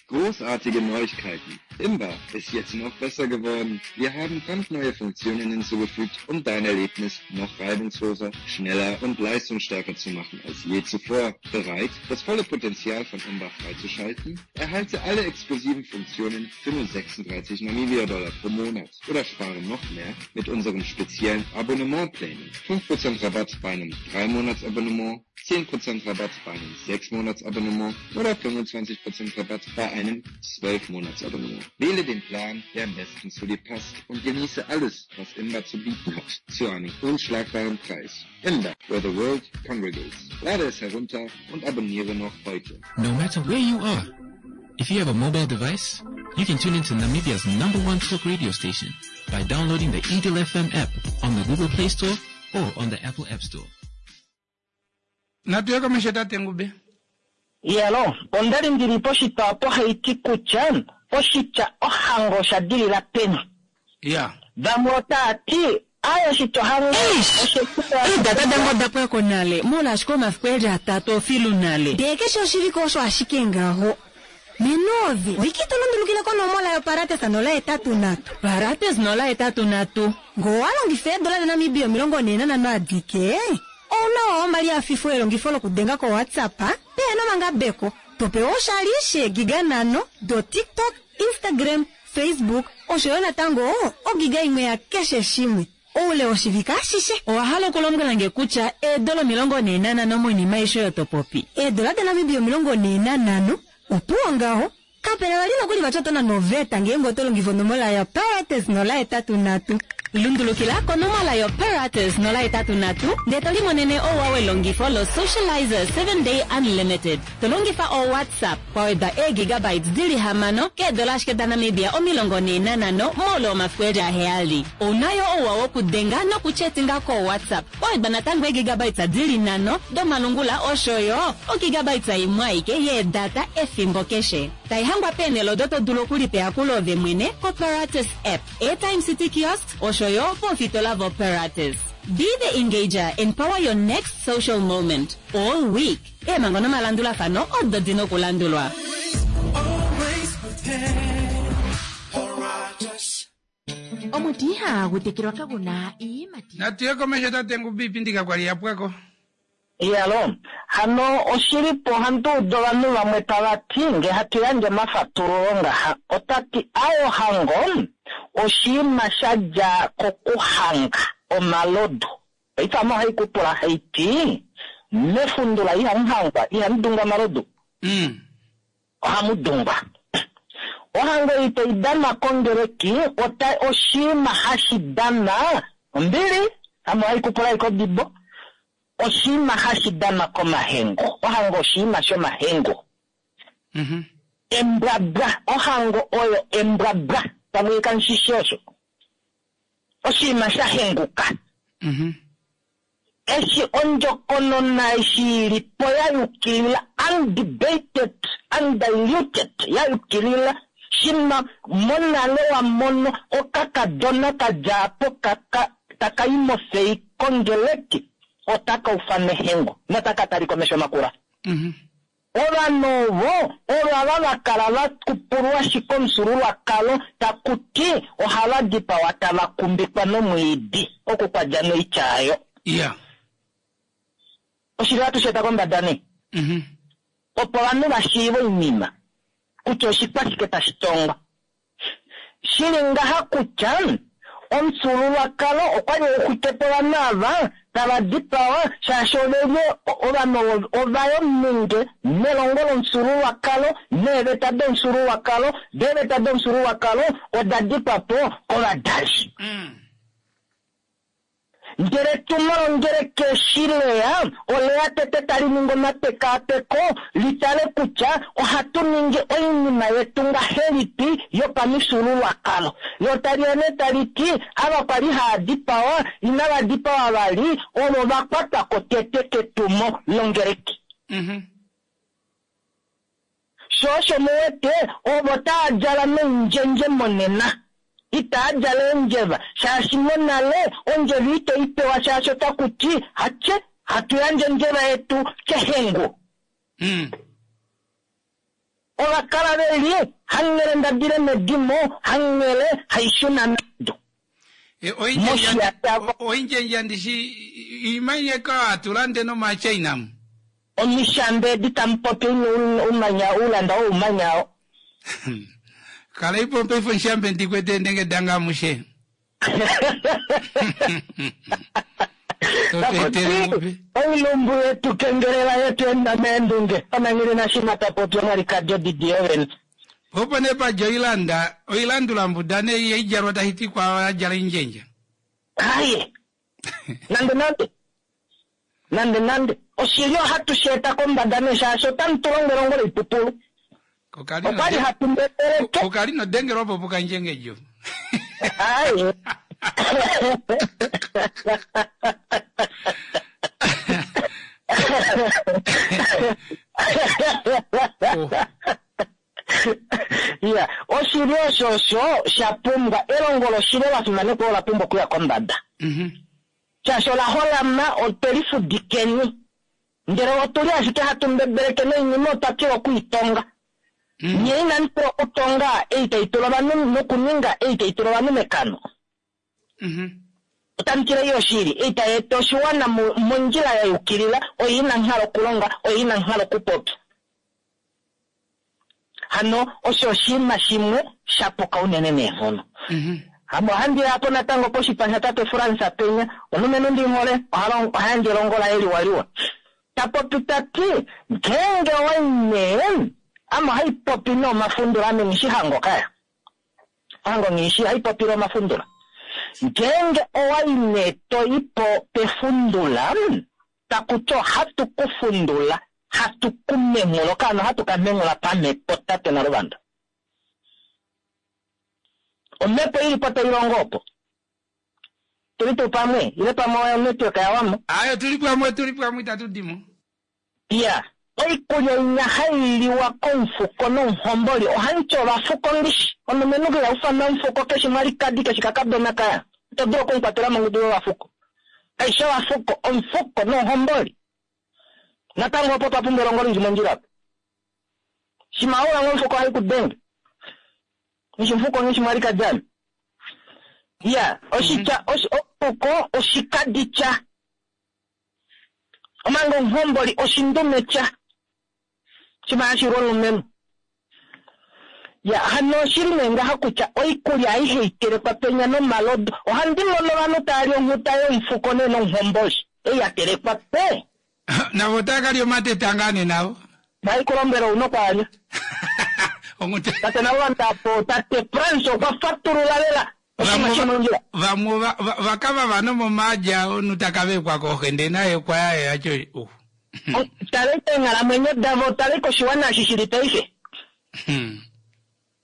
Großartige Neuigkeiten. Imba ist jetzt noch besser geworden. Wir haben brandneue Funktionen hinzugefügt, um dein Erlebnis noch reibungsloser, schneller und leistungsstärker zu machen als je zuvor. Bereit, das volle Potenzial von Imba freizuschalten? Erhalte alle exklusiven Funktionen für nur 36 Namibia-Dollar pro Monat oder spare noch mehr mit unseren speziellen Abonnementplänen. 5% Rabatt bei einem 3-Monats-Abonnement, 10% Rabatt bei einem 6-Monats-Abonnement oder 25% Rabatt bei einem 12-Monats-Abonnement. Wähle den Plan, der am besten zu dir passt und genieße alles, was Imba zu bieten hat, zu einem unschlagbaren Preis. Imba, where the world congregates. Lade es herunter und abonniere noch heute. No matter where you are, if you have a mobile device, you can tune into Namibia's number one talk radio station by downloading the Eagle FM app on the Google Play Store or on the Apple App Store. Natu ye komesho tate Ngube. Iyalo, onda li ndi li poshitwa opo hai ti kutya oshitya ohango osha dilila peni. Ya. Vamwe otaa ti, Aaye oshitya ohango oshe tu Eedata dange oda pwa ko nale, moule ashike omafiku e li atatu ofilu nale. Ndee keshe oshivike osho ashike ngaho. Menovi, oike ito lundulukile konomola yoparates 083. Parates 083. Ngee owa longifa eedola daNamibia 45 adike, ou na owa omalihafifo elongifo lokudenga koWhatsApp pehe na omangabeko, to pewa oshali sheegiga nhano doTikTok, Instagram, Facebook osho yo natango ogiga imwe yakeshe shimwe oule woshivike ashishe. Owa hala okulombwela nge kutya eedola 45 moinima aishe oyo to popi? Eedola daNamibia 45, opuwo ngaho. Kape na vali nokuli vati oto nane oveta ngeenge oto longifa onomola yoParates 083. Lundulukila konomola yoParates 083 ndee to limonene ouwa welongifo loSocializer 7 Day Unlimited to longifa oWhatsApp kwa wedwa eegigabytes di li hamano keedola ashike daNamibia 45 moule womafiku e li aheyali. Ou na yo ouwa wokudenga nokuchetinga koWhatsApp kwa wedwa natango eegigabytes di li nhano domalungula osho yo ogigabytes imwe aike yeedata efimbo keshe. Tai hangwa peenhele odo to dulu okulipa eyakulo ove mwene koParates app, Airtime City Kiosks osho yo poofitola voParates. Be the engager and power your next social moment all week. Eemhango nomalandulafano odo di na okulandulwa. Omuti ihagu tekelwa kagu na iiyimati. Natu ye komesho tate Ngubi iipindi kakwa li ya pwa ko. Iyalo, hano oshili po ohandi udu ovanhu vamwe tava ti nge hatu yandje omafatululo ngaha, ota ti aaye ohango oshiima sha dja kokuhanga omalodu. Paife ame ohai ku pula hai ti, mefundula ihamu hangwa, ihamu dungwa omalodu? Ohamu dungwa. Ohango ei tai danwa kongeleki ota oshiima hashi danwa ombili, ame ohai ku pula ashike odibo. Oshinima hashi danwa komahengo. Ohango oshinima shomahengo. Embwabwa. Ohango oyo embwabwa. Pamwe kamu shi shii osho? Oshinima sha henguka. Eshi ondjokonona eshi i li po ya yukilila, undebated, undiluted, ya yukilila, shima monale wa mono okakadona ka dja po ka, taka i mofei kongeleki, otaka ufanwa ehengo notaka talika omesho makula. Ovanhu ovo ovo ava va kala va kupulwashi komufyuululwakalo taku ti ohava dipawa tava kumbikwa nomwiidi, oku kwa dja noitya ayo. Oshili ohatu shi eta kombada nee, opo ovanhu va shiive oinima kutya oshikwashike tashi tongwa. Shi li ngaha kutya omufyuululwakalo okwa li uxwike po ovanhu ava tava dipawa shaashi ove li ovanhu ovo ova ya ominge nelongo lomufyuululwakalo neeveta domufyuululwakalo, do eeveta domufyuululwakalo oda dikwa po kovadali. Ndele etumo longeleki eshi leya, oleya tete tali ningi omapekaapeko li tale kutya ohatu ningi oinima yetu ngahelipi yopamifyuululwakalo. Lo tali ya nee tali ti, ava kwa li haa dipawa, inava dipawa vali, ovo va kwatwa ko tete ketumo longeleki. Sho osho mu wete ovo taa djala noundjendje monena. Itaa djala eendjeva shaashi monale ondjeva ito i pewa shaashi otaku ti hatye hatu yandje ondjeva yetu kehengu. Ova kala ve li hanghele ndadile medimo, hanghele haishuna medu. Moshiya Oindjendja ndishi imanye ka hatu lande nomaChina mu. Omishambe edi tamu popi umanya ulanda oumanya o. Kala ipo paife onshambe ndikwete ndenge danga amushe. Takuti oilumbu yetu kengelela yetu enda meendunge onangili nashima tapopi omwalikadi odidi yovene. Opo nee padja oilanda, oilandula mbuda nee ihaidjalwa tashi ti kwaao adjala oindjendja. Aye. Nande nande. Nande nande. Oshili ohatu shi eta kombada nee shaashi otamu tu lombwele ongolo oipupulu. Okwali hatu mbebeleke. Okali nodengelwa opo pukandjengedjo. Aye. Ya, oshili osho osho sha pumbwa elongo loshili ola fimanekwa ola pumbwa okuya kombada. Shaashi ola holama otwe lifudikeni. Ndele otu li ashike hatu mbebeleke noinima otwa tila okuitonga. Nye inamu tila okutonga ei tai tula ovanhu nokuninga ei tai tula ovanhu mekano. Otamu tila ei oshili, ei tai eta oshiwana mondjila ya yukilila, oyo inamu hala okulonga, oyo inamu hala okupopya. Hano osho oshinima shimwe sha puka unene neenghono. Ame ohandi ya po natango poshipa shatate Frans Penya, omulumenhu ndi mu hole, oha yandje elongo laye liwaliwa. Ta popi ta ti, Ngeenge owa i nee, ame ohai popi nee omafundula, ame nghi shi hango kaya. Hango nghi shi, ohai popile omafundula. Ngeenge owa i nee to i po pefundula, taku ti ohatu ku fundula, hatu ku menghula, okaana ohatu ka menghula pamhepo tate Naluvanda. Omhepo ili po tai longo opo. Tuli tuu pamwe? Ile pamwe onetwork ya wamo? Ayo tuli pamwe, tuli pamwe itatu di mo. Iya, oikulya inya hai liwa komufuko nomuhomboli ohandi ti ovafuko ndishi. Omulumenhu iha ufana omufuko keshe mwalikadi keshe kakadona kaya. Ito dulu okumukwatela mongudu yovafuko. Kaishi ovafuko, omufuko nomuhomboli. Natango opo twa pumbwa elongo lili mondjila opo. Shima oula ngo omufuko ohai ku denge. Nishi omufuko nishi mwalikadi ame. Iya, oshitya, omufuko oshikaditya. Omanga omuhomboli oshindumetya. Shima hashi lwa omulumenhu. Ya, hano oshili nee ngaha kutya oikulya aihe itelekwa penya nomalodu. Ohandi mono ovanhu tava li onghuta yomufuko nee nomuhomboli. Ei ya telekwa pe. Navo otava ka lya omateta ngaa nee navo. Nai ku lombwela ouna okwaalya. Tate Naluvanda apo, tate Frans okwa fatulula lela oshinima shomondjila. Vamwe ova ka vava nomomaadja omunhu ta ka vekwa kooxe ndee naye okwa ya ye aco uh. Talei keenghalamwenyo davo, talei koshiwana eshi shili paife.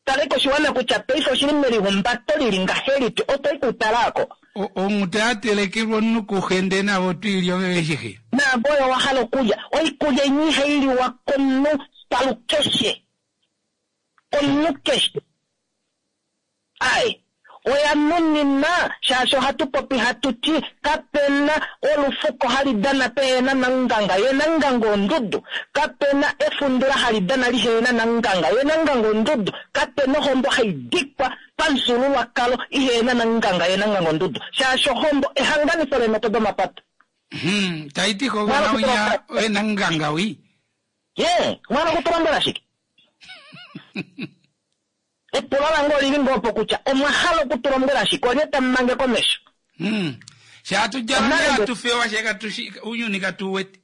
Talei koshiwana kutya paife oshili melihumbato lili ngahelipi, otoi ku tala ako. Onghuta ya telekelwa omunhu kuxe ndee navo oto i li ove veshi xe. Naave oyo wa hala okulya. Oikulya inya ihai liwa komunhu palukeshe. Komunhu keshe. Ai, oya nuninwa shaashi ohatu popi hatu ti kape na olufuko hali dana pehena namunganga, ye namunganga ondudu. Kape na efundula hali dana lihena namunganga, ye namunganga ondudu. Kape na ohombo hai dikwa pamufyuululwakalo ihena namunganga, ye namunganga ondudu. Shaashi ohombo ehanganifo leemhepo domapata. Tai ti kogona winya oye namunganga wii. Ye, omwa hala okutulombwela shike? Epulo lange oli li ngoo opo kutya omwa hala oku tu lombwela shike? Olye tamu mange komesho? Sha hatu djala ndele hatu fewa she katu shi ounyuni katu u wete.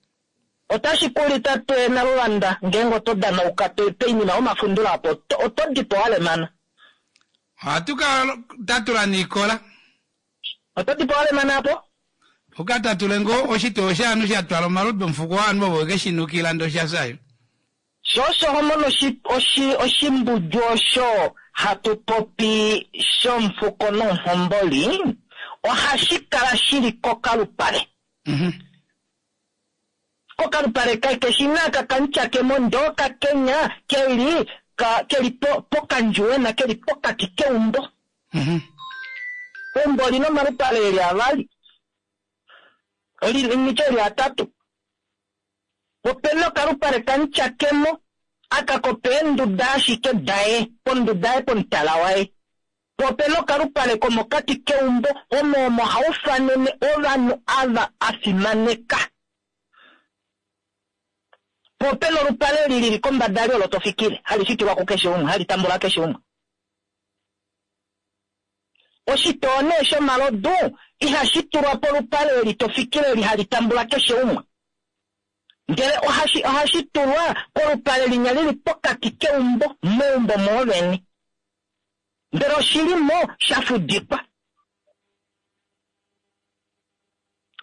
Otashi ku li tate Naluvanda ngeenge oto danauka poinima yomafundula apo oto di po wa lemana. Ohatu ka tatula niikola. Oto di po wa lemana apo? U ka tatule ngoo oshitoo shaanhu sha twala omalodu omufuko waanhu ovo weke shi nukila ndee osha fya yo. Sho osho ho mono oshimbudju osho hatu popi shomufuko nomuhomboli ohashi kala shi li kokalupale. Kokalupale keshina aka kamutyakemo ndee okakenya keli keli pokandjuwena keli pokati keumbo. Eumbo olina omalupale eli avali, nitye eli atatu. Opena okalupale kamutyakemo aka kopeenduda ashike daye, ponduda yaye pomutala waye. Po opena okalupale komokati keumbo omo omo haufanene ovanhu ava a fimaneka. Po opena olupale li lili kombada li olo to fikile, hali fikilwa kukeshe umwe, hali tambula keshe umwe. Oshitoo nee shomalodu ihashi tulwa polupale eli to fikile eli hali tambula keshe umwe. Ndele ohashi tulwa kolupale linya lili pokati keumbo, meumbo mwoovene. Ndele oshili mo sha fudikwa.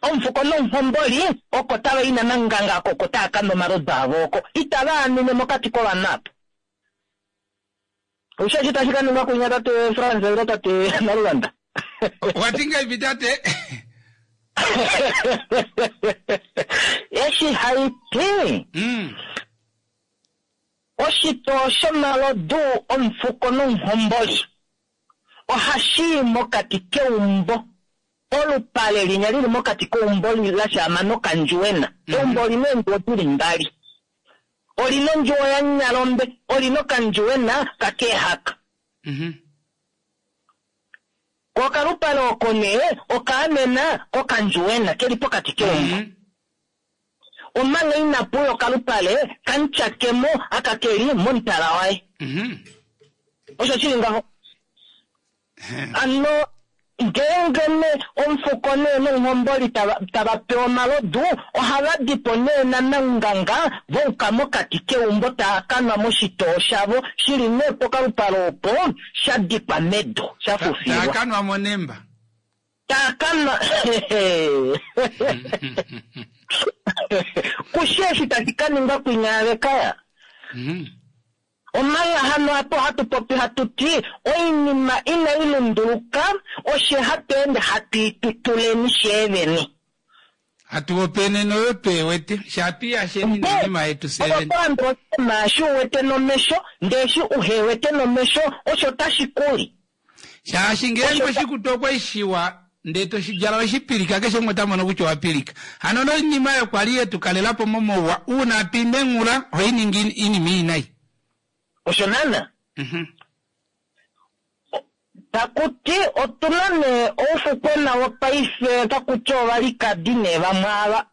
Omufuko nomuhomboli oko tava i nananganga oko oko tava ka nwa omalodu avo oko. Itava anine mokati kovanhu apa. Osho eshi tashi ka ningwa kunya tate Frans ile tate Nalulanda. Owa ti ngahelipi tate? Eshi hai ti. Oshitoo shomalodu omufuko nomuhomboli ohashi i mokati keumbo. Olupale linya lili mokati keumbo la shaama nokandjuwena. Eumbo olina eendjuwo dili mbali. Olina ondjuwo yaNyalombe, olina okandjuwena kakeehaka. Ko okalupale oko nee okaamena kokandjuwena keli pokati keumbo. Omanga inapu uya okalupale kamutyakemo aka keli momutala waye. Osho shili ngaho. Hano ngeenge nee omufuko nee nomuhomboli tava pewa omalodu, ohava di po nee namanganga va uka mokati keumbo tava ka nwa moshitoo shavo shili nee pokalupale opo sha dikwa medu, sha fufilwa. Tava ka nwa monemba. Tava ka nwa Kushi eshi tashi ka ningwa kwinya yavekaya. Omanga hano apa ohatu popi hatu ti oinima inai lunduluka, oshe hatu ende hatu i tutuleni sheevene. Hatu hopaenene oyo twe wete, she hatu i yasheni noinima yetu fyee vene. Ove oto landula oshinima eshi u wete nomesho, ndee eshi uhe wete nomesho, osho tashi ku li. Shaashi ngeenge oshikutu okwa i shiwa ndee to shi djala we shi pilika, keshe umwe ota mono kutya owa pilika. Hano noinima oyo kwa li ye tu kalela po momauwa, uuna hatu i menghula, ohai ningi oinima iinai. Osho naana. Taku ti otu na nee oufukwena wopaife, otaku ti ovalikadi nee vamwe ava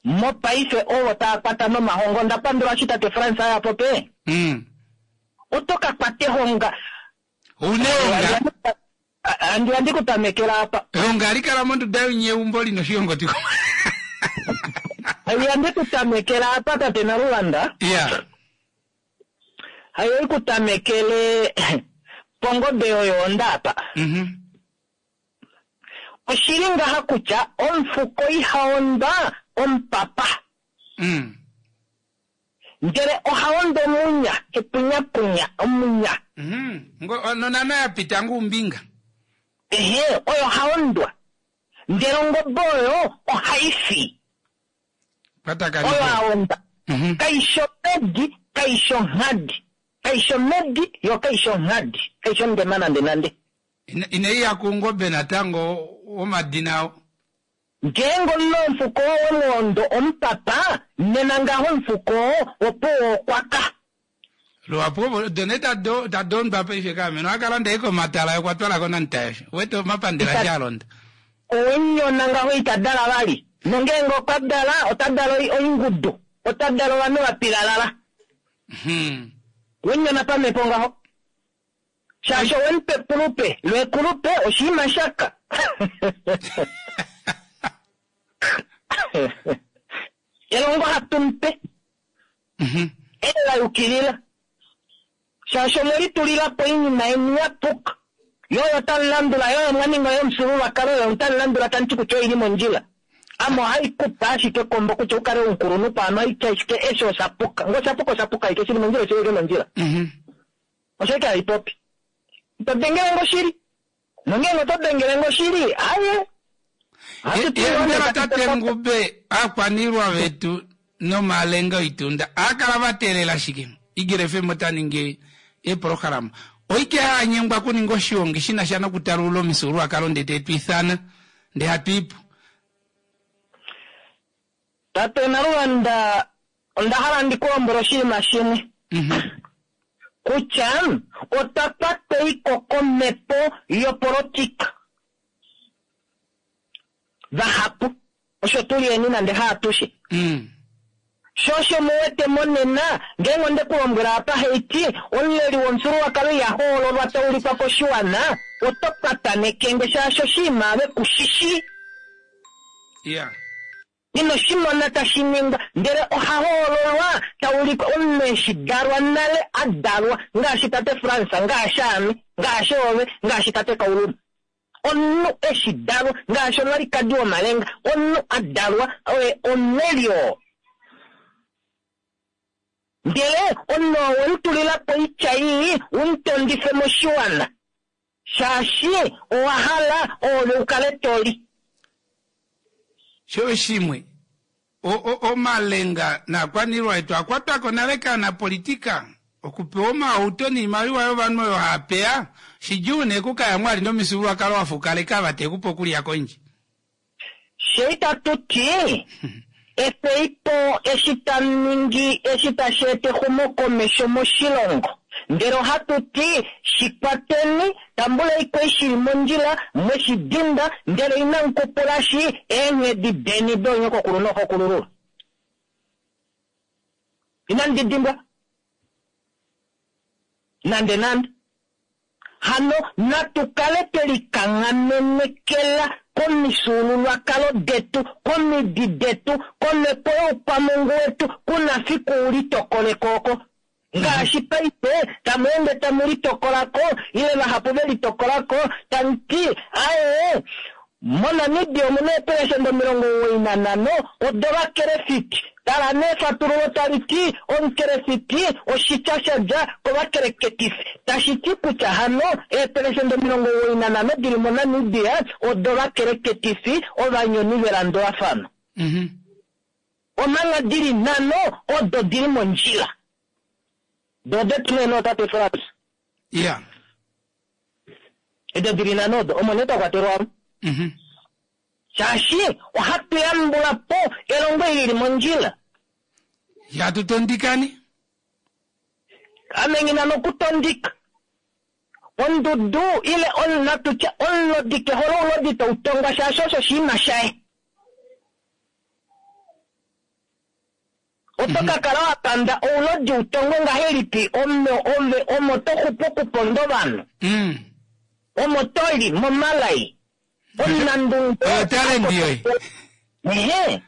mopaife ovo tava kwata nomahonga. Onda pandula eshi tate Frans a ya pope. Oto ka kwata ehonga. Ouna ehonga. Handi ya ndi ku tamekela apa. Ehonga hali kala monduda yonyeumbo li na oshihongoti. Handi ya ndi ku tamekela apa tate Naluvanda. Ya. Hayo i ku tamekele pongobe yoyoonda apa. Oshili ngaha kutya omufuko iha ondwa omupapa. Ndele oha ondo omunya, epunyapunya, omunya. Nonana ya pita ngoo ombinga. Ehe, oyo ha ondwa. Ndele ongobe oyo ohai fi. Oyo a onda. Kai shi omhedi, kai shi onghadi. Kai shi omhedi, yo kai shi onghadi. Kai shi ondema nandenande. Inai ya kuungobe natango womadina ao. Ngeenge omunhu omufuko oo we mu ondo omupapa, nena ngaho omufuko oo opuwo okwa ka. Luhapu ovo odo nee tadi ondwa paife kaameno oha ka landa ashike omatala ye okwa twala ko Namutayosha. Uwete omapandela eshi a londa. Owe mu nyona ngaho ita dala vali. Nongeenge okwa dala, ota dala oingudu. Ota dala ovanhu va pilalala. We mu nyona pamhepo ngaho. Shaashi owe mu pa ekulupe, lo ekulupe oshinima shaka. Elongo hatu mu pe, ele la yukilila. Shaashi omwe litulila po oinima yeni ya puka. Yo oyo tamu landula, yo oyo mwa ninga yomufyuululwakalo, oyo tamu landula tamu ti kutya oi li mondjila. Ame ohai ku pe ashike ekombo kutya u kale omukulunhu paano, ohai ti ashike eshi osha puka. Nge osha puka, osha puka ashike, shi li mondjila oshi li ashike mondjila. Osho ashike hai popi. Ito dengele nge oshili. Nongeenge oto dengele nge oshili, aye. Ohatu ti Ye ngoo mbela nee tate tashi Ngube, aakwaniilwa vetu Nomalenga oitunda aa kala va teelela shike? Eagle FM ota ningi eepolohalama. Oike haa nyengwa okuninga oshiongi shi na sha nokutalulula omifyuululwakalo ndee te tu ifana ndee hatu i po. Tate Naluvanda, onda hala ndi ku lombwele oshinima shimwe. Kutya otwa kwatweiko komhepo yopolotika. Vahapu osho tu li eni nande haatushe. Sho osho mu wete monena, ngeenge onde ku lombwela apa haiti, omuleli womufyuululwakalo iha hoololwa ta ulikwa koshiwana, oto pataneke nge shaashi oshinima ave ku shi shii. Yeah. Ino shi mona tashi ningwa, ndele oha hoololwa ta ulikwa omunhu eshi dalwa nale a dalwa, ngaashi tate Frans, ngaashi ame, ngaashi ove, ngaashi tate Kauluma. Omunhu eshi dalwa, ngaashi omwalikadi womalenga, omunhu a dalwa oye omuleli oo. Ndele omunhu oo we mu tulila po oitya ii u mu tondife moshiwana, shaashi owa hala oove u kale to li. Sho shimwe, omalenga naakwaniilwa yetu a kwatwa ko nale kaanapolitika. Okupewa omahauto niimaliwa yovanhu oyo haa peya, shidjuu nee okukaya mwali nomifyuululwakalo wa fukaleka ava te ku pe okulya kondje. Fye itatu ti efei po eshi tamu ningi eshi tashi eta exumokomesho moshilongo, ndele ohatu ti shi kwateni, tambulei ko eshi shili mondjila, mwe shi dinda, ndele inamu kupulashi eenghedi deni doonyokokulu nooxokulululwa. Inamu di dimbwa nandenande. Hano natu kale twe likanghamekela komifyuululwakalo detu, komidi detu, komhepo youkwamungu wetu, ku na fiku u litokole ko oko. Ngaashi paife tamu ende tamu litokola ko, ile vahapu ve litokola ko, tamu ti, Ae, moNamibia omu na eepelesenda 95 odovakelefiti. Tala nee efatululo tali ti, Omukelefiti oshitya sha dja kovakeleketifi, tashi ti kutya hano eepelesenda 95 di li moNamibia odovakeleketifi, ovanyoni velandulafano. Omanga di li nhano odo di li mondjila. Do odetu nee nootate Frans. Ya. Edo di li nhano odo, omo nee twa kwatelwa omo. Shaashi ohatu yambula po elongo eli li li mondjila. Ihatu tondikani. Ame nghi na nokutondika. Ondudu ile natu tye omulodi ke hole oulodi tau tongwa shaashi osho oshinima shaye. Oto ka kala wa panda oulodi u tongwe ngahelipi ome ove omo to xupu okuponda ovanhu? Omo to li momalai. Omunandunge Oyo talenti yoye. Ehe.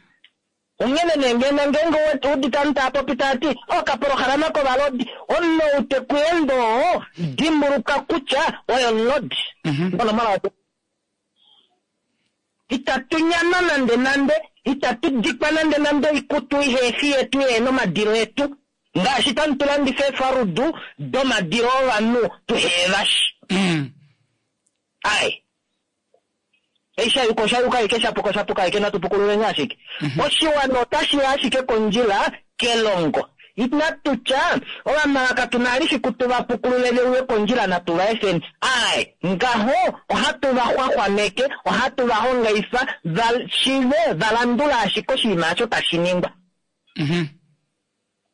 Onghene nee ngeno ngeenge u udite ovanhu tava popi tava ti, Okapolohalama kovalodi, omunhu ou te ku ende oo, dimbuluka kutya oye omulodi. Onomola yotete. Itatu nyanwa nandenande, itatu dikwa nandenande oikutu ihe fi yetu yehe na omadilo etu, ngaashi tamu tu landifa eefarudu domadilo ovanhu tuhe va shi. Ai. Eshi sha yuka osha yuka ashike, sha puka osha puka ashike, natu pukululeni ashike. Oshiwana otashi ya ashike kondjila kelongo. Inatu tya, Ovamala katu na vali fiku tu va pukulule ve uye kondjila natu va efeni. Aae, ngaho ohatu va xwaxwameke, ohatu va hongaifa va shive va landule ashike oshinima osho tashi ningwa.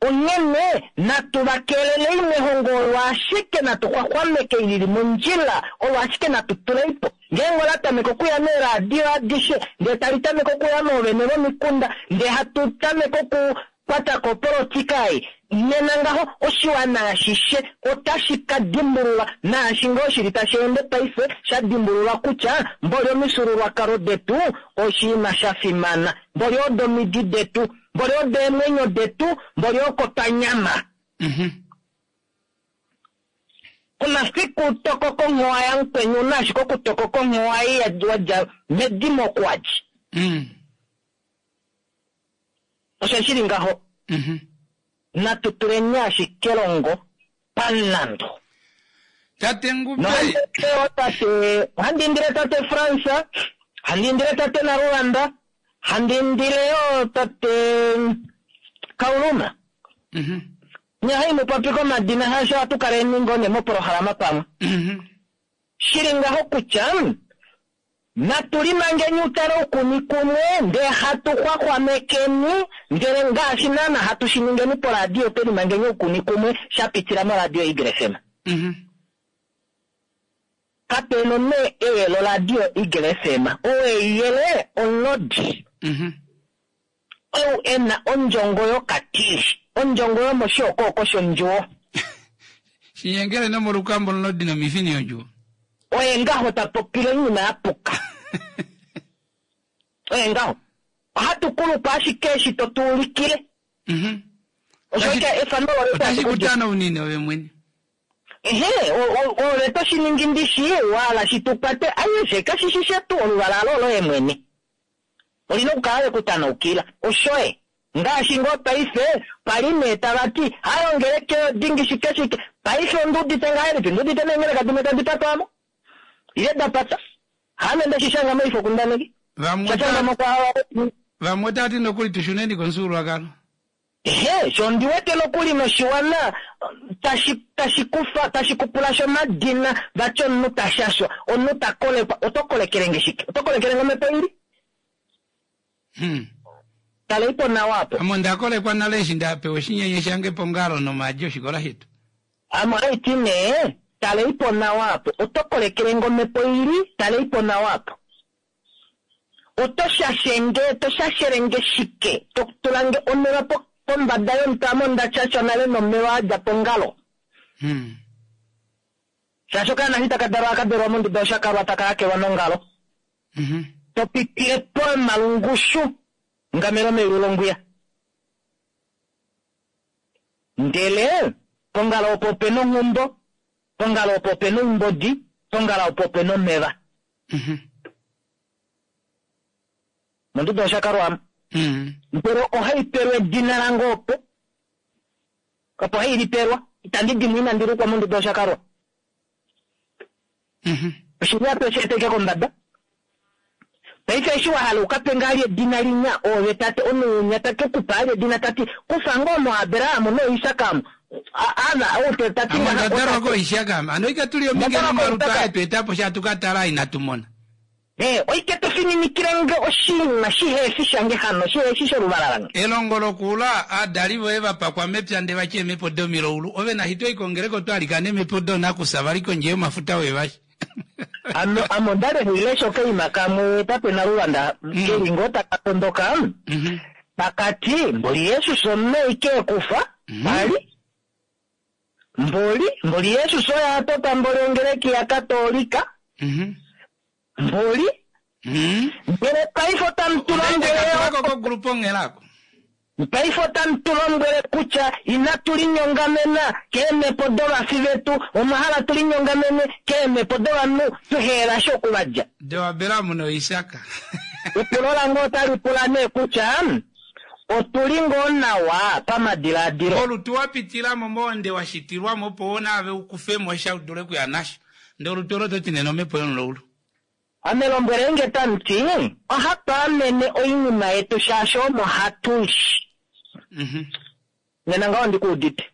Onghene natu va keelelei mehongo olo ashike natu xwaxwameke li li mondjila, olo ashike natu tulei po. Ngeenge ola tameke okuya meeradio adishe, ndee tali tameke okuya moovene vomikunda, ndee hatu tameke oku kwata ko opolotika ei, nena ngaho oshiwana ashishe otashi ka dimbulula, naashi ngoo shili tashi ende paife, sha dimbulula kutya mboli omifyuululwakalo detu oshinima sha fimana, mboli odo omidi detu, mboli odo eemwenyo detu, mboli oko twa nyama. Ku na fiku u tokoka onghowa yamukweni, u na ashike okutokoka onghowa ei wa dja medimo oku wa dja. Osho shi li ngaho. Natu tuleni ashike elongo pamulandu. Tate Ngube. Tate, ohandi indile tate Frans, handi indile tate Naluvanda, handi indile yo tate. Kauluma. Nye haimu popi komadina shaashi ohatu kaleni ngoo nee mopolohalama pamwe. Shili ngaho kutya natu limangeni utale oukuni kumwe ndee hatu xwaxwamekeni ndele ngaashi naana hatu shi ningeni poradio twe limangeni oukuni kumwe sha pitila moradio Eagle FM. Kapena nee eyelo radio Eagle FM. Ou eiyele omulodi. Ou e na ondjongo yokatili. Ondjongo yomoshiokooko shondjuwo. Shinyengele nomolukambo omulodi nomifini yondjuwo. Oye ngaho ta popile oinima ya puka. Oye ngaho. Ohatu kulupa ashike eshi to tu ulikile. Osho ike efano lole Otashi ku tanaunine ove mwene. Ehe, ove to shi ningi ndishi, wala shi tu kwate, aishe kashi shi shetu, oluvala alo oloye mwene. Olina okukala le ku tanaukila. Oshoye. Ngaashi ngoo paife, pali nee tava ti, hayo ongeleke dingi shike shike. Paife ondi udite ngahelipi? Ndi udite neengeleka dimwe tadi patwa mo. Ile da pata. Haame nde shi shanga moifokundaneki. Vamwe Sha shanga mo kwa Vamwe otava ti nokuli tu shuneni komufyuululwakalo. Ehe, sho ndi wete nokuli noshiwana tashi, tashi kufa, tashi kupula sho omadina, vati omunhu ta shashwa, omunhu ta kolekwa, oto kolekele nge shike? Oto kolekele nge omhepo ili? Talei po nawa apo. Ame onda kolekwa nale eshi nda pewa oshinyenye shange pongalo nomaadi oshikola shetu. Ame ohaiti nee, talei po nawa apo. Oto kolekele nge omhepo ili? Talei po nawa apo. Oto shashe nge, to shashele nge shike? To tula nge omeva pombada yomutwe, ame onda shashwa nale nomeva a dja pongalo. Shaashi okaana eshi taka dalwa ohaka dalwa monduda yoshakalwa taka hakelwa nongalo. To pitile pomalungushu ngamelo meyulu longwiya. Ndele pongalo opo ope na onghumbo, pongalo opo ope na oumbodi, pongalo opo ope na omeva. Monduda yoshakalwa amu. Ndele ohai pelwa edina lange opo. Opo hai lipelwa. Itandi dimwa inandi lukwa monduda yoshakalwa. Oshili apa eshi eteke kombada. Paife eshi wa hala u ka pe ngaa edina linya, oove tate, omunhu winya ta ke ku pa ali edina ta ti, kufa ngoo moAbraham nooIsak amu. Ava, ou te, ta ti Ame ngaha, onda dalwa ota ti. kooIsak ame. Hano oike tu li ominge Onda dalwa nomalutu kooIsak. aye tu eta po sha tu ka tala inatu mona. Ee, oike to fininikile nge oshinima shihe fi shange hano, shihe fi sholuvala lange. Elongo lokuula, aadali voye va pakwa mepya nde vati eemhepo domilaulu, ove nashi to i kongeleka oto alikana eemhepo doonakusa vali kondje yomafuta we vashi. Ame, ame onda li handi lesha okaima kamwe tate Naluvanda, ke li ngoo taka tondoka, taka ti, Mboli Jesus omunhu e kufa, pali, mboli, mboli Jesus oye a tota mboli ongeleki yaKatoolika, mboli, ndele paife otamu tu lombwele Ndele kogrupa onghela ako. Paife otamu tu lombwele kutya inatu linyongamena keemhepo dovafi vetu, omwa hala tu linyongamene keemhepo dovanhu tuheela sha oku va dja. DoAbraham noIsak. Epulo lange otali pula nee kutya, otu li ngoo nawa pamadilaadilo? Olutu wa pitila mo mohonde wa shitilwa mo opo wo naave u kufe mo sha u dule okuya nasho. Ndele olutu olo oto ti nena omhepo yomulaulu. Ame lombwelei nge tamu ti, ohatu amene oinima yetu shaashi omo hatu li. Nena ngaho ondi ku udite.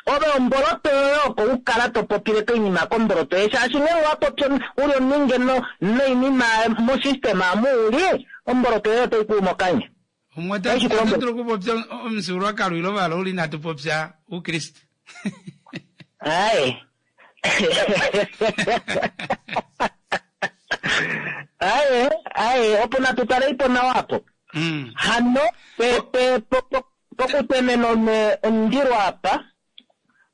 Ove omboloto yoye oko u kala to popile koinima komboloto yoye shaashi ngeenge owa popi u li ominge noinima mosystem amu u li, omboloto yoye otai ku u mokanya. Umwe ota dulu okupopya omufyuululwakalo ile ovalaule inatu popya Oukriste. Aye. Aye, aye, opo natu talei po nawa apo. Hano, pe, pe, po, po, pokutemena omundilo apa,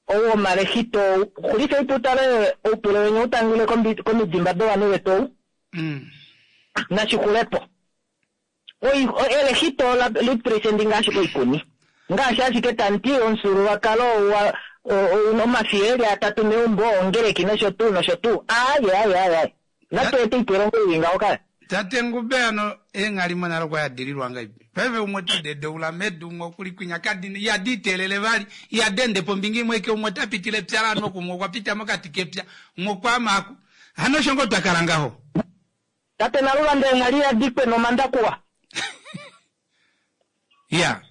ou womalexito ou, xulifei po utale oupule weni u tangile komidimba dovanhu vetu ou. Nashi xule po. Oi, elexito ola lipresendi ngaashi koikuni. Ngaashi ashike tamu ti omufyuululwakalo wa, ou na omafiya e li atatu meumbo, ongeleki nosho tuu nosho tuu. Aaye, aaye, aaye, aaye. Natu ete oipelongo ei ngaho kaya. Tate Ngube hano eenghalimo nale okwa yadililwa ngaipi? Paife umwe ota dedoula medu, umwe oku li kwinya kadi ihadi iteelele vali, ihadi ende pombinga imwe aike, umwe ota pitile epya laanhu oku, umwe okwa pita mokati kepya, umwe okwa ama aku. Hano osho ngoo twa kala ngaho? Tate Naluvanda eenghali ihadi kwe nomandakuwa. Ya.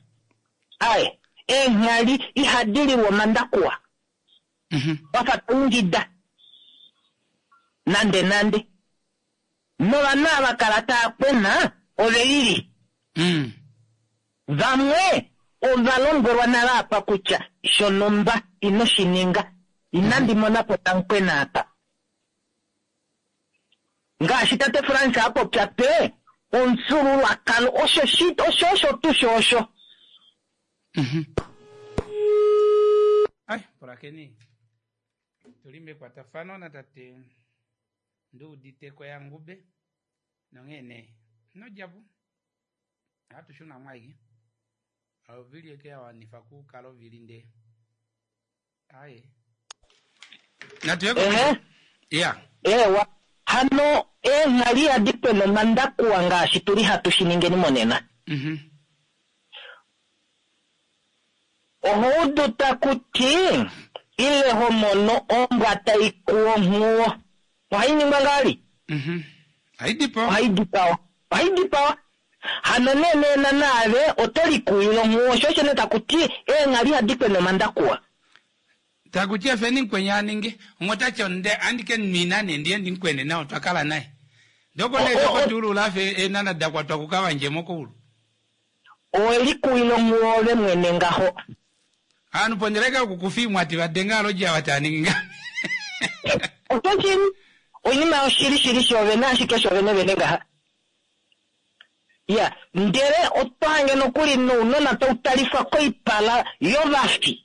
Aye. Eenghali ihadi lilwa omandakuwa. Wafa to ingida. Nande nande. Novanhu ava kala tava kwena ove lili. Vamwe ova lombwelwa nale apa kutya shonhumba ino shi ninga. Inandi mona po tamukwena apa. Ngaashi tate Frans a popya pe, omufyuululwakalo osho shi osho osho tuu sho osho. Ai, pulakeni. Tuli mekwatafano natate Nduuditeko yaNgube nonghee nee ino dja po. Ohatu shuna mo ashike. Ovili eke ya wanifa kukala ovili ndee. Aye. Natu ye Ehe. Ya. Eewa. Hano eenghali ihadi kwena omandakuwa ngaashi tuli hatu shi ningeni monena. Oho udu taku ti ile ho mono ombwa tai kuu onghuwo. Ohai ningwa ngaali? Ohai dipawa. Ohai dipawa. Hano nee nena naave oto likuwile onghuwo, sho osho nee taku ti eenghali ihadi kwena omandakuwa. Taku ti efeni mukweni a ninge, umwe ota ti onde andike nwina nee ndiye ndimukwene nawa otwa kala naye. Ndee oko nee toko tuulula afa eenana da kwatwa kukavandje mokoulu. Owe likuwila onghuwo ove mwene ngaho. Ovanhu pondeleka yokukufa iimwati va denga aloji ava tava ningi ngame. Oshoshili, oinima yoshili shili shoovene ashike shoovene vene ngaha. Ya, ndele otwa hange nokuli nounona tau talifwa koipala yovafi.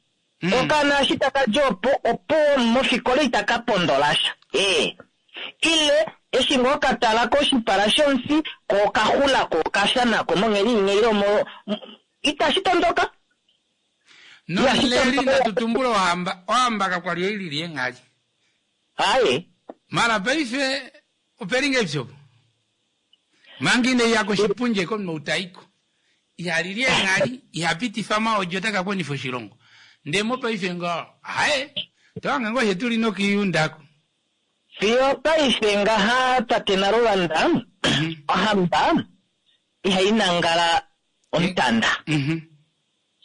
Okaana eshi taka dja opo, opuwo mofikola itaka pondola sha. Ee. Ile, eshi ngoo ka tala koshipala shomufi, ko okaxula ko okafya nako monghedi inya ile omo, itashi tondoka. Nomuleli natu tumbule ohamba, ohamba kakwali oilili eenghali. Aye. Mara paife opeli ngahelipi opo? Manga inai ya koshipundi eke omunhu ou ta i ko. Iha lili eenghali, iha pitifa omaodi ota ka konifa oshilongo. Ndee mopaife ngaho, aye, oto hange ngoo fye tuli nokiiyunda ko. Fiyo paife ngaha tate Naluvanda, ohamba ihai nangala omutanda.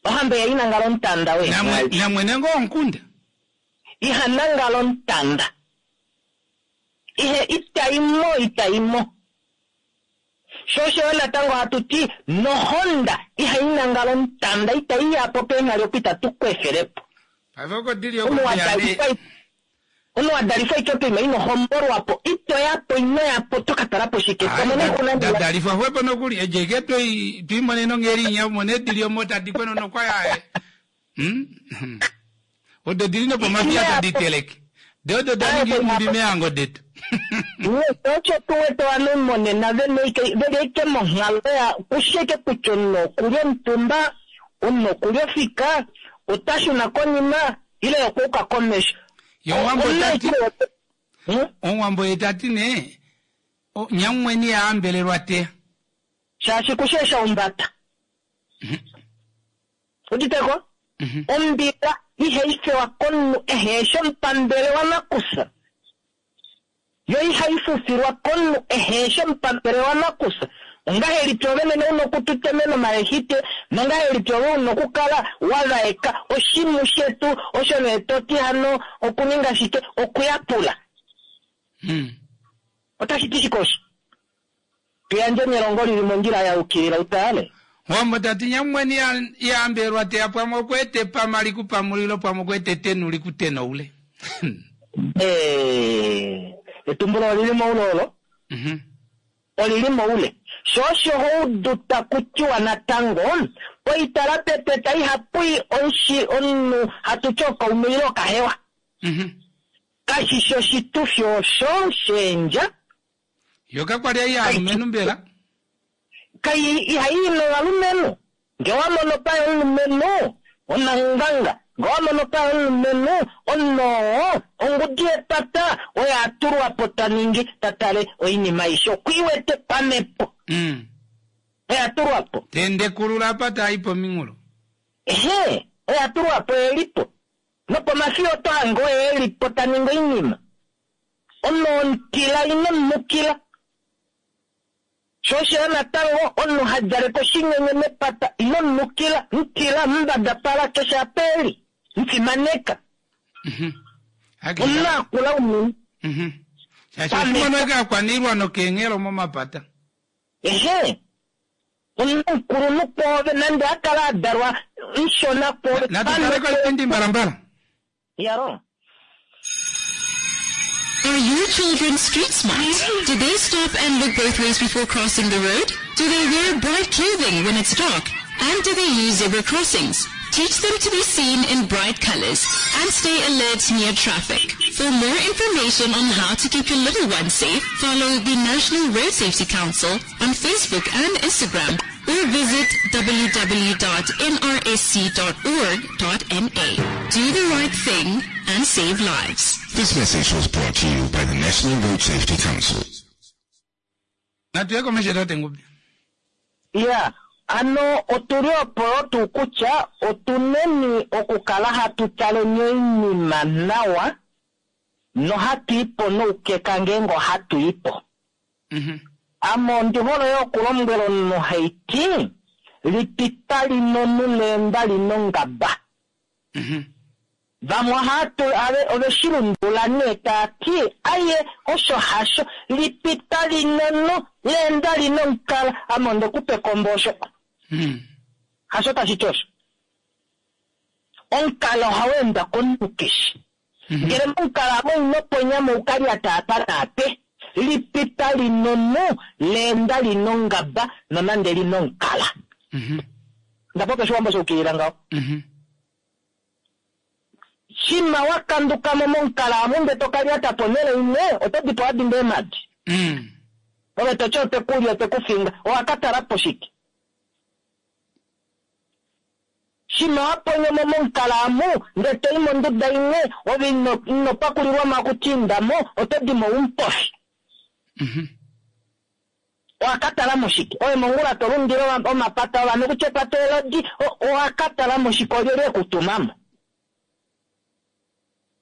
Ohamba ihai nangala omutanda weenghali. Namwene ngoo womukunda? Iha nangala omutanda. Ihe itai mo, itai mo. Sho osho yo natango hatu ti nohonda ihai nangala omutanda, itai ya po peenghali opo itatu kwefele po. Paife oko dili oko kuya nee. Omunhu wa dalifwa ashike poima ino hombolwa po, ito ya po, ino ya po, oto ka tala po shike? To mono oixuna Da dalifwa xwepo nokuli, edjo eke twei twiimonene ongheli inya, umone edili omo tadi kwena nokwa ya. Odo dili nopomafiya tadi teleke. Dee odo da ninga iinghumbi meehango detu. Osho tu wete ovanhu monena vena ashike veli ashike monghalo ya kushi ashike kutya omunhu okuli omutumba, omunhu okuli ofika, ota shuna konima ile okwa yuka komesho. Ye Omuwambo ota ti, Omuwambo ye ta ti nee, nyamumweni iha hambelelwa teya. Shaashi kushi eshi a humbata. Udite ko? Ombila ihai fewa komunhu ehe shi omupambele wanakusa. Yo ihai fufilwa komunhu ehe shi omupambele wanakusa. Ongahelipi ove mwene u na okututemena omalehite, nongahelipi ove u na okukala wa vaeka oshimhu shetu osho nee to ti hano okuninga shike? Okuyapula. Otashi ti shike osho? Tu yandjeni elongo li li mondjila ya yukilila u tale. Omuwambo ta ti, Nyamumweni iha hambelelwa teya pwamwe okwa eta epama li ku pamulilo pwamwe okwa eta etenu li ku tenoule. Ee, etumbulo oli li moule olo. Oli li moule. Sho osho ho udu taku tiwa natango, poitala pepeta ihapu i omushi omunhu hatu ti okaume ile okahewa. Kashi shi oshitufi osho sheendja. Yo kakwa li ai yaalumenhu mbela? Kai ihai i novalumenhu. Nge owa mono paye omulumenhu, onanganga. Nge owa mono paye omulumenhu, omunhu oo, ongudi yepata oyo a tulwa po ta ningi, ta tale oinima aishe. Oku i wete pamhepo. Oyo a tulwa po. Ta endekulula apa ta i pominghulo. Ehe, oyo a tulwa po, e li po. Nopomafiya oto hange oye e li po ta ningi oinima. Omunhu womutila ino mu nukila. Sho osho natango omunhu ha djaleke oshinyenye mepata ino munukila, mutila, mumbadapala keshe apa eli, mufimaneka. Omunhu akula unene. Shaashi oshimono kaakwaniilwa nokeenghelo momapata. Ehe. Omunhu mukulunhu kwoove nande a kala a dalwa mushona kwoove. Natu tale koipindi mbalambala. Yaro. Are your children street smart? Do they stop and look both ways before crossing the road? Do they wear bright clothing when it's dark? And do they use zebra crossings? Teach them to be seen in bright colors and stay alert near traffic. For more information on how to keep your little ones safe, follow the National Road Safety Council on Facebook and Instagram or visit www.nrsc.org.na. Do the right thing and save lives. This message was brought to you by the National Road Safety Council. Natu ye komesho tate Ngube. Ya, ano otu li opo tuu kutya otu neni okukala hatu taleni oinima nawa nohatu i po noukeka ngeenge ohatu i po. Ame ondi hole yo okulombwela omunhu haiti, lipita linonu leenda linongaba. Vamwe ohatu ave ove shi lundulula nee taa ti aye osho hasho lipita linonu leenda linomukala ame onde ku pa ekombo osho. Hasho tashi ti osho. Omukala ohau endwa komunhu keshe. Ngele momukala amo ino ponya mo uka lyata apa naape. Lipita linonu leenda linongaba nonande linomukala. Nda popya Oshiwambo sha ukilila ngaho. Shima wa kanduka mo momukala amu ndee to ka lyata ponhele imwe, oto di po wa dinda eemhadi. Ove to ti ote ku li ote ku finga, owa ka tala po shike? Shima wa ponyo mo momukala amu ndee to i monduda imwe, ove ino, ino pakulilwa mo akuti inda mo, oto di mo umupofi. Owa ka tala mo shike? Ove mongula to lundile omapata ovanhu kutya epata elodi, owa ka tala mo shike? Olyelye e ku tuma mo?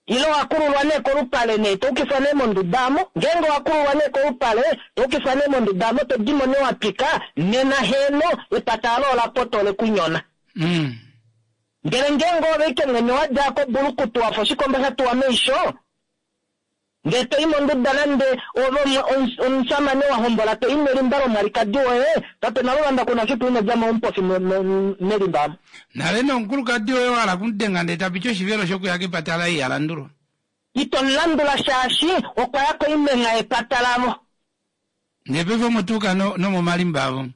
Ile owa kululwa nee kolupale nee to ukifwa nee monduda amo? Ngeenge owa kululwa nee kolupale to ukifwa nee monduda amo to dimo nee wa twika, nena heeno epata alo ola pota ole ku nyona. Ndele ngeenge oove ike mwene wa dja kobulukutu wa fa oshikomba sha tuwa meisho, Ndee to i monduda nande ove omushamane wa hombola to i melimba lomwalikadi woye, tate Naluvanda ku na fiku ino dja mo omupofi melimba amo. Nale nee omukulukadi woye wa hala okumudenga ndee ta piti oshivelo shokuya kepata laye iha landulwa. Ito mu landula shaashi okwa ya koimenha yepata lavo. Ndee paife omo to uka nomomalimba avo.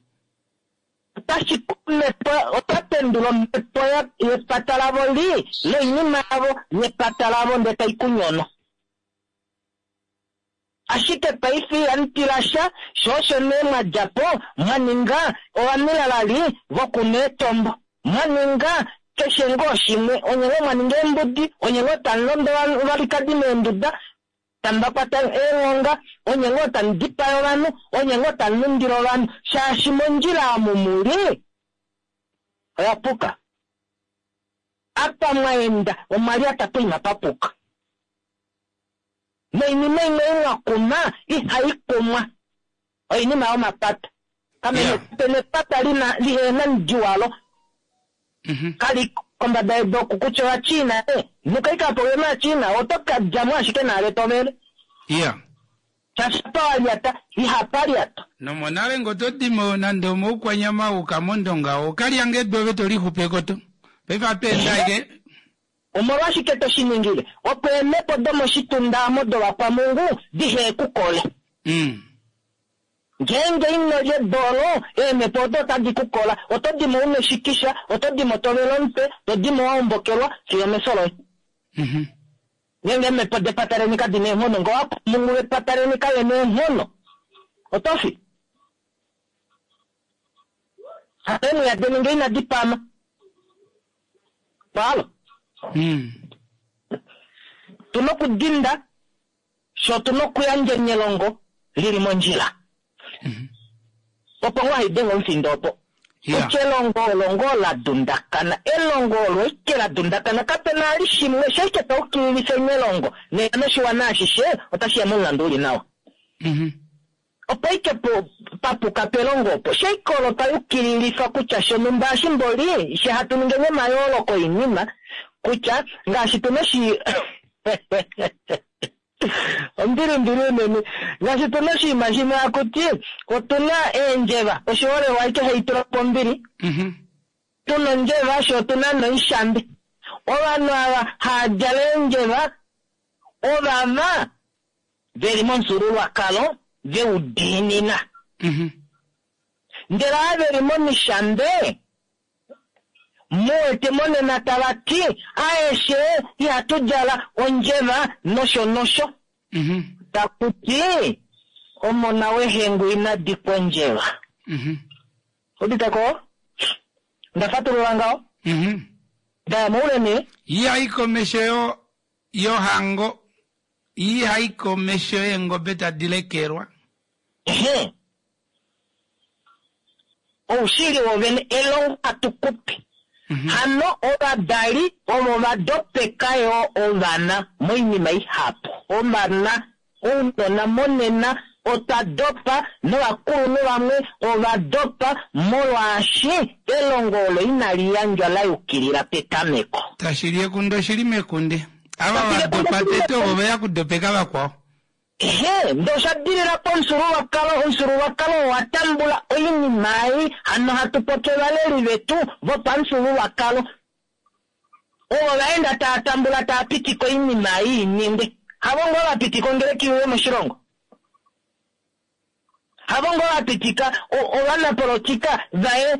Otashi ku omhepo, ota pendula omhepo yepata lavo lii noinima yavo yepata lavo ndee tai ku nyono. Ashike paife ihamu tila sha, sho osho nee mwa dja po mwa ninga ovamilalali vokunwa eetombo. Mwa ninga keshe ngoo shimwe, onye ngoo mwa ninga eembudi, onye ngoo tamu londo ovalikadi meenduda, tamu va kwata eenghonga, onye ngoo tamu dipaya ovanhu, onye ngoo tamu lundile ovanhu, shaashi mondjila omu mu li oya puka. Apa mwa enda omwa lyata poima pa puka. Noinima imwe ei mwa kuma ihai kumwa. Oinima yomapata. Kamene kape na epata lina lihena omudi walo. Kali kombada yedu oku kutya Ovachina e, nuka ika po uye mAachina oto ka dja mo ashike naale to vele. Shaashi apa wa lyata ihapa lyatwa. Nomonale nge oto di mo nande omoukwanyama wa uka mOndonga oka lya nge edu ove to lixupe ko to. Paife ohatu ende ashike. Omolwashike to shi ningile? Opo eemhepo domoshitunda omo dovakwamungu dihe ku kole. Ngeenge ino lya edu olo, eemhepo odo otadi ku kola. Oto di mo u na eshikisha, oto di mo to vele omutwe, to di mo wa ombokelwa fiyo omefyo loye. Ngeenge eemhepo depata leni kadi na eenghono, nge ovakwamungu vepata leni kave na eenghono, oto fi. Hano eemwiya deni nge inadi pama. Palo. Tu na okudinda, fye otu na okuyandja elongo li li mondjila. Opo ngoo hai denge omufindo opo. Kutya elongo olo ngoo la dundakana. Elongo olo eke la dundakana. Kape na ali shimwe, sho eke ta ukililifa elongo, nena noshiwana ashishe otashi ya momulandu u li nawa. Opo ike papuka pelongo opo. Sheikolo payukililifa kutya shonumba ashimboli, she hatu ningeni omayooloko oinima, kutya ngaashi tuna oshi Ombili mbili unene. Ngaashi tuna oshinima shimwe hakuti otuna eendjeva, oshiholelwa aike hai tula po ombili. Tuna ondjeva sho otuna noishambe. Ovanhu ava haa djala eendjeva ovava veli momufyuululwakalo veu diinina. Ndele ava veli momishambe muwete monena tava ti aeshe ihatu djala ondjeva nosho nosho. Taku ti omona wehengu ina dikwa ondjeva. Uditeko? Nda fatulula ngaho? Ndaya moule nee? Ihai komesho yo yohango ihai komesho yeengobe tadi lekelwa. Ehe. Oushili wovene elongo hatu kupe. Hano ovadali ovo va dopeka yo ovana moinima ihapu. Ovana ounona monena otwa dopa novakulunhu vamwe ova dopa molwaashi elongo olo inali yandjwa la yukilila petameko. Tashi li ekunde oshili mekunde. Ava va dopa tete ovo veya kudopeka vakwao. Ehe, ndee osha dilila pomufyuululwakalo, omufyuululwakalo owa tambula oinima ei, hano hatu popi ovaleli vetu vopamufyuululwakalo. Ovo va enda tava tambula tava pitika oinima ei i ningwe. Havo ngoo va pitika ongeleki iuye moshilongo. Havo ngoo va pitika ovanapolotika vaye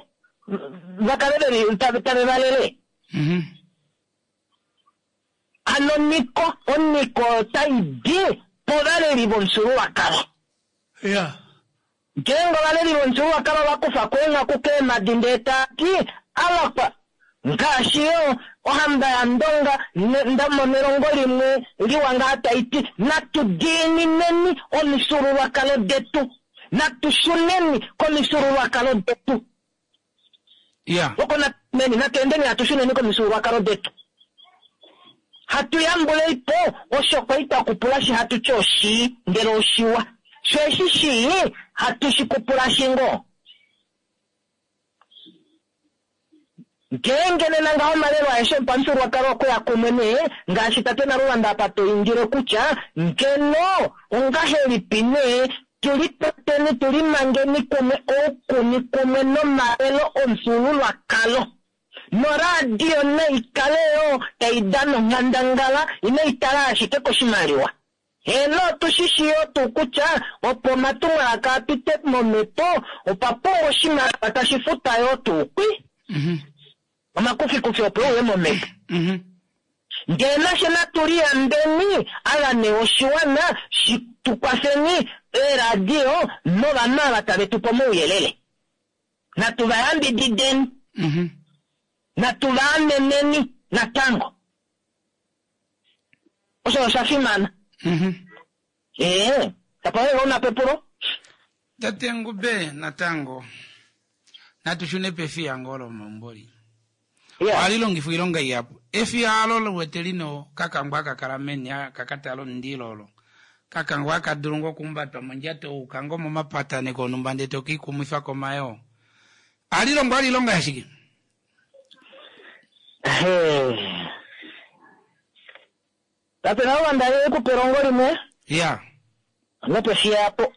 va kale veli tave va lele. Hano oniko, oniko otai di povaleli vomufyuululwakalo. Ngeenge ovaleli vomufyuululwakalo ova kufa ko eenghaku keemhadi ndee tava ti, Avakwa, ngaashi yo ohamba yaNdonga nda mona elongo limwe liwa ngaa tai ti, natu diinineni omifyuululwakalo detu, natu shuneni komifyuululwakalo detu. Oko natu natu endeni hatu shuneni komifyuululwakalo detu. Hatu yambuleipo osho kwali twa kupulashi hatu ti oshii, ndele oshiwa. Sho eshi shii, hatu shi kupulashi ngoo. Ngeenge nena ngaho omalelo aeshe opamufyuululwakalo okwe ya kumwe nee, ngaashi tate Nalulanda apa to indile kutya ngeno ongahelipi nee tu likwateni tu limangeni kumwe oukuni kumwe nomalelo omufyuululwakalo. Noradio nai kale yo tai dana onghandangala, inai tala ashike koshimaliwa. Heeno, otu shi shii yo tuu kutya opo omatumwalaka a pite momhepo opa pumbwa oshimaliwa tashi futwa yo tuu kwi. Omakufikufi opo e uye momhepo. Ndele nashe natu liyambeni, ava nee oshiwana shi tu kwafeni eeradio novanhu ava tave tu pe omauyelele. Natu va yambidideni. Natu va ameneni natango. Osho osha fimana. Ee, tapa wewe una pepulo? Tate Ngube natango natu shune pefiya ngoo lomeumbo li. Ohali longifwa oilonga ihapu. Efiya alo liwete lina okakangwa haka kala meni haka ka tala omundilo olo. Kakangwa haka dulu ngoo okuhumbatwa mondjato wa yuka ngoo momapataneko onhumba ndee to kiikumwifa komayoo. Ohali longwa vali oilonga yashike? Tate Nalulanda ye ku pe elongo limwe. Ya. Nopefiya apo.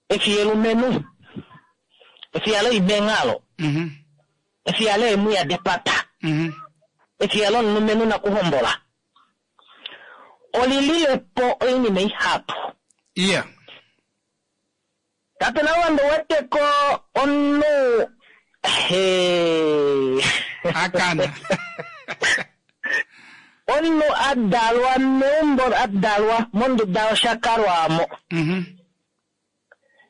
Efiya elumenhu. Efiya loimenghalo. Efiya leemwiya depata. Efiya lomulumenhu nakuhombola. Oli lile po oinima ihapu. Tate Nalulanda uwete ko omunhu Akana. Omunhu a dalwa meumbo, a dalwa monduda yoshakalwamo.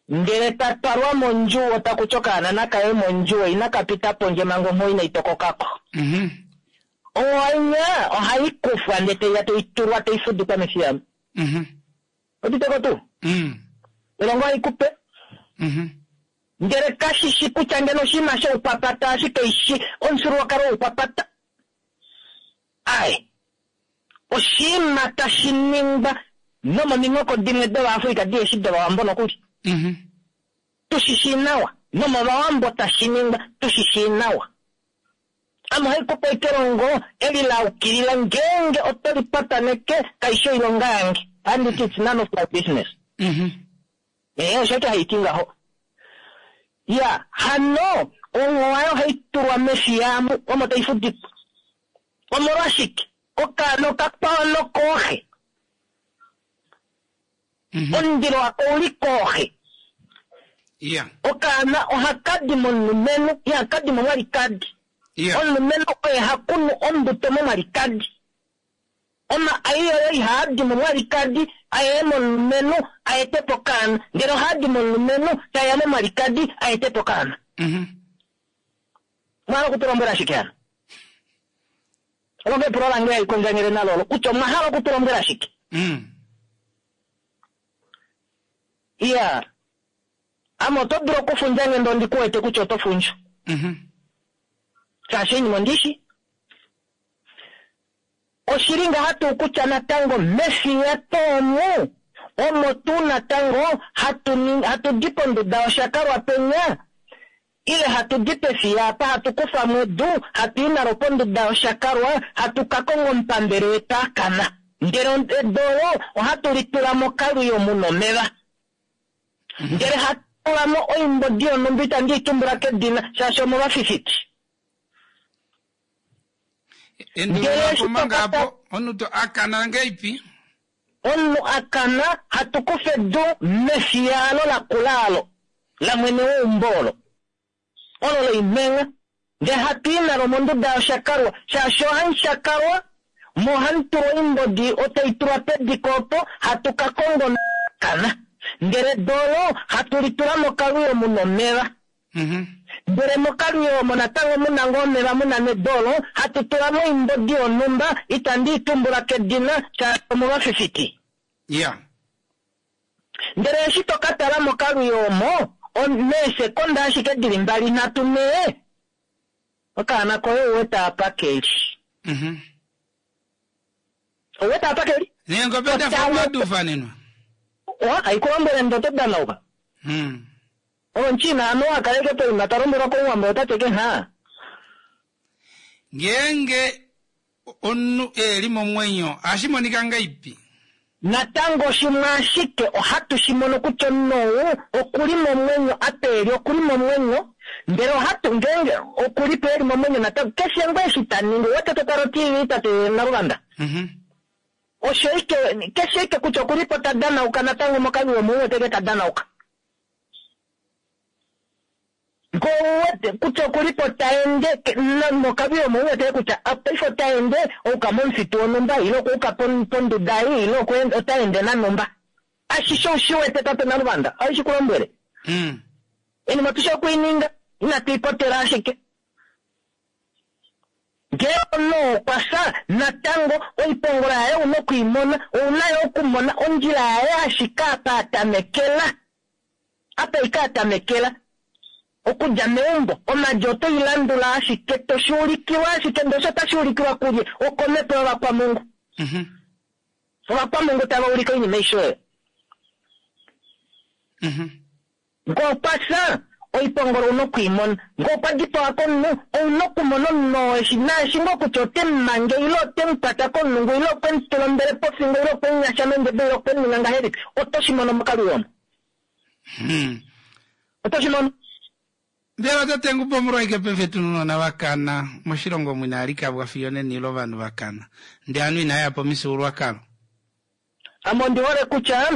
Ndele ta twalwa mondjuwo, taku ti okaana nakaye mondjuwo, inaka pita pondje manga onghuwo inai tokokako. Onghuwo ohai kufwa ndele taiya tai tulwa tai fudikwa mefiya. Oditeko tuu? Elongo ohai kupe. Ndele kashi shi kutya ngeno oshinima shoukwapata ashike ishi omufyuululwakalo woukwapata. Ai, oshinima tashi ningwa nomominghoko dimwe dOvaafrika diheshi dOvawambo nokuli. Tu shi shii nawa. Nomovawambo tashi ningwa tu shi shii nawa. Ame ohai kupe ashike elongo eli la ukilila ngeenge oto li pataneke kaishi oilonga yange. Ohandi ti it's none of my business. Ee, osho eke hai ti ngaho. Ya, hano onghowa oyo ohai tulwa mefiya amu omo tai fudikwa. Omolwashike? Okaana okakwao nokooxe. Omundilo wako ouli kooxe. Okaana ohaka di momulumenhu, ihaka di momwalikadi. Omulumenhu oye ha kunu ombuto momwalikadi. Omaai oyo ihaa di momwalikadi a ye momulumenhu a ete po okaana, ndele ohaa di momulumenhu tae ya momwalikadi a ete po okaana. Omwa hala oku tu lombwela shike hano? Olo epulo lange haikondjangele nalo olo kutya omwa hala oku tu lombwela shike? Iya, ame oto dulu okufundja nge ndee ondi ku wete kutya oto fundju. Shaashi oinima ondi i shii. Oshili ngaha tuu kutya natango mefiya tuu omu, omo tuu natango hatu hatu di ponduda yoshakalwa penya, ile hatu di pefiya apa hatu kufa mo edu, hatu i nalo ponduda yoshakalwa, hatu ka konga omupambele wetu a kana. Ndele edu olo ohatu li tula mokalwiyo mu na omeva. Ndele hatu tula mo oimbodi yonhumba itandi i tumbula kedina, shaashi omovafifiti. Endulula po manga apo, omunhu to a kana ngeipi? Omunhu a kana, hatu kufa edu mefiya alo lakula alo, lamwene weumbo olo, olo loimhengha, ndele hatu i nalo monduda yoshakalwa, shaashi ohamu shakalwa, mo ohamu tulwa oimbodi otai tulwa pediko opo, hatu ka konga omunhu a kana. Ndele edu olo hatu li tula mokalwiyo mu na omeva. Ndele mokalwiyo omo natango mu na ngoo omeva mu na nedu olo, hatu tula mo oimbodi yonhumba, itandi i tumbula kedina, shaashi omovafifiti. Ndele eshi to ka tala mokalwiyo omo, meesekonda ashike di li mbali, nhatu, nhee, okaana koye ou wete apa ke li. Ou wete apa ke li? Neengobe da fa opo da ufanenwa. Owa, hai ku lombwele ndee oto danauka. Omuchina anuwa a kaleke poima ta lombwelwa kOmuwambo ota teke nhaa. Ngeenge omunhu e li momwenyo ohashi monika ngaipi? Natango shimwe ashike ohatu shi mono kutya omunhu ou oku li momwenyo, apa e li oku li momwenyo, ndele ohatu, ngeenge oku li po e li momwenyo natango, keshe ngoo eshi ta ningi, ou wete to tala oTV tate Naluvanda? Osho ike, keshe ike kutya oku li po ta danauka natango mokaviwo omo u wete ike ta danauka. Ngee ou wete kutya oku li po ta ende, nokaviyo omo u wete kutya paife ota ende a yuka momufitu wonhumba, ile okwa yuka ponduda ei, ile ota ende nanhumba. Ashishe ou shi wete tate Naluvanda, ohandi shi ku lombwele. Oinima otu shi oku i ninga, inatu i potela ashike. Ngee omunhu okwa fya, natango oipongolo yaye ou na oku i mona. Ou na yo okumona ondjila yaye ashike apa a tamekela. Apa ike a tamekela. Okudja meumbo, omadi oto i landula ashike, to shi ulikilwa ashike, ndele osho otashi ulikilwa kulye? Okomhepo yovakwamungu. Ovakwamungu tava ulike oinima aishe oyo. Ngee okwa fya, oipongolo ou na oku i mona. Ngee okwa dipawa komunhu, ou na okumona omunhu oo eshi naashi ngoo kutya ote mu mange ile ote mu kwata komulungu ile okwe mu tula ombele pofingo ile okwe mu nyasha nondjebo ile okwe mu ninga ngahelipi, oto shi mono mokalwiyo omo. Oto shi mono. Mbela tate Ngubo omolwashike paife tu na ounona va kana moshilongo omu inaa likabwa fiyo onena ile ovanhu va kana ndee ovanhu inava ya pomifyuululwakalo? Ame ondi hole kutya,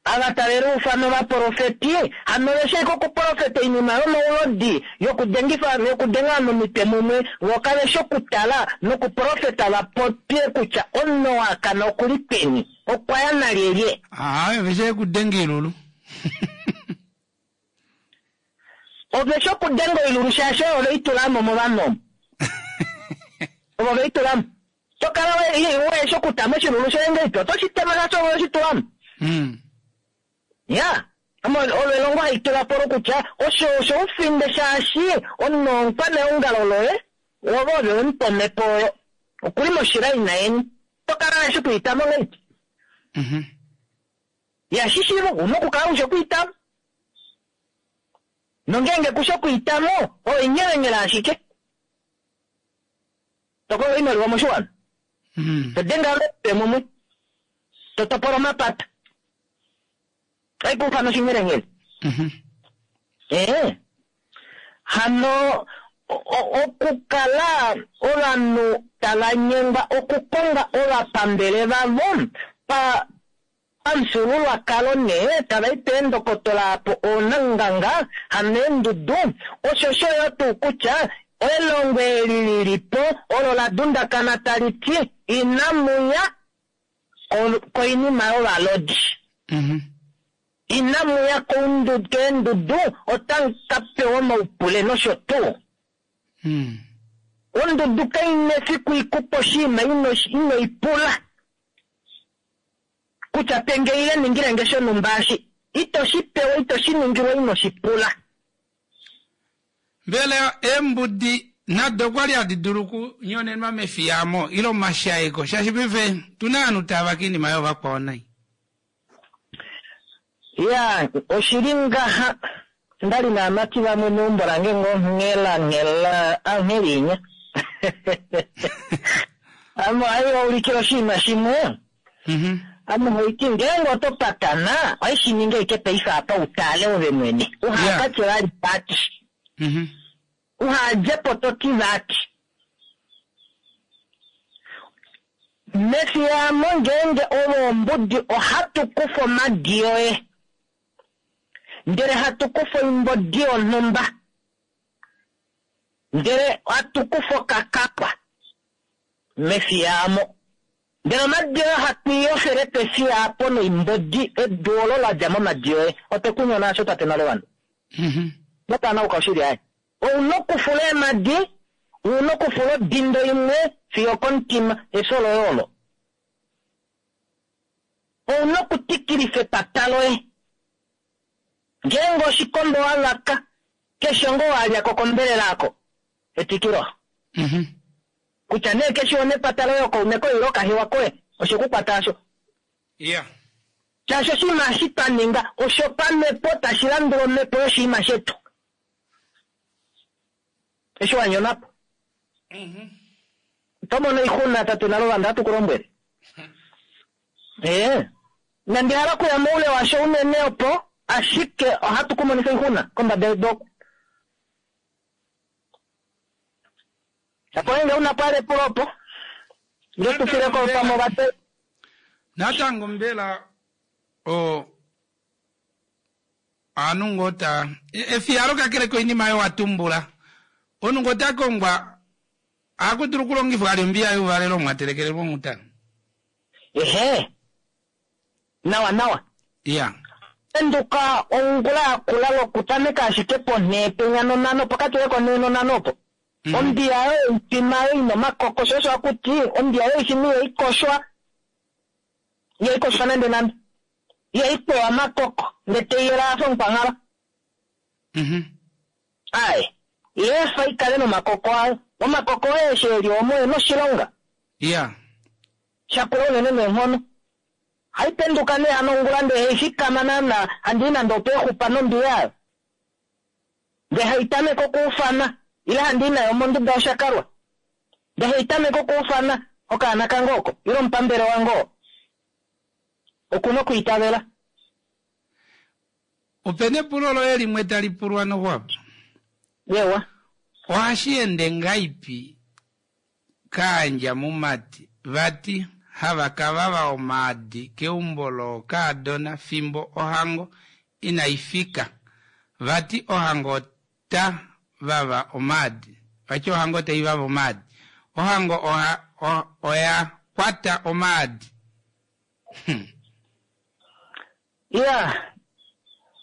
ava tave liufana ovaprofeti, hano ove shii okuprofeta oinima yomaulodi, yokudengifa yokudenga ovanhu omitwe mumwe, vo kave shi okutala nokuprofeta va popye kutya omunhu oo a kana oku li peni, okwa ya nalyelye. Aawe, ove shii okudenga oilulu. Ove shi okudenga oilulu shaashi oyo ove i tula mo movanhu omo. Ovo ve i tula mo. To kala we shi okutama oshilulu shoye ngeipi, oto shi tema shaashi ove we shi tula mo. Ya, olo elongo hai tula po olo kutya osho osho ufinde shaashi omunhu omukwaneongalo loye, ove ove we mu pa omhepo oyo. Okuli moshilaina yeni. To kala we shi okwiitama ngeipi. Ihashi shiiva, ou na okukala u shi okwiitamo. Nongeenge ku shi okwiitamo, oinyelenyele ashike. To kongo oimaliwa moshiwana. To denge ovanhu mumwe. To topola omapata. Otai ku ufana oshinyelenyele. Ee. Hano okukala ovanhu tava nyengwa okukonga ovapambele vavo pa pamufyuululwakalo nee tava i peendokotola apo oonanganga hano eendudu, osho sho yo tuu kutya elongo eli li li po olo la dundakana tali ti inamu ya koinima yovalodi. Inamu ya keendudu otamu ka pewa omaupule nosho tuu. Ondudu kai na efiku i ku pe oshinima ino i pula. Kutya pe nge ile ningile nge shonhumba eshi. Ito shi pewa, ito shi ningilwa ino shi pula. Mbela eembudi nado okwa li hadi dulu okunyonenwa mefiya amo ile omashaeko shaashi paife otu na ovanhu tava vake oinima yoovakwao nai? Ya, oshi li ngaha, nda li naamati vamwe meumbo lange ngoo nghela nghela angheli inya. Ame ohai va ulikile oshinima shimwe. Ame ohaiti ngeenge oto patana, ohai shi ningi ashike paife apa u tale ove mwene. Uha ka tye vali vati. Uha dje po to ti vati. Mefiyamo ngeenge ove ombudi ohatu kufa omadi oye. Ndele hatu kufa oimbodi yonhumba. Ndele hatu kufa okakakwa mefiyamo. Ndele omadi oye hatu i yofele pefiya apo noimbodi, edu olo la dja momadi oye. Otwe ku nyona asho tate Nalewanda. Notanauka oshili aye. Ou na okufula eemadi, ou na okufula odindo imwe fiyo okomutima, efyo loye olo. Ou na okutikilifa epata loye. Ngeenge oshikombo wa vaka, keshe ngoo wa lya ko kombelela ako, etwikilo. Kutya nee keshe womepata loye, okaume koye ile okahewa koye, oshe ku kwata asho. Shaashi oshinima eshi twa ninga oshopamhepo tashi landula omhepo yoshinima shetu. Eshi wa nyona po. Oto mono oixuna, tate Naluvanda, ohatu ku lombwele. Ee. Inandi hala okuya moule washo unene opo, ashike ohatu ku monifa oixuna kombada yedu oku. Shapo ngeenge una po epulo opo, nge tu file ko pamwe ovate. Natango mbela o Ovanhu ngoo ta efiyalo kakele koinima oyo wa tumbula, omunhu ngoo ta kongwa ohaku dulu okulongifwa vali ombiya youvalelo omo mwa telekelelwa onghuta. Ehe. Nawa nawa. Iya. Penduka ongula yakula lokutameka ashike ponhee penya nonhano, pokati konhee nonhano opo. Ombiya yoye oifima yo ina omakoko, sho osho haku ti ombiya yoifima ihai koshwa. Ihai koshwa nande nande. Ihai kwewa omakoko, ndele tai yela ya fa omukwanghala. Ae, i efa i kale nomakoko ayo. Omakoko oye eshi e li omo e na oshilonga. Iya. Sha kula unene neenghono. Ohai penduka nee hano ongula ndele hai fikama naana, handi i nande opeexupa nombiya yayo. Ndele hai tameke okuufana, ile handi i nayo monduda yoshakalwa. Ndele hai tameke okuufana okaana kange oko, ile omupambele wange oo. Oku na okwiitavela. Ope na epulo loye limwe tali pulwa noxwapo. Eewa. Ohashi ende ngaipi kaandja mumati vati hava ka vava omaadi keumbo lookaadona fimbo ohango inai fika. Vati ohango ota vava omaadi. Vati ohango tai vava omaadi. Ohango oha, oya kwata omaadi. Iya,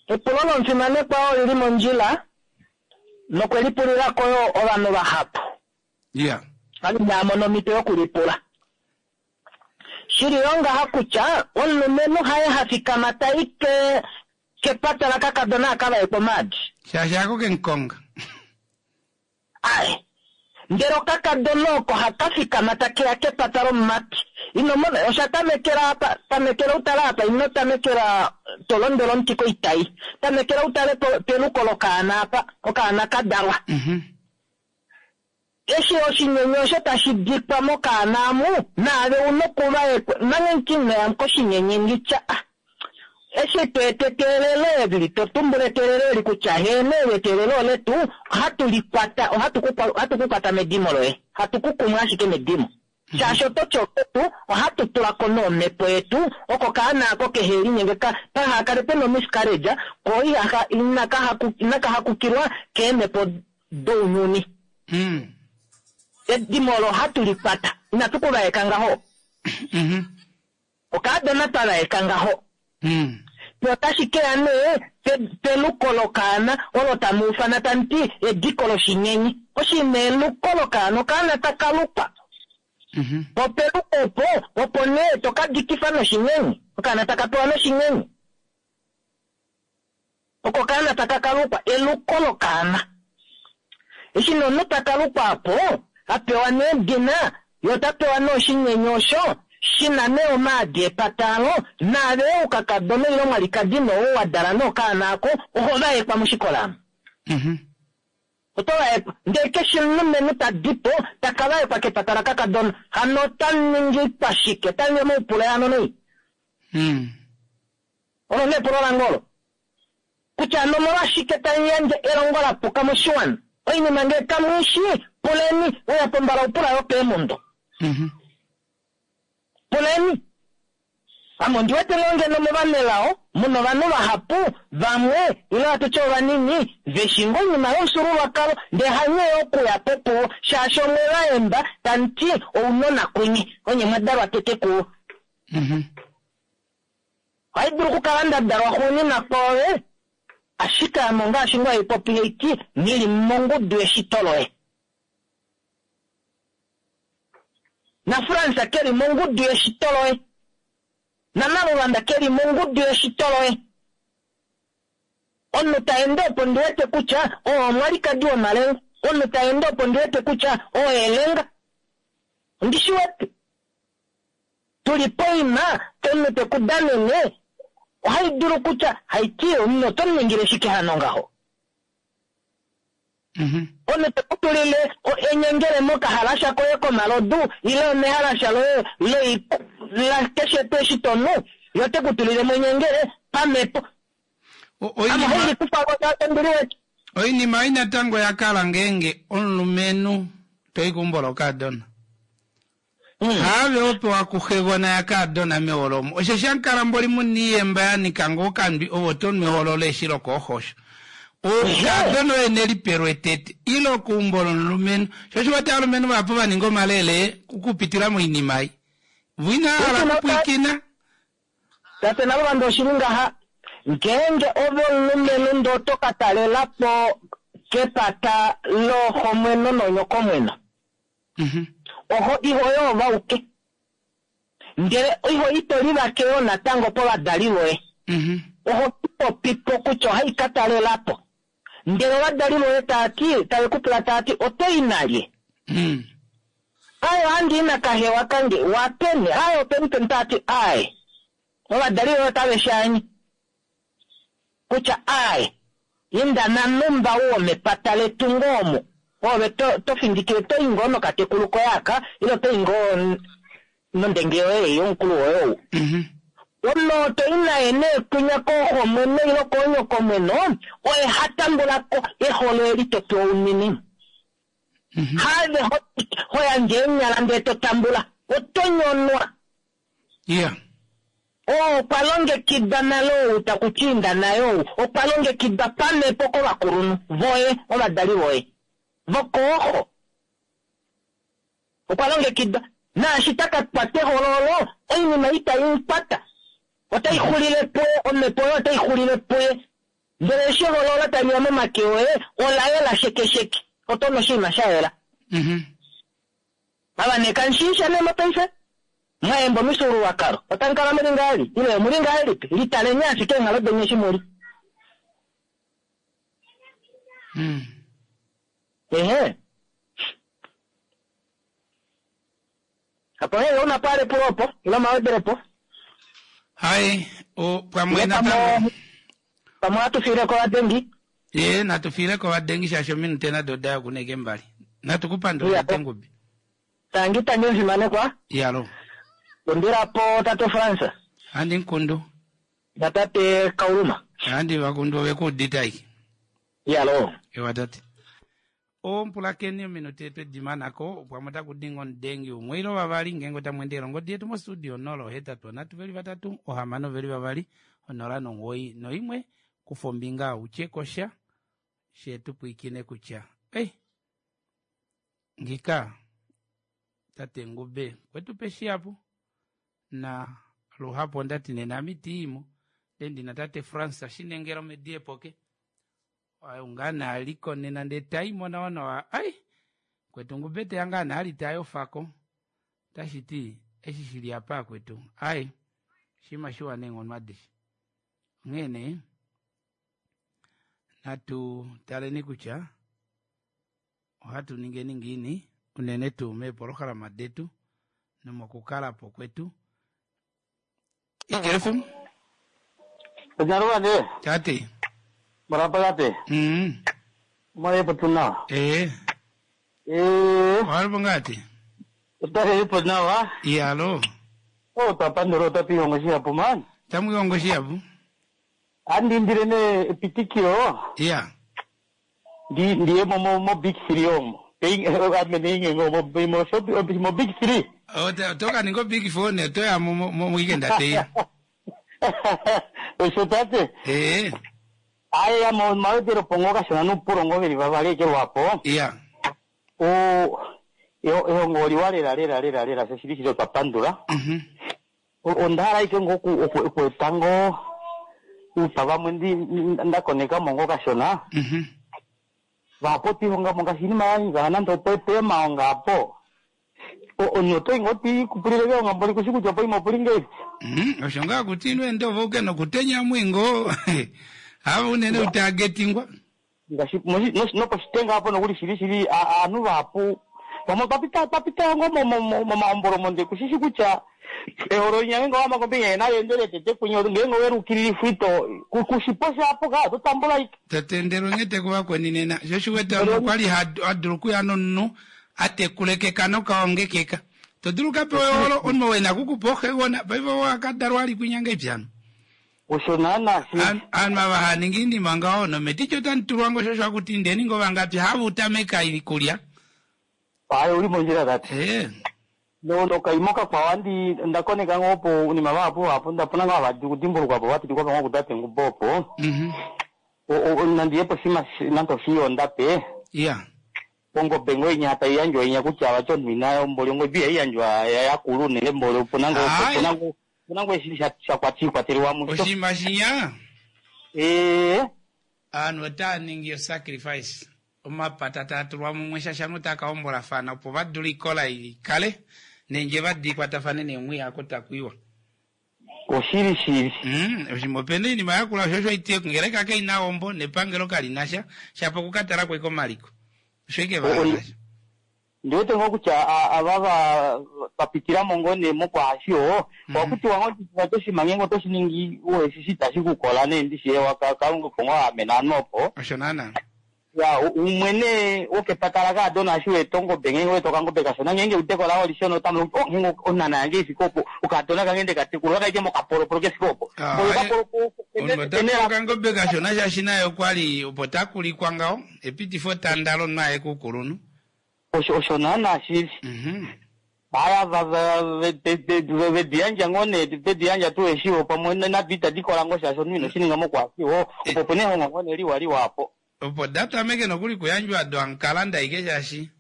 epulo lomufimanekwa oli li mondjila nokwe lipulila ko yo ovanhu vahapu. Iya. Vali inava mona omhito yokulipula. Shi li yo ngaha kutya omulumenhu haye ha fikama ta i ke, kepata lakakadona a ka vaekwe omaadi. Shaashi hako ke mu konga. Ae. Ndele okakadona oko haka fikama take ya kepata lomumati. Ino mona, osha tamekela apa, tamekela u tale apa, ino tamekela to londwela omuti koitai. Tamekela u tale peluko lokaana apa, okaana ka dalwa. Eshi oshinyenye osho tashi dikwa mokaana amu, naave u nokuvaekwa, manga ino ya koshinyenye ngitya, ah, eshi to eta eteelelo eli, to tumbula eteelelo eli kutya heeno eli eteelelo oletu, ohatu li kwata, ohatu ku, ohatu ku kwata medimo loye. Hatu ku kumu ashike medimo. Shaashi oto ti oketu, ohatu tula ko nomhepo yetu, oko kaana ako kehe linyenge ka, paha kale pena omiscarriage, ko ihaha, inaka haku, inaka hakukilwa keemhepo dounyuni. Edimo olo ohatu li kwata. Inatu ku vaeka ngaho. Okaadona twa vaeka ngaho. Pe otashi ke ya nee peluko lokaana olo tamu ufana tamu ti ediko loshinyenye. Oshinima eluko lokaana, okaana taka lukwa. Po peluko opo, opo nee to ka dikifa noshinyenye. Okaana taka pewa noshinyenye. Oko okaana taka ka lukwa, eluko lokaana. Eshi nee omunhu taka lukwa apo, a pewa nee edina, ye ota pewa nee oshinyenye osho, shi na nee omaadi epata alo, naave oukakadona ile omwalikadi nee ou wa dala nee okaana ako, oho vaekwa moshikola amu. Oto vaekwa. Ndele keshe omulumenhu ta di po, ta ka vaekwa kepata lakakadona, hano ota ningi pashike? Ota ningi omaupule hano nei? Olo nee epulo lange olo. Kutya hano omolwashike tamu yandje elongo la puka moshiwana? Oinima ngee kamu i shii, puleni. Uya pombala u pula yo keemundo. Puleni. Ame ondi wete ngoo ngeno movanelao mu na ovanhu vahapu, vamwe, ile hatu tye ovanini, ve shii ngoo oinima yomufyuululwakalo, ndele hanye yo okuya po puvo, shaashi omwe va yemba tamu ti ounona kunye, onye mwa dalwa tete kuvo. Ohai dulu okukala nda dalwa xuuninwa kwoove, ashike ame ongaashi ngoo hai popi hai ti, Nghi li mongudu yeshito loye. NaFrans ke li mongudu yeshito loye. NaNaluvanda ke li mongudu yeshito loye. Omunhu ta ende opo ndi wete kutya oo omwalikadi womalenga. Omunhu ta ende opo ndi wete kutya oo elenga. Ondi shi wete. Tu li poima, omunhu te ku danene, ohai dulu kutya, hai ti, omunhu oto mu ningile shike hano ngaho? Omunhu te ku tulile enyengele mokahalasha koye komalodu, ile omehalasha loye loi, la keshe tuu eshi to nu, ye ote ku tulile mo enyengele, pamhepo. Ame ohai li kufa ko shaashi ondi liwete. Oinima ei natango oya kala ngeenge omulumenhu to i keumbo lokaadona. Haave ho pewa kuxegona yakaadona meholo omo. Osheshi amukala mboli mu na iiyemba ya nika ngoo okandwi ove oto nu eholo leeshi lokooxosho. Okaadona oye ne lipelwe tete ile okeumbo lomulumenhu. Sho osho wete ovalumenhu vahapu va ninga omalele okupitila moinima ei. Vo inava hala okupwiikina. Tate Naluvanda oshili ngaha, ngeenge ove omulumenhu ndee oto ka talela po kepata looxomweno noonyokomweno, Oho iho yoovauke, ndele iho ito livake yoo natango povadali voye. Oho popi po kutya ohai ka talela po. Ndele ovadali voye tava ti, tave ku pula tava ti, oto i nalye? Aaye, ohandi i nakahewa kange. Wapeni? Aaye, openi peni? Tava ti, aaye. Ovadali voye otave shi anye. Kutya, Aaye, inda nanhumba u womepata letu ngoo omu. Oove to, to findikile, to i ngoo nokatekulu koye aka, ile oto i ngoo nondenge yoye ei, omukulu woye ou. Omunhu oo to i naye nee kwinya kooxomweno ile koonyokomweno, oye ha tambula ko eholo eli to pewa unene. Haave ho, ho yandje eenyala ndee to tambula. Oto nyonwa. Yeah. Oo okwa longekidwa nale ou taku ti inda naye ou okwa longekidwa pamhepo kovakulunhu voye, ovadali voye vokooxo. Okwa longekidwa. Naashi ta ka kwata eholo olo, oinima itai mu kwata. Otai xulile puye, omhepo oyo otai xulile puye. Ndele eshi eholo olo tali ya momake oye, ola yela shekesheke. Oto nu oshinima sha yela. Ava nee kamu shii sha nee mopaife? Mwa yemba omifyuululwakalo, otamu kala mu li ngahelipi? Ile omu li ngahelipi? Litaleni ashike eenghalo deni eshi mu li. Ehe. epulo opo ile omawedelepo? Hai, o pamwe natango. Pamwe ohatu fiile ko ovadengi. Ye, natu fiile ko ovadengi shaashi ominute nado oda ya okuneke mbali. Natu ku pandule Iya. tate Ngube. Tangi tangi omufimanekwa. Iyalo. Kundila po tate Frans. Handi nkundu. Natate Kauluma. Handi vakundu ove ku udite aike. Iyalo. Ewa tate. Ompulakeni ominute twedi mana ko pamwe otaku dinga omudengi umwe ile vavali ngeenge otamu endele ongodi yetu mostudio 083 306 200 09 kufa ombinga utye kosha she tu pwiikine kutya ei ngika tate Ngube kwetu pe shihapu na luhapu onda ti nena ame itiimo ndee ndina tate Frans Shinengela omedi epoke ngaa nee aliko nena ndee taimo nawa nawa ai kwetu Ngube teya ngaa nee ali tayofako tashi ti eshi shili apa akwetu ai oshinima shiwa neenghono adishe onghee nee natu taleni kutya ohatu ningeni ngiini unene tuu meepolohalama detu nomokukala po kwetu Ijefu. Onyarwande. Tate. Marapa tate. Mare patuna. Eh. Eh. Walipo ngati? Otare ipo nawa. Iyalo. Oh tapandoro tapi hongo shiapo man. Tamu hongo shiapo. Andi ndire ne epitikiro. Yeah. Ndi ndiye mo mo mo big three omo. Ping adme ninge ngo mo mo so mo big three. Oh toka ningo big four ne toya mo mo weekend ate. Osho tate. Eh. Aya mo mawetero pongo kashona nupuro ngo veli vavali ekelwapo. Yeah. O ehongo liwa lela lela lela lela sho shili shili twapandula. Onda hala ike ngo okueta ngo upa vamwe ndi ndakoneka mo ngo kashona. Vapo twihonga mo ngaashi iinima ya nande opo epema apo. Omunhu otoyi ngoo tiikupulile keonga mboli kushi kutya poima opuli ngeipi. Osho ngaa kuti ino ende ove uke nokutenya mwingo. Ava unene utagetingwa. Ngaashi noposhitenga apo nokuli shili shili aanhu vahapu vamwe twapita twapita ngo momahombolo monde kushishi kutya eholo linya ngeenge owama kombinga yena yendele tete kunye ngeenge welukililifwa ito kushipo shapo ka totambula ike. Tatendelwe nghete kuvakweni nena. Sho shiwete omunhu okwali hadulu okuya nomunhu atekulekeka nokaongekeka. Todulu kapewa eholo omunhu ou ena kukupa oxegona paife owakadalwa ali kwinya ngeipi hano. Osho naana shi. Aanhu ava haaningi iinima ngaho nometiti otamu tulwa ngo shosho akuti indeni ngo vangapi hava utameka iikulya. Aye uli mondjila tate. Eh. No nokaima kakwawo andi ndakoneka ngoo opo unima vahapu vahapu ndapona ngoo hava kudimbulukwa po vapitikwa pa ngoo kutate Ngube opo. Nandi yepo oshinima nande oshiyonda pe. Yeah. Ongobe ngoo inya tai yandjwa inya kutya vati omunhu ina mboli ongobe ihai yandjwa yakulu unene mboli opuna ngoo opuna ngoo opuna ngoo eshi shakwatelwa musho. Oshinima shinya. Eh. Aanhu otaa ningi osacrifice omapata taa tulwa mumwe shaashi ovanhu otaa ka hombolafana opo va dule oikola i kale neendjeva di kwatafane neemwiya oko taku iwa. Oshili shili. Oshinima opena oinima yakula osho osho haiti ongeleka kai na hombo nepangelo kali na sha shapo okukatala ko ashike omaliko. Osho ashike va hala sha. Ndiwete ngoo kutya ava va vapitila mo ngoo nee mokwaasho ohakutiwa ngoo vati oshinima ngeenge oto shi ningi uheshi itashi kukola nee ndishi ewa Kalunga opo ngoo a amena ovanhu opo. Osho naana. Ya umwe nee wokepata lakaadona eshi weeta ongobe ngeenge weeta okangobe kashona ngeenge eudeko lao olishona otamu kuti oh ngeenge onhana yange ifike opo okaadona kange ndekatekula okaike mokapolopolo kefike opo. Oyo okapolopolo Omunhu ota pewa okangobe kashona shaashi naye okwali opo takulikwa ngaho epitifo tanda lomunhu aye koukulunhu. Osho osho naana shili. Haya vedi yandja ngoo nee vedi yandja tuu eshiwo pamwe nado itadi kola ngoo shaashi omunhu ino shi ninga mokwaashiwo opo opena ehongo ngoo nee liwa liwa apo. Opo da tameke nokuli kuyandjwa do amukalanda aike shaashi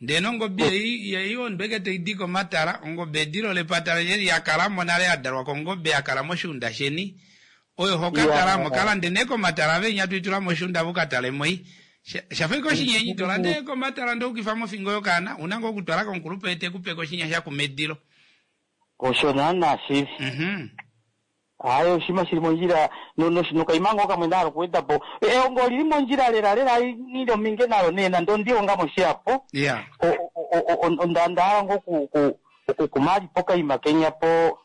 ndee nongobe ei ei omunhu eke toidi komatala ongobe edilo lepata leni ya kalamo nale yadalwa kongobe yakala moshiunda sheni oyo hokatalamo kalande nee komatala venya toitula moshiunda vukatalemo ei shafa ike oshinyenyi tolande komatala ndee ukifa mofingo yokaana una ngoo okutwala komukulupe ete kupeko oshinya shakumedilo. Osho naana shili. Hayi oshinima shili mondjila nokaima ngoo kamwe ndahala okuweda po. Ehongo olili mondjila lela lela nghili ominge nalo nee nande ondihonga mo shihapu. Yeah. Onda hala ngoo Okukuma ali pokaima kenya po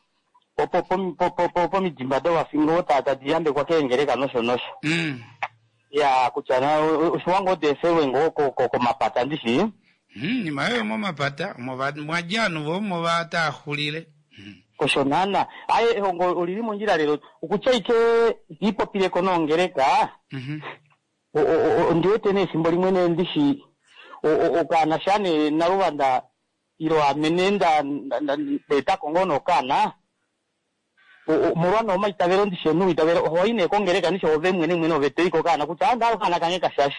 po po po po pomidimba dovafingo tadi yambekwa keengeleka nosho nosho. Ya kutya na oshiwa ngoo deefelwe ngoo komapata ndishi. Nima yoyo momapata omo mwadja ovanhu vo omo va taaxulile. Osho naana. Aye ehongo olili mondjila lelo. Okutya ike ipopileko nongeleka. Ondi wete nee efimbo limwe nee ndishi okaana sha nee naluvanda ilo ame nee nda etako ngoo nokaana molwa nee omaitavelo ndishi omunhu wiitavelo ohoi nee kongeleka ndishi ove mwene mwene ove toyi kokaana kutya anda okaana kange kashashe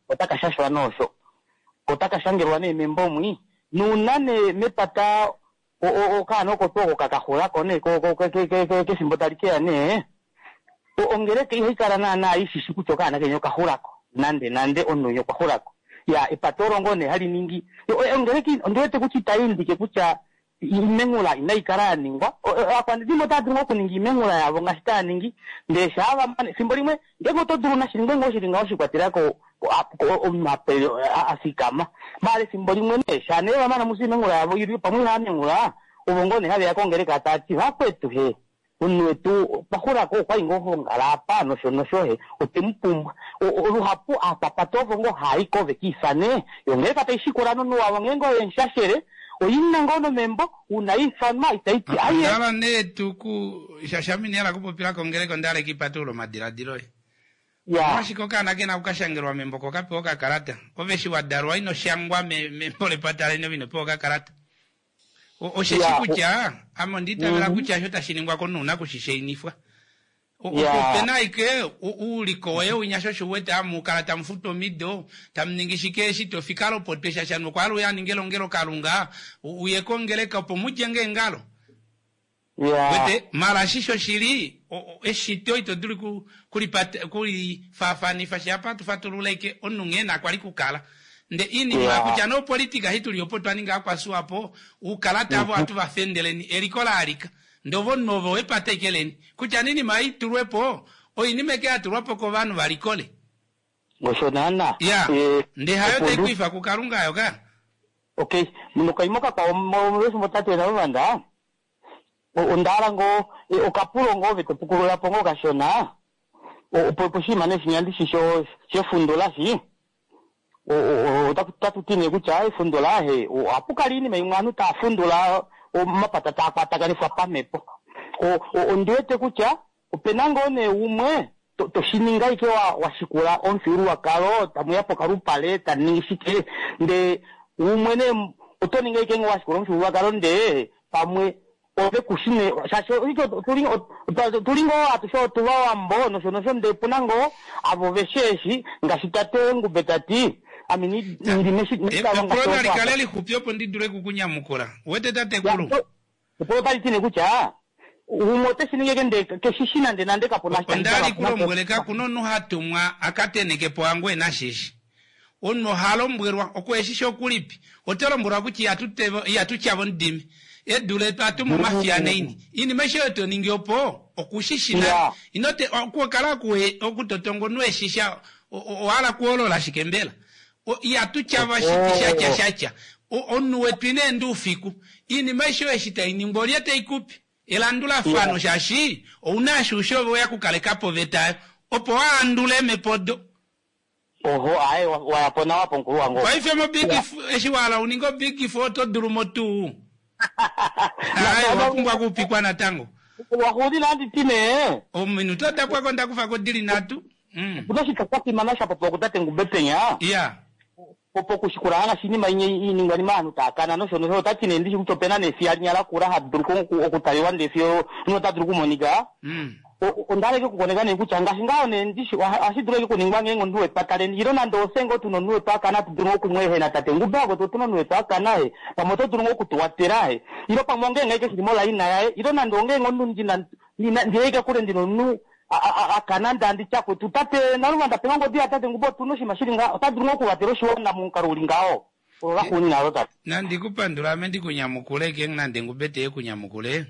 otaka shashwa noosho otaka shangelwa nee membo mwi nuuna nee mepata okaana oko tuu oko kakaxulako nee kefimbo tali keya nee ongeleka ihayi kala naana ishishi kutya okaana kenya okaxulako nande nande omunhu okwa xulako ya epata olo ngoo nee hali ningi ongeleka ondiwete kutya itayi indike kutya imengula inayi kala ya ningwa aakwanezimo otaya dulu okuninga imengula yavo ngaashi taya ningi ndee shaa vamane efimbo limwe ngeenge oto dulu nashi ningwe ngoo shili ngaho shikwatelela ko omunhu afikama maala efimbo limwe nee shaa nee vamana musi imengula yavo ili pamwe ihaya mengula ovo ngoo nee haveya kongeleka tati vakwetu he omunhu wetu okwa xulako okwali ngoo hongala apa nosho nosho he otwe mu pumbwa luhapu aakwapata ovo ngoo haayi ko vekiifane yo ngeleka tai shikula nomunhu wavo ngeenge oye mushashele oina ngoo nomembo una ifanwa itaiti aye Ondala nee tuku shashamini ala kupopila kongeleka ondala ekipatululo omadiladilo e omolwashike okaana kena okukashangelwa membo ko kapewa okakalata ove eshi wadalwa ino shangwa membo lepata leni ove ino pewa okakalata osheshi kutya ame onda itavela kutya osho tashi ningwa komunhu una kushishainifwa opena aike uuliko woye winya sho osho uwete amukala tamufutu omido tamuningi shike eshi tofika lopotwe shashanu okwa hala uye aninge elongelokalunga uye kongeleka opo mudje ngeengalo wete mala ashishe oshili eshito ito dulu kulifaafanifa shapa tufatululeke omunhu nghee nakwali kukala nde inima kutya nopolitika hituli opo twaninga akwasuwapo uukalata avo atu vafendeleni eliko laalika ndee ovo omunhu ovo wepata eke leni kutya ninima itulwepo oinima eke yatulwapo kovanhu valikole osho naana ya ndee hayo taikuifa kukalunga ayo ka okay nokaima kakwawo efimbo tate naluvanda ondahala ngoo okapulo ngoo ove topukululapo ngoo kashona poshinima nee shinya ndishi shefundula shi otatu ti nee kutya efundula he ohapu kala iinima imwe aanhu taa fundula omapata taa kwatakanifwa pamhepo ondiwete kutya opena ngoo nee umwe toshininga ike washikula omufyuululwakalo tamuya pokalupale taningi shike ndee umwe nee oto ninga ike ngoo washikula omufyuululwakalo ndee pamwe ove kushine shaashi tuli ngoo atushe otuva wambo nosho nosho ndee puna ngoo avo vesheeshi ngaashi tate Ngube tati ame epulo nali kale lixupi opo ndi dule kukunyamukula wete tatekulu epulo tali ti nee kutya umwe ote shi ningi eke ndee keshishi nande nande kapuna ondali kulombwele kakuna omunhu hatumwa akatenekepo angu ena shishi omunhu oha lombwelwa okueshishi okulipi oto lombwelwa kutya ihatu tyava omudimi edu letu atuma omafiyaneini iinima aishe oyo toningi opo okushishina inote okukala okutotonga omunhu eshisha owahala kuholola shike mbela ihatu tyava shatya shatya omunhu wetu ina enda oufiku iinima aishe oyo eshi tainingwa olye taikupi elandulafano shaashi ouna ashuushe ove oya kukalekapo oveta opo waandule mepodo oho aye wayapo nawa pomukulu wangu paife mo big eshi wahala uninge obig four oto dulu mo tuu aye wapumbwa kuupikwa natango waxuulila anditi nee ominute odapwako ndakufako dili nhatu opuna oshitya sha fimana sha popiwa kutate Ngube penya ya pokushikula ngaashi iinima iiningwanima aanhu taakana nosho nosho otati nee ndishi kutya opena nefiya linya lakula hali dulu okutaliwa ndee fiyo omunhu ota dulu okumonika onda hala okukoneka nee kutya ngaashi ngaho nee ndishi ohashi dulu eke kuningwa ngeenge omunhu wepata leni ilo nande ofye ngoo tuna omunhu wetu akana atu dulu okumweehena tate Ngube wako otuna omunhu wetu akana he pamwe oto dulu ngoo okutuwatela he ilo pamwe ongeenge aike shili molaina yaye ilo nande ongeenge omunhu ndina ndiyeike kule ndina omunhu akana ndandi tyakwetu tate naluvanda pena ongodi ya tate Ngube otuna oshinima shili nga ota dulu ngoo okuvatela oshiwana momukalo uli ngaho olaxuunina alo tate nandikupandula ame ndikunyamukule ke nande Ngube teye kunyamukule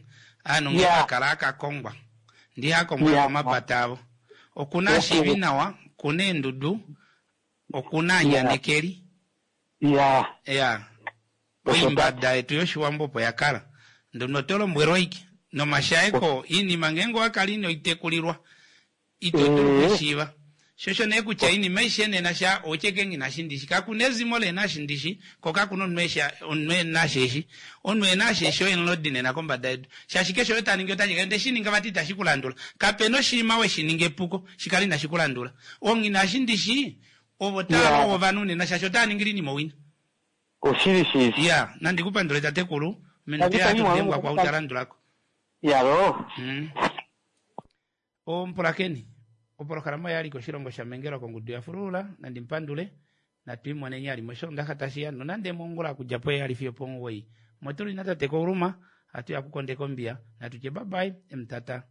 aanhu nge akala akakongwa ndihakongwa komapata avo okuna ashiivi nawa kuna eendudu okuna anyanekeli ya ya. Oimbada yetu yoshiwambo opo ya kala. Ndono oto lombwelwa ike nomashaeko iinima ngeenge owa kala ino itekulilwa ito dulu okushiiva. Shosho nee kutya iinima aishe nena sha outye ke nghi shi ndishi. Kakuna ezimo lena shindishi ko kakuna omunhu eshi omunhu ena sheshi. Omunhu ena sheshi oye mulodi nena kombada yedu. Shaashi keshe oyo ta ningi ota nyeka ndee shi ninga vati itashi ku landula. Kapena oshinima weshi ninga epuko shikale inashi ku landula. Onghina shindishi ovo tava longo ovanhu nena shaashi otava ningile iinima owina. Oshili shili. Ya, nandi ku pandule tatekulu. Minute Tangi, tangi, ya mwana. dengwa kwa utalandulako. Yalo. Omupulakeni, opolohalama oya li koshilongo sha mengelwa kongudu ya fululula, nandi mupandule, natwiimoneni ali moshoondaxa tashi ya nonande mongula okudja poheyali fiyo opomuwoi. Motuli natate Kouluma, hatu ya kukondeka ombiya, natu tye bye bye, emutata.